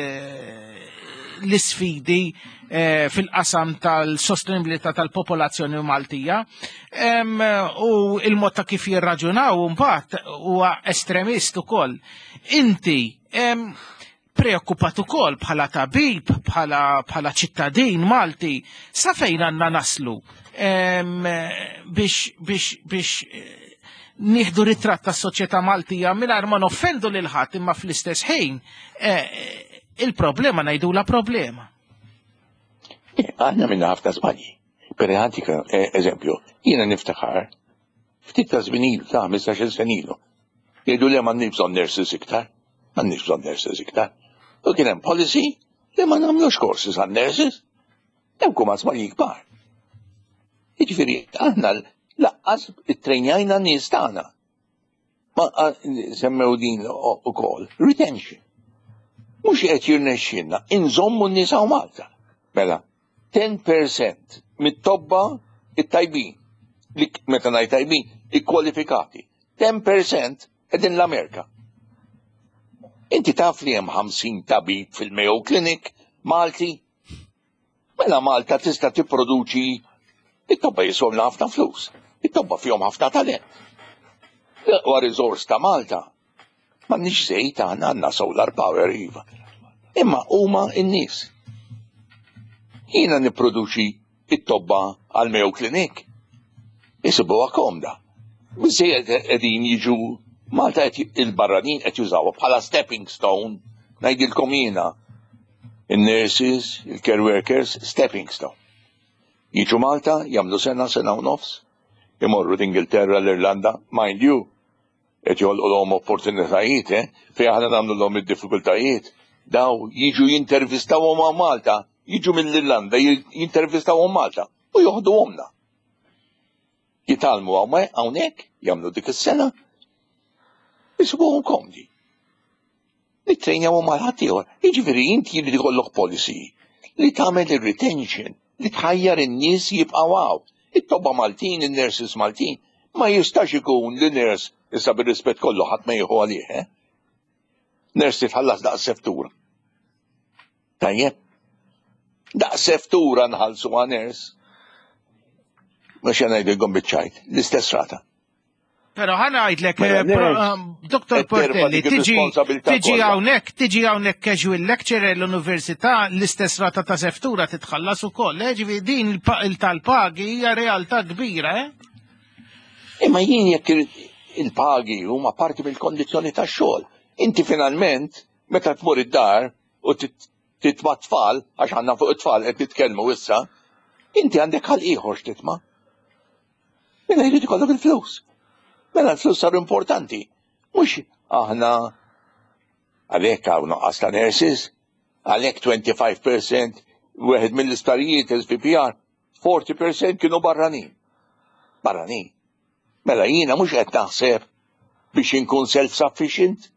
l-isfidi eh, fil-qasam tal-sostenibilità tal-popolazzjoni Maltija Em, u il-mod ta' kif jirraġunaw mbagħad huwa estremist ukoll. Inti em, preokkupat ukoll bħala tabib, bħala bħala ċittadin Malti, sa fejn għandna naslu em, biex biex biex eh, nieħdu ritratt tas-soċjetà Maltija mingħajr ma noffendu lil ħadd, imma fl-istess ħin eh, il-problema ngħidula problema? Aħna għamilna ħafna żbalji. Per għantik eżempju, jiena niftakar, ftit ta' żmien ilu, ta' ħmistax-il sena ilu, jgħidu li m'għandniex bżonn nurses iktar, m'għandniex bżonn nurses iktar. U kien hemm policy li ma nagħmlux courses għan nurses. Dawk huma żbalji kbar. Jiġifieri aħna lanqas ittrejnjajna n-nies tagħna. Ma semmew din ukoll, retention. Mhux qed jirnexxilna inżommu n-nies hawn Malta. Mela, ten percent mit-tobba it-tajbin, li meta ngħid tajbin, ikkwalifikati, ten percent qegħdin l-Amerika. Inti taf li hemm ħamsin tabib fil-Mayo Clinic Malti? Mela Malta tista' tipproduċi it-tobba, jiswewna ħafna flus. It-tobba fihom ħafna talent. L-aqwa riżors ta' Malta. M'għandniex żejt aħna, għandna solar power, iva. Imma huma n-nies. Jiena nipproduċi it-tobba għal Mayo Clinic. Isibuha komda. Biżejjed qegħdin jiġu Malta, qed il-barranin qed jużawha bħala stepping stone, ngħidilkom jiena. Il-nurses, il-care workers, stepping stone. Jiġu Malta, jagħmlu sena, sena u nofs, imorru l-Ingilterra, l-Irlanda, mind you, qed joħolqulhom opportunitajiet, eh? Fejn aħna nagħmlu id-diffikultajiet. Daw jiġu jintervistawhom ma' Malta, jiġu mill-Irlanda, jintervistawhom Malta u joħduhomna. Jitgħallmu hawnhekk, jagħmlu dik is-sena, jisibuhom komdi. Nittrejnjawhom mal ħaddieħor. Jiġifieri inti jrid ikollok policy li tagħmel ir-retention, li tħajjar in-nies jibqgħu hawn. It-tobba Maltin, in-nurses Maltin, ma jistax ikun li nurse, issa bir-rispett kollu, ħadd ma jieħu għalih, eh? Nurse titħallas daqs seftura. Tajjeb. Daqs seftura nħallsu għal nurse. Mhux ngħidilkom biċ-ċajt, l-istess rata. Pero ħa ngħidlek, Mela, eh, pro- um, Dottor qed terfa' Portelli, dik tiġi ir-responsabilità tiġi kollha. hawnhekk, tiġi hawnhekk casual lecturer l-università, l-istess rata ta' seftura titħallas ukoll. Eh, ġifieri din il-pa- il tal-pagi hija realtà kbira, eh? Imma jien jekk il- il-pagi huma parti mill-kondizzjoni tax-xogħol. Inti finalment meta tmur id-dar u tit- titma' tfal, għax għandna fuq it-tfal qed nitkellmu issa, inti għandek ħal ieħor x'titma'. Mela jrid ikollok il-flus. Mela l-flus saru importanti. Mhux aħna għalhekk hawn nuqqas ta' nurses, għalhekk twenty-five percent, wieħed mill-isptarijiet S V P R, forty percent kienu barranin. Barranin. Mela jiena mhux qed naħseb biex inkun self-sufficient.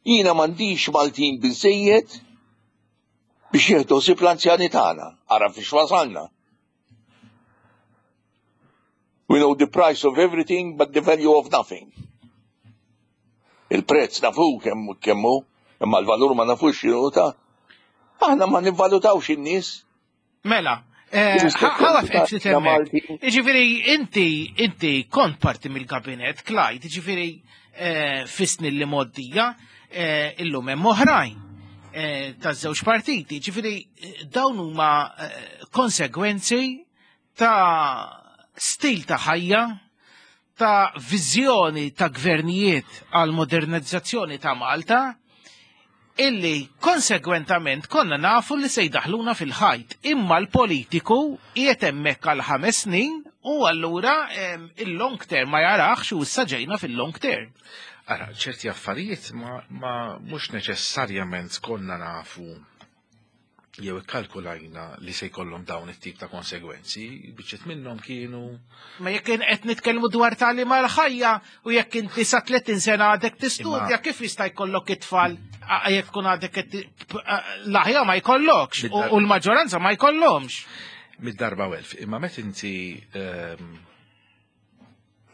Jiena m'għandix Maltin biżejjed biex jieħdu ħsieb l-anzjani tagħna. Ara fiex wasalna. We know the price of everything but the value of nothing. Il-prezz nafu kemm kemm hu, imma l-valur ma nafux x'inhu ta'. Aħna ma nivvalutawx in-nies. Mela, eh, Rispett ħa waqaf ta' ftit hemmhekk. Malti. Jiġifieri inti inti kont parti mill-kabinet, Clyde, jiġifieri eh, fis-snin li mgħoddija, eh, illum hemm oħrajn eh, taż-żewġ partiti. Ġifieri eh, dawn huma eh, konsegwenzi ta' stil ta' ħajja, ta' viżjoni ta' gvernijiet għal modernizzazzjoni ta' Malta illi konsegwentament konna nafu li se jdaħluna fil-ħajt. Imma l-politiku qiegħed hemmhekk għal ħames snin u allura em, il-long term ma jarax u issa ġejna fil-long term. Ara, ċerti affarijiet ma, ma mhux neċessarjament konna nafu jew ikkalkulajna li se jkollhom dawn it-tip ta' konsegwenzi, biċċiet minnhom kienu Ma jekk qed nitkellmu dwar tagħlim għal ħajja u jekk inti sa tletin sena għadek tistudja, Imma- kif jista' jkollok it-tfal a- jekk tkun għadek qed l-aħja ma jkollokx u u l-maġġoranza ma jkollhomx. Mid-darba welf. Imma met inti ehm,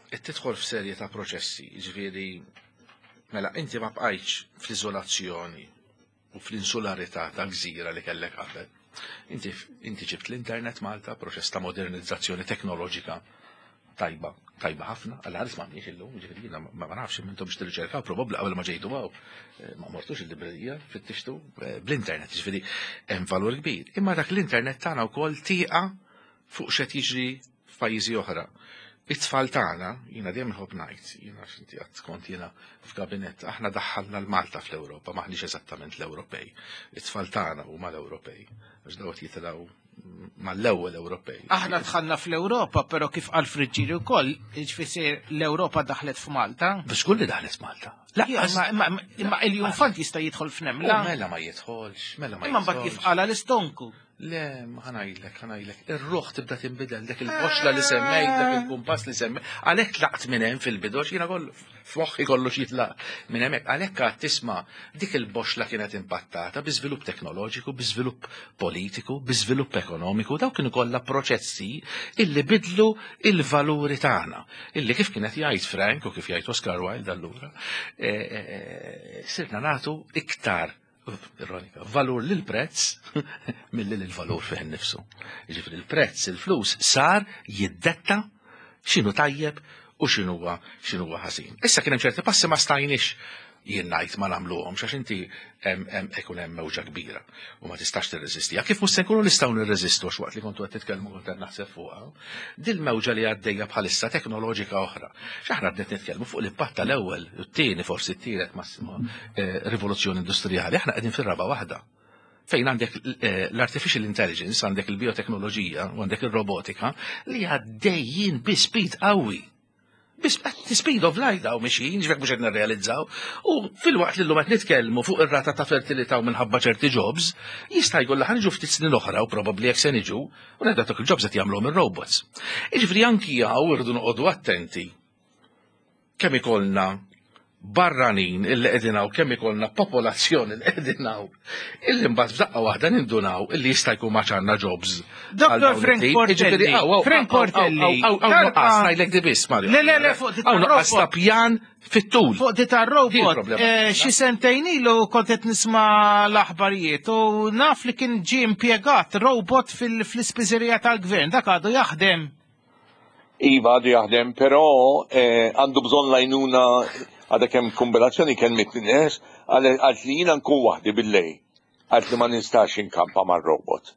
qed tidħol f'serje ta' proċessi, ġifieri mela inti ma bqajtx fl-iżolazzjoni u fl-insularità ta' gżira li kellek qabel. Inti, inti ġibt l-internet Malta, proċess ta' modernizzazzjoni teknoloġika tajba, tajba ħafna, għalla ħares ma għandniex illum, ġifieri jiena ma ma nafx intom biex tirriċerkaw, probabbli qabel ma ġejtu hawn, eh, ma mortux il-librerija, fittixtu eh, bl-internet, ġifieri hemm valur kbir. Imma dak l-internet tagħna wkoll tieqa fuq x'qed jiġri f'pajjiżi oħra. It-tfal tagħna, jiena dejjem inħobb ngħid, jiena x'inti qatt kont jiena f'gabinett, aħna daħħalna l-Malta fl-Ewropa, maħniex eżattament l-Ewropej. It-tfal tagħna huma l-Ewropej, għax dawk jitilgħu mal-ewwel Ewropej. Aħna dħalna fl-Ewropa, però kif qal Friġġieri wkoll, jiġifieri l-Ewropa daħlet f'Malta. Biex kulli daħlet Malta. Imma imma iljunfant jista' jidħol f'nemla. Mela ma jidħolx, mela ma Imma mbagħad kif jidħolx. qala l-istonku. Le, ma ħa ngħidlek, ħa ngħidlek. Ir-ruħ tibda tinbidel, dak il-boxla li semmejt, dak il-kumpass li semmejt. Għalhekk tlaqt minn hemm fil-bidu, jiena kollu f'moħħi kollox jitlaq minn hemmhekk. Għalhekk għad tisma' dik il-boxla kienet impattata bi żvilupp teknoloġiku, bi żvilupp politiku, bi żvilupp ekonomiku, daw kienu kollha proċessi illi bidlu il-valuri tagħna. Illi kif kienet jgħid Frank u kif jgħid Oscar Wilde allura, eh, eh, sirna nagħtu iktar ironika, valur lil prezz milli lil valur fih innifsu. Jiġifieri il-prezz, il-flus sar jiddetta x'inhu tajjeb u x'inhuwa x'inhuwa ħażin. Issa kien hemm ċerti passi ma stajniex jien ngħid ma nagħmluhomx għax inti hemm hemm ikun hemm mewġa kbira u ma tistax tirreżistiha. Kif mhux se nkunu nistgħu nirreżistu għax waqt li kontu qed titkellmu kont qed naħseb fuqha. Dil-mewġa li għaddejja bħalissa teknoloġika oħra. X'aħna qed nitkellmu fuq l-impatt tal-ewwel, u t-tieni forsi t-tielet massimo eh, rivoluzzjoni industrijali, aħna qegħdin fir-raba' waħda fejn għandek eh, l-artificial intelligence, għandek il-bioteknoloġija u għandek il-robotika li għaddejjin bi speed qawwi. Bi speed of light daw mexjin, ġvek mhux qed nirrealizzaw. U fil-waqt li llum qed nitkellmu fuq ir-rata ta' fertilità u minħabba ċerti jobs, jista' jkollha ħa niġu ftit snin oħra u probabbli jekk se niġu, u ngħidu dak il-jobs qed jagħmluhom ir-robots. Jiġifieri anki hawn irridu noqogħdu attenti kemm ikollna barranin illi qegħdin hawn, kemm ikollna popolazzjoni li qegħdin hawn, illi mbagħad f'daqqa waħda nindunaw illi jista' jkun ma ċanna jobs. Dottor Frank Portelli, Frank Portelli, Hawn nuqqas ngħidlek di biss, Mario. Le, le, le, fuq di Hawn nuqqas ta' pjan fit-tul. Fuq di tar-robot, Hi l-problema. eh, xi sentejn ilu kont qed nisma' l-aħbarijiet u naf li kien ġie impjegat robot fil- fl-ispiżerija tal-gvern, dak għadu jaħdem. Iva, għadu jaħdem, però eh, għandu bżonn l-għajnuna. Għadha kemm kombinazzjoni kellmitni nies, għalt li jiena nkun waħdi bil-lejl. Għalt li ma nistax inkampa mar-robot.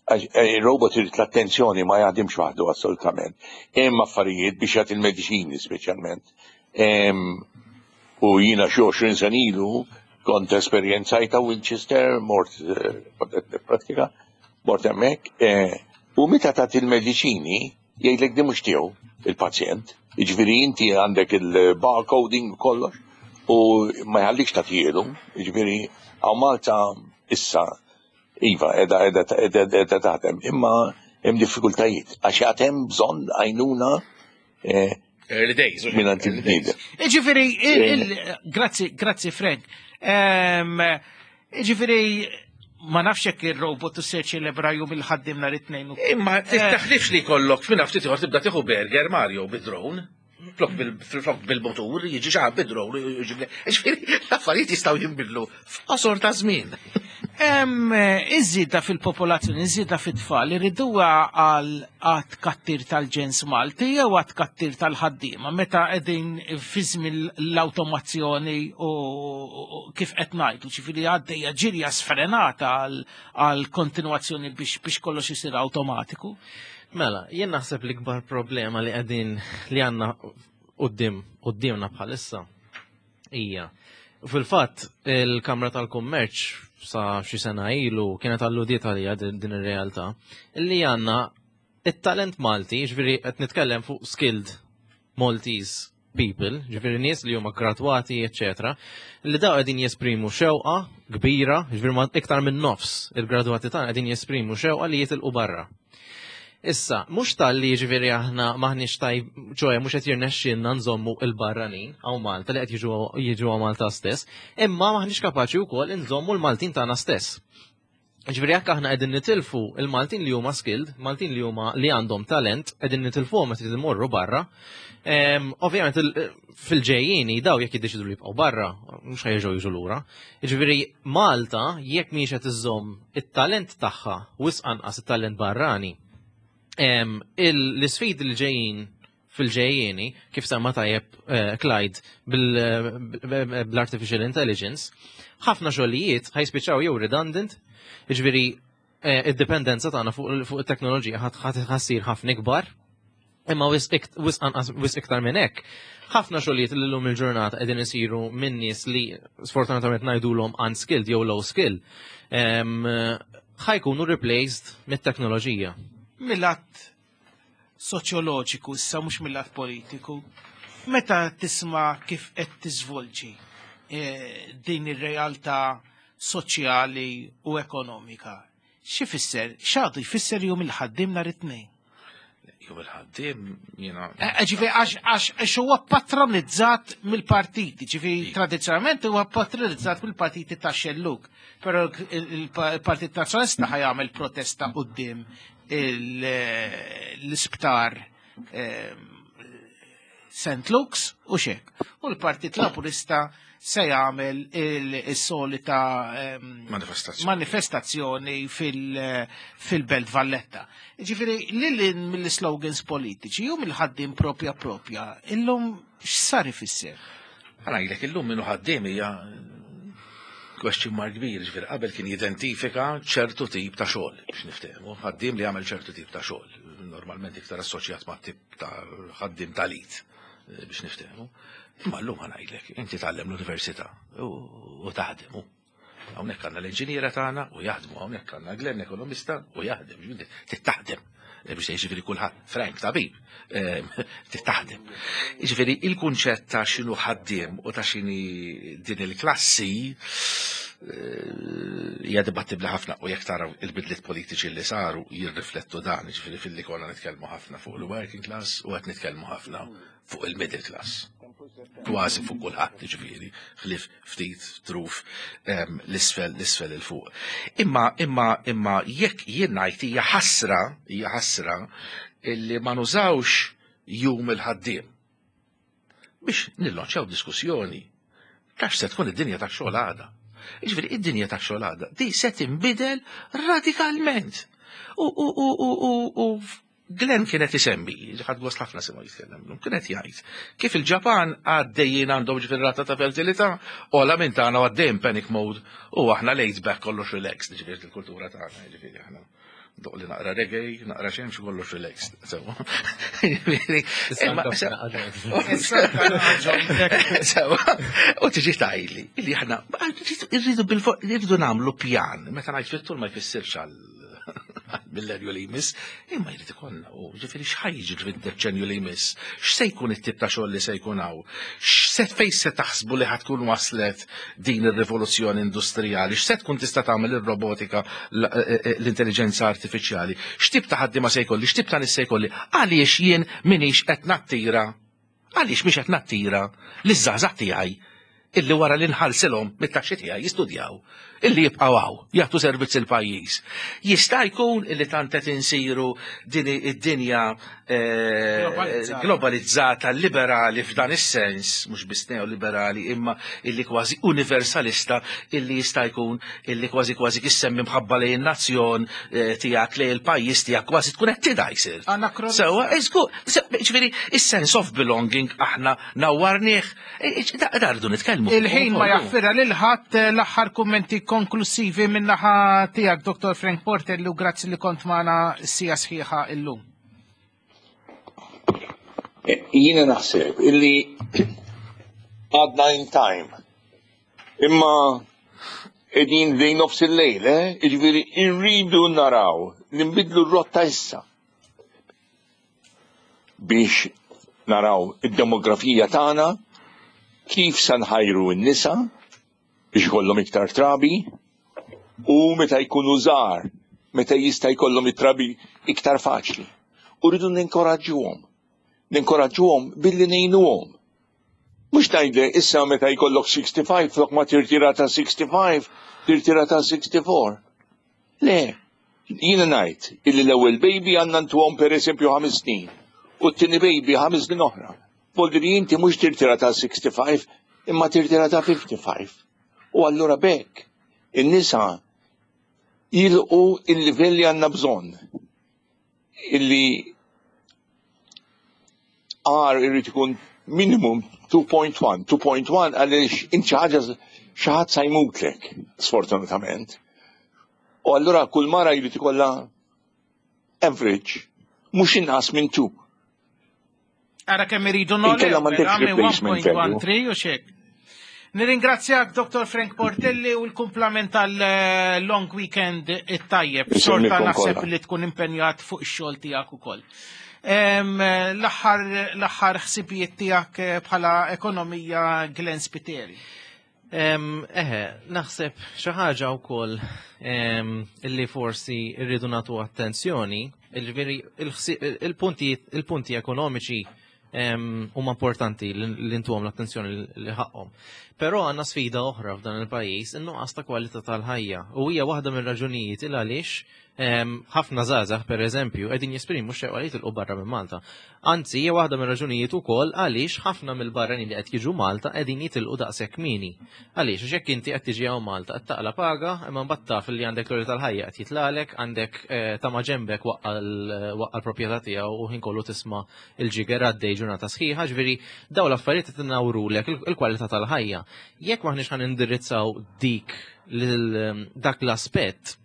Għax, eh, Il-robot irid l-attenzjoni, ma jaħdimx waħdu assolutament. Hemm affarijiet biex jagħti il-mediċini speċjalment. Em, U jiena xi għoxrin sena ilu kont esperjenzajta Winchester, mort eh, kont qed nipprattika, mort hemmhekk, eh, u meta tagħti il-mediċini jgħidlek di mhux tiegħu il-pazjent. Jiġifieri inti għandek il-barcoding u kollox u ma jħallikx tagħtielu, jiġifieri hawn Malta issa iva qiegħda qiegħda qiegħda qiegħda taħdem, imma hemm diffikultajiet għax għad hemm bżonn għajnuna eh, Early days. minn għand il-bniedem. Iġifieri, il- il- grazzi, grazzi Frank. Em, Iġifieri, ma nafx jekk il-robot se ċelebra jum il-ħaddim nhar it-tnejn. u- Imma taħlifx li jkollok fina ftit ieħor tibda tieħu burger, Mario, bid-drone. Flok bil- flok bil-motur, jiġi xi ħadd bid-drone, jiġi. Ġifieri l-affarijiet jistgħu jinbidlu f'qosor ta' żmien. Em, Iż-żieda fil-popolazzjoni, iż-żieda fit-tfal, irriduha għal għat kattir tal-ġens Malti jew għat kattir tal-ħaddiema, meta qegħdin fi żmien l-awtomazzjoni u u kif qed ngħidu, ġifieri għaddejja ġirja sfrenata għal għal kontinwazzjoni biex biex kollox isir awtomatiku. Mela, jien naħseb li kbar problema li qegħdin li għandna quddiem quddiemna bħalissa hija. Fil-fatt, il-Kamra tal-Kummerċ sa xi sena ilu kienet alludiet għalija din din ir-realtà li għandna it-talent Malti, ġifieri qed nitkellem fuq skilled Maltese people, ġifieri nies li huma gradwati, eccetera, li daw qegħdin jesprimu xewqa kbira, ġifieri ma iktar minn nofs il-gradwati tagħna qegħdin jesprimu xewqa li jitilqu barra. Issa, mhux tal-li ġifieri aħna maħniex tajb, ċoè mhux qed jirnexxielna nżommu il-barranin hawn Malta li qed jiġu jiġu hawn Malta stess, imma maħniex kapaċi wkoll nżommu l-Maltin tagħna stess. Ġifieri jekk aħna qegħdin nitilfu il-Maltin li huma skilled, Maltin li huma li għandhom talent, qegħdin nitilfuhom meta imorru barra. Em, Ovvjament il- fil-ġejjieni daw jekk jiddeċidu li jibqgħu barra, mhux ħa jerġgħu jiġu lura. Ġifieri Malta jekk mhix qed iżżomm it-talent tagħha wisq anqas it-talent barrani, em, il- l-isfidi li ġejjin fil-ġejjieni, kif semma tajjeb eh, Clyde bil-artificial intelligence, ħafna xogħlijiet ħa jispiċċaw jew redundant, jiġifieri eh, id-dipendenza tagħna fuq fuq it-teknoloġija ħa ssir ħafna ikbar, imma wisq ikt- wisq anqas wisq iktar minn hekk. Ħafna xogħlijiet li llum il-ġurnata qegħdin isiru minn nies li sfortunatament ngħidulhom unskilled jew low skill, em, ħa jkunu replaced mit-teknoloġija. Mill-lat soċjoloġiku, issa mhux mill-lat politiku, meta tisma' kif qed tiżvolġi eh, din ir-realtà soċjali u ekonomika. X'ifisser? X'għadu jfisser Jum il-Ħaddiem nhar it-Tnejn? Jum il-Ħaddiem jiena. Eh, ġifieri għax għax huwa patronizzat mill-partiti, ġifieri tradizzjonalment huwa patronizzat mill-partiti ta' xellug. Però il-Partit Nazzjonalista ħa jagħmel protesta quddiem l-isptar Saint Luke's u xek. U l-Partit Laburista se jagħmel is-solita manifestazzjoni fil-Belt Valletta. Ġifieri lil mill-slogans politiċi u mill-ħaddiem propja propja, illum x'sar ifisser? Ħa ngħidlek, illum min hu ħaddiem hija question mark kbir, ġifieri qabel kien jidentifika ċertu tip ta' xogħol, biex niftehmu, ħaddiem li jagħmel ċertu tip ta' xogħol, normalment iktar assoċjat ma' tip ta' ħaddiem tal-id, biex niftehmu. Imma llum ħa ngħidlek, inti tgħallem l-università u taħdem. Hawnhekk għandna l-inġiniera tagħna u jaħdmu, hawnhekk għandna Glenn ekonomista u jaħdem, tittaħdem. Biex jiġifieri kulħadd, Frank tabib, tittaħdem. Jiġifieri il-kunċett ta' x'inhu ħaddiem u ta' x'inhi din il-klassi hija dibattibbli ħafna u jekk taraw il-bidliet politiċi li saru jirriflettu dan, jiġifieri filli konna nitkellmu ħafna fuq il-working class u qed nitkellmu ħafna fuq il-middle class. Kważi fuq kulħadd, ġifieri, ħlief ftit truf l-isfel l-isfel il fuq. Imma imma imma jekk jien ngħid hija ħasra, hija ħasra illi ma nużawx Jum il-Ħaddiem biex nillonċjaw diskussjoni tax se tkun id-dinja tax-xogħol għada. Jiġifieri id-dinja tax-xogħol għada di se tinbidel radikalment. U u u u u u Glenn kienet isemmi, ħadt gost ħafna nisimgħu jitkellem, kienet jgħid kif il-Ġapan għaddejjin għandhom ġifieri rata ta' fertilità ogħla minn tagħna u għaddejjin panic mode u aħna laid back, kollox relaxed, ġifieri il-kultura tagħna, ġifieri aħna doq li naqra reggae, naqra xemx, kollox relaxed. Sewa. Sewa. U tiġi tgħidli, illi aħna irridu irridu nagħmlu pjan, meta ngħid fit-tul ma jfissirx għal millenju li jmiss, imma jrid ikollna u ġifieri x'ħa jiġri fid-deċenju li jmiss, x'se jkun it-tip ta' xogħol li se jkun hawn, x'se fejn se taħsbu li ħa tkun waslet din ir-rivoluzzjoni industrijali, x'se tkun tista' tagħmel ir-robotika, l-intelligenza artifiċjali, x'tip ta' ħaddiema se jkolli, x'tip ta' nies se jkolli, għaliex jien minix qed nattira, għaliex mhix qed nattira liż-żgħażagħ tiegħi illi wara li nħallsilhom mit-taxxi tiegħi jistudjaw, illi jibqgħu hawn, jagħtu servizz il-pajjiż. Jista' jkun illi tant qed insiru din id-dinja globalizzata, liberali f'dan is-sens, mhux biss neoliberali, imma illi kważi universalista, illi jista' jkun illi kważi kważi kissemmi mħabba lejn in-nazzjon tiegħek, lejn il-pajjiż tiegħek, kważi tkun qed tidaj sir. Sewa, ġifieri is-sense of belonging aħna nawwarnieh, da rridu nitkellmu. Il-ħin ma jaffira lil ħadd. L-aħħar kummenti konklusivi min-naħa tiegħek, Dottor Frank Portelli, u grazzi li kont magħna sija sħiħa illum. Jiena naħseb illi għadna in time. Imma qegħdin lejn nofs il-lejl, eh? Jiġifieri irridu naraw li nbidlu r-rotta issa biex naraw id-demografija tagħna, kif sa nħajru n-nisa biex ikollhom iktar trabi u meta jkunu żgħar, meta jista' jkollhom it-trabi iktar faċli. U rridu ninkoraġġuhom. Ninkoraġġuhom billi ngħinuhom. Mhux ngħidlek issa meta jkollok sixty-five, flok ma tirtira ta' sixty-five, tirtira ta' sixty-four. Le, jiena ngħid illi l-ewwel baby għandna ntuhom pereżempju ħames snin u t-tieni baby ħames snin oħra. Voldiri inti mhux tirtira ta' sixty-five imma tirtira ta' fifty-five. U allura bekk in-nisa jilqu il-livell li għandna bżonn. Illi R irid ikun minimum two point one. two point one għaliex inti ħaġa xi ħadd sa jmutlek, sfortunatament. U allura kull mara jrid ikollha average mhux inqas minn two. Ara kemm iridu Inkella m'għandekx replacement value. one point one three u xek. Nirringrazzjak, Dottor Frank Portelli, u l-kumplament tal-long weekend it-tajjeb. Xorta Insellmilkom naħseb kollha. li tkun impenjat fuq ix-xogħol tiegħek ukoll. Em, L-aħħar l-aħħar ħsibijiet tiegħek eh, bħala ekonomija, Glenn Spiteri. Eħe, naħseb xi ħaġa wkoll illi forsi rridu nagħtu attenzjoni, il-punti il-punti ekonomiċi huma importanti li ntuhom l-attenzjoni li ħaqhom. Però għandna sfida oħra f'dan il-pajjiż, in-nuqqas ta' kwalità tal-ħajja. U hija waħda mir-raġunijiet il għaliex ħafna żgħażagħ pereżempju qegħdin jesprimu x-xewqa li jitilqu barra minn Malta. Anzi, hija waħda mir-raġunijiet ukoll għaliex ħafna mill-barranin li qed jiġu Malta qegħdin jitilqu daqshekk kmieni. Għaliex għax jekk inti qed tiġi hawn Malta qed taqla paga, imma mbagħad taf li għandek l tal-ħajja qed jitlalek, għandek ta' ma' ġembek waqqa l-proprjetà tiegħu u ħin kollu tisma' il-ġiger għaddej ġurnata sħiħa, ġifieri dawn l-affarijiet qed inawrulek il-kwalità tal-ħajja. Jekk m'aħniex ħan indirizzaw dik dak l-aspett,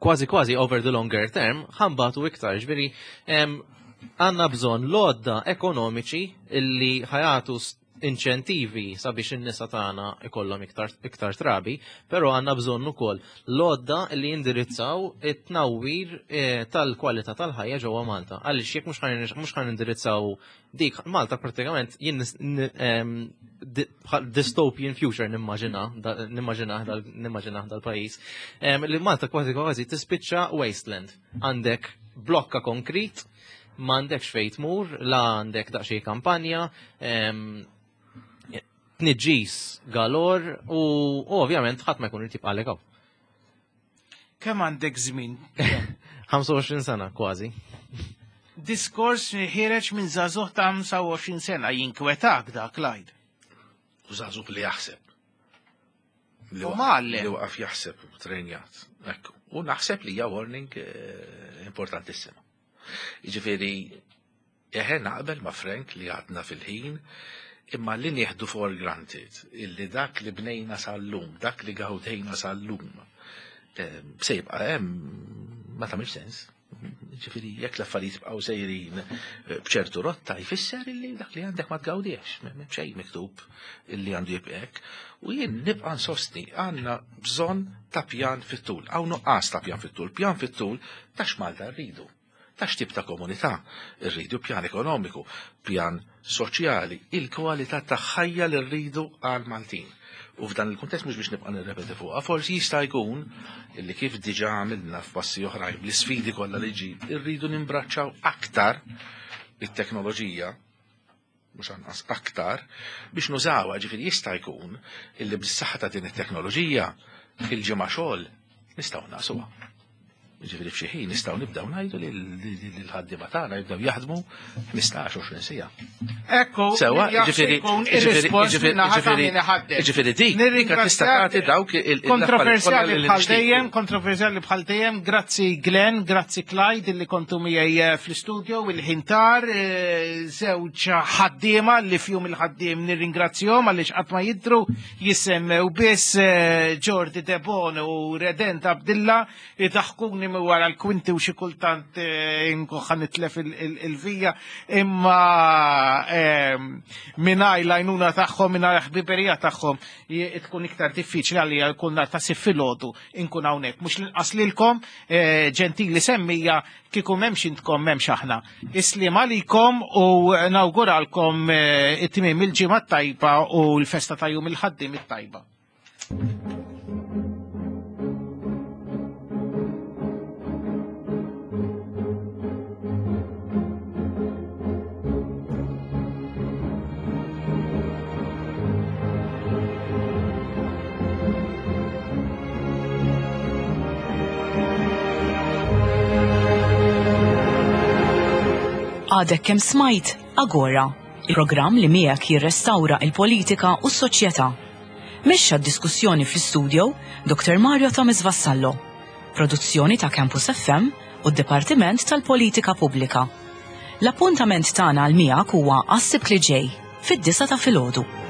kważi kważi over the longer term, ħambatu iktar, ġifieri għandna bżonn l-għodda ekonomiċi illi ħajatu inċentivi sabiex in-nisa tagħna ikollhom iktar, iktar trabi, però għandna bżonn ukoll l-għodda li jindirizzaw it-tnawwir eh, tal-kwalità tal-ħajja ġewwa Malta. Għaliex jekk mhux ħan indirizzaw dik Malta pratikament jien dystopian future nimmaġina nimmaġina nimmaġina dal-pajjiż li Malta kważi kważi tispiċċa wasteland. Għandek blokka konkrit, m'għandekx fejn tmur, la għandek daqsxejn kampanja, tniġġis galor u ovvjament ħadd ma jkun irid jibqa' hawn. Kemm għandek żmien? ħamsa u għoxrin sena kważi. Diskors ħireġ minn żagħżugħ ta' ħamsa u għoxrin sena jinkwetak dak Clyde. U żagħżugħ li jaħseb. U mgħallem. Li waqaf jaħseb u trenjat. Ekku. U naħseb li hija warning importantissima. Jiġifieri eħe naqbel ma' Frank li għadna fil-ħin, imma li nieħdu for granted illi dak li bnejna sal-lum, dak li gawdejna sal-lum, se jibqa' hemm ma tagħmilx sens. Ġifieri jekk l-affarijiet jibqgħu sejrin b'ċertu rotta jfisser illi dak li għandek ma tgawdiex, m'hemm xejn miktub illi għandu jibqa' hekk. U jien nibqa' nsostni għandna bżonn ta' pjan fit-tul, hawn nuqqas ta' pjan fit-tul, pjan fit-tul ta' x'Malta rridu. Ta' x'tip ta' komunità rridu, pjan ekonomiku, pjan soċjali, il-kwalità ta' ħajja li rridu għal Maltin. U f'dan il-kuntest mhux biex nibqa' nirrepeti fuqha, forsi jista' jkun illi kif diġà għamilna f'passi oħrajn bl-isfidi kollha li ġib, irridu nimbraċċaw aktar it-teknoloġija, mhux anqas aktar, biex nużawha, ġifieri jista' jkun illi bis-saħħa ta' din it-teknoloġija il-ġimgħa xogħol nistgħu naqsuha. Ġifieri f'xi ħin nistgħu nibdew ngħidu li l-ħaddiema tagħna jibdew jaħdmu ħmistax għoxrin siegħa. Ekku, sewa, ġifieri ġifieri dik dik tista' tagħti dawk il-kontroversjali bħal dejjem, kontroversjali bħal dejjem. Grazzi Glenn, grazzi Clyde illi kontu miegħi fl-istudio il-ħintar, żewġ ħaddiema li fjum il-ħaddiem nirringrazzjahom għaliex qatt ma jidhru jissemmew biss Jordi Debon u Redent Abdilla idaħkuni wara l-kwinti u xi kultant inkoħħa nitlef il-vija, imma mingħajr l-għajnuna tagħhom, mingħajr ħbiberija tagħhom tkun iktar diffiċli għalija jkun nhar ta' sitt filgħodu inkun hawnhekk. Mhux l-inqas lilkom ġentili semmija kieku m'hemmx intkom m'hemmx aħna. Islim għalikom u nawguralkom it-tmiem il-ġimgħa tajba u l-festa ta' jum il-ħaddiem it-tajba. Għadek kemm smajt Agora, il-programm li miegħek jirrestawra il-politika u s-soċjetà. Mexxa d-diskussjoni fl-istudio Doktor Mario Thomas Vassallo. Produzzjoni ta' Campus F M u d-Dipartiment tal-Politika Pubblika. L-appuntament tagħna għal miegħek huwa għas-Sibt li ġej fid-disgħa ta' filgħodu.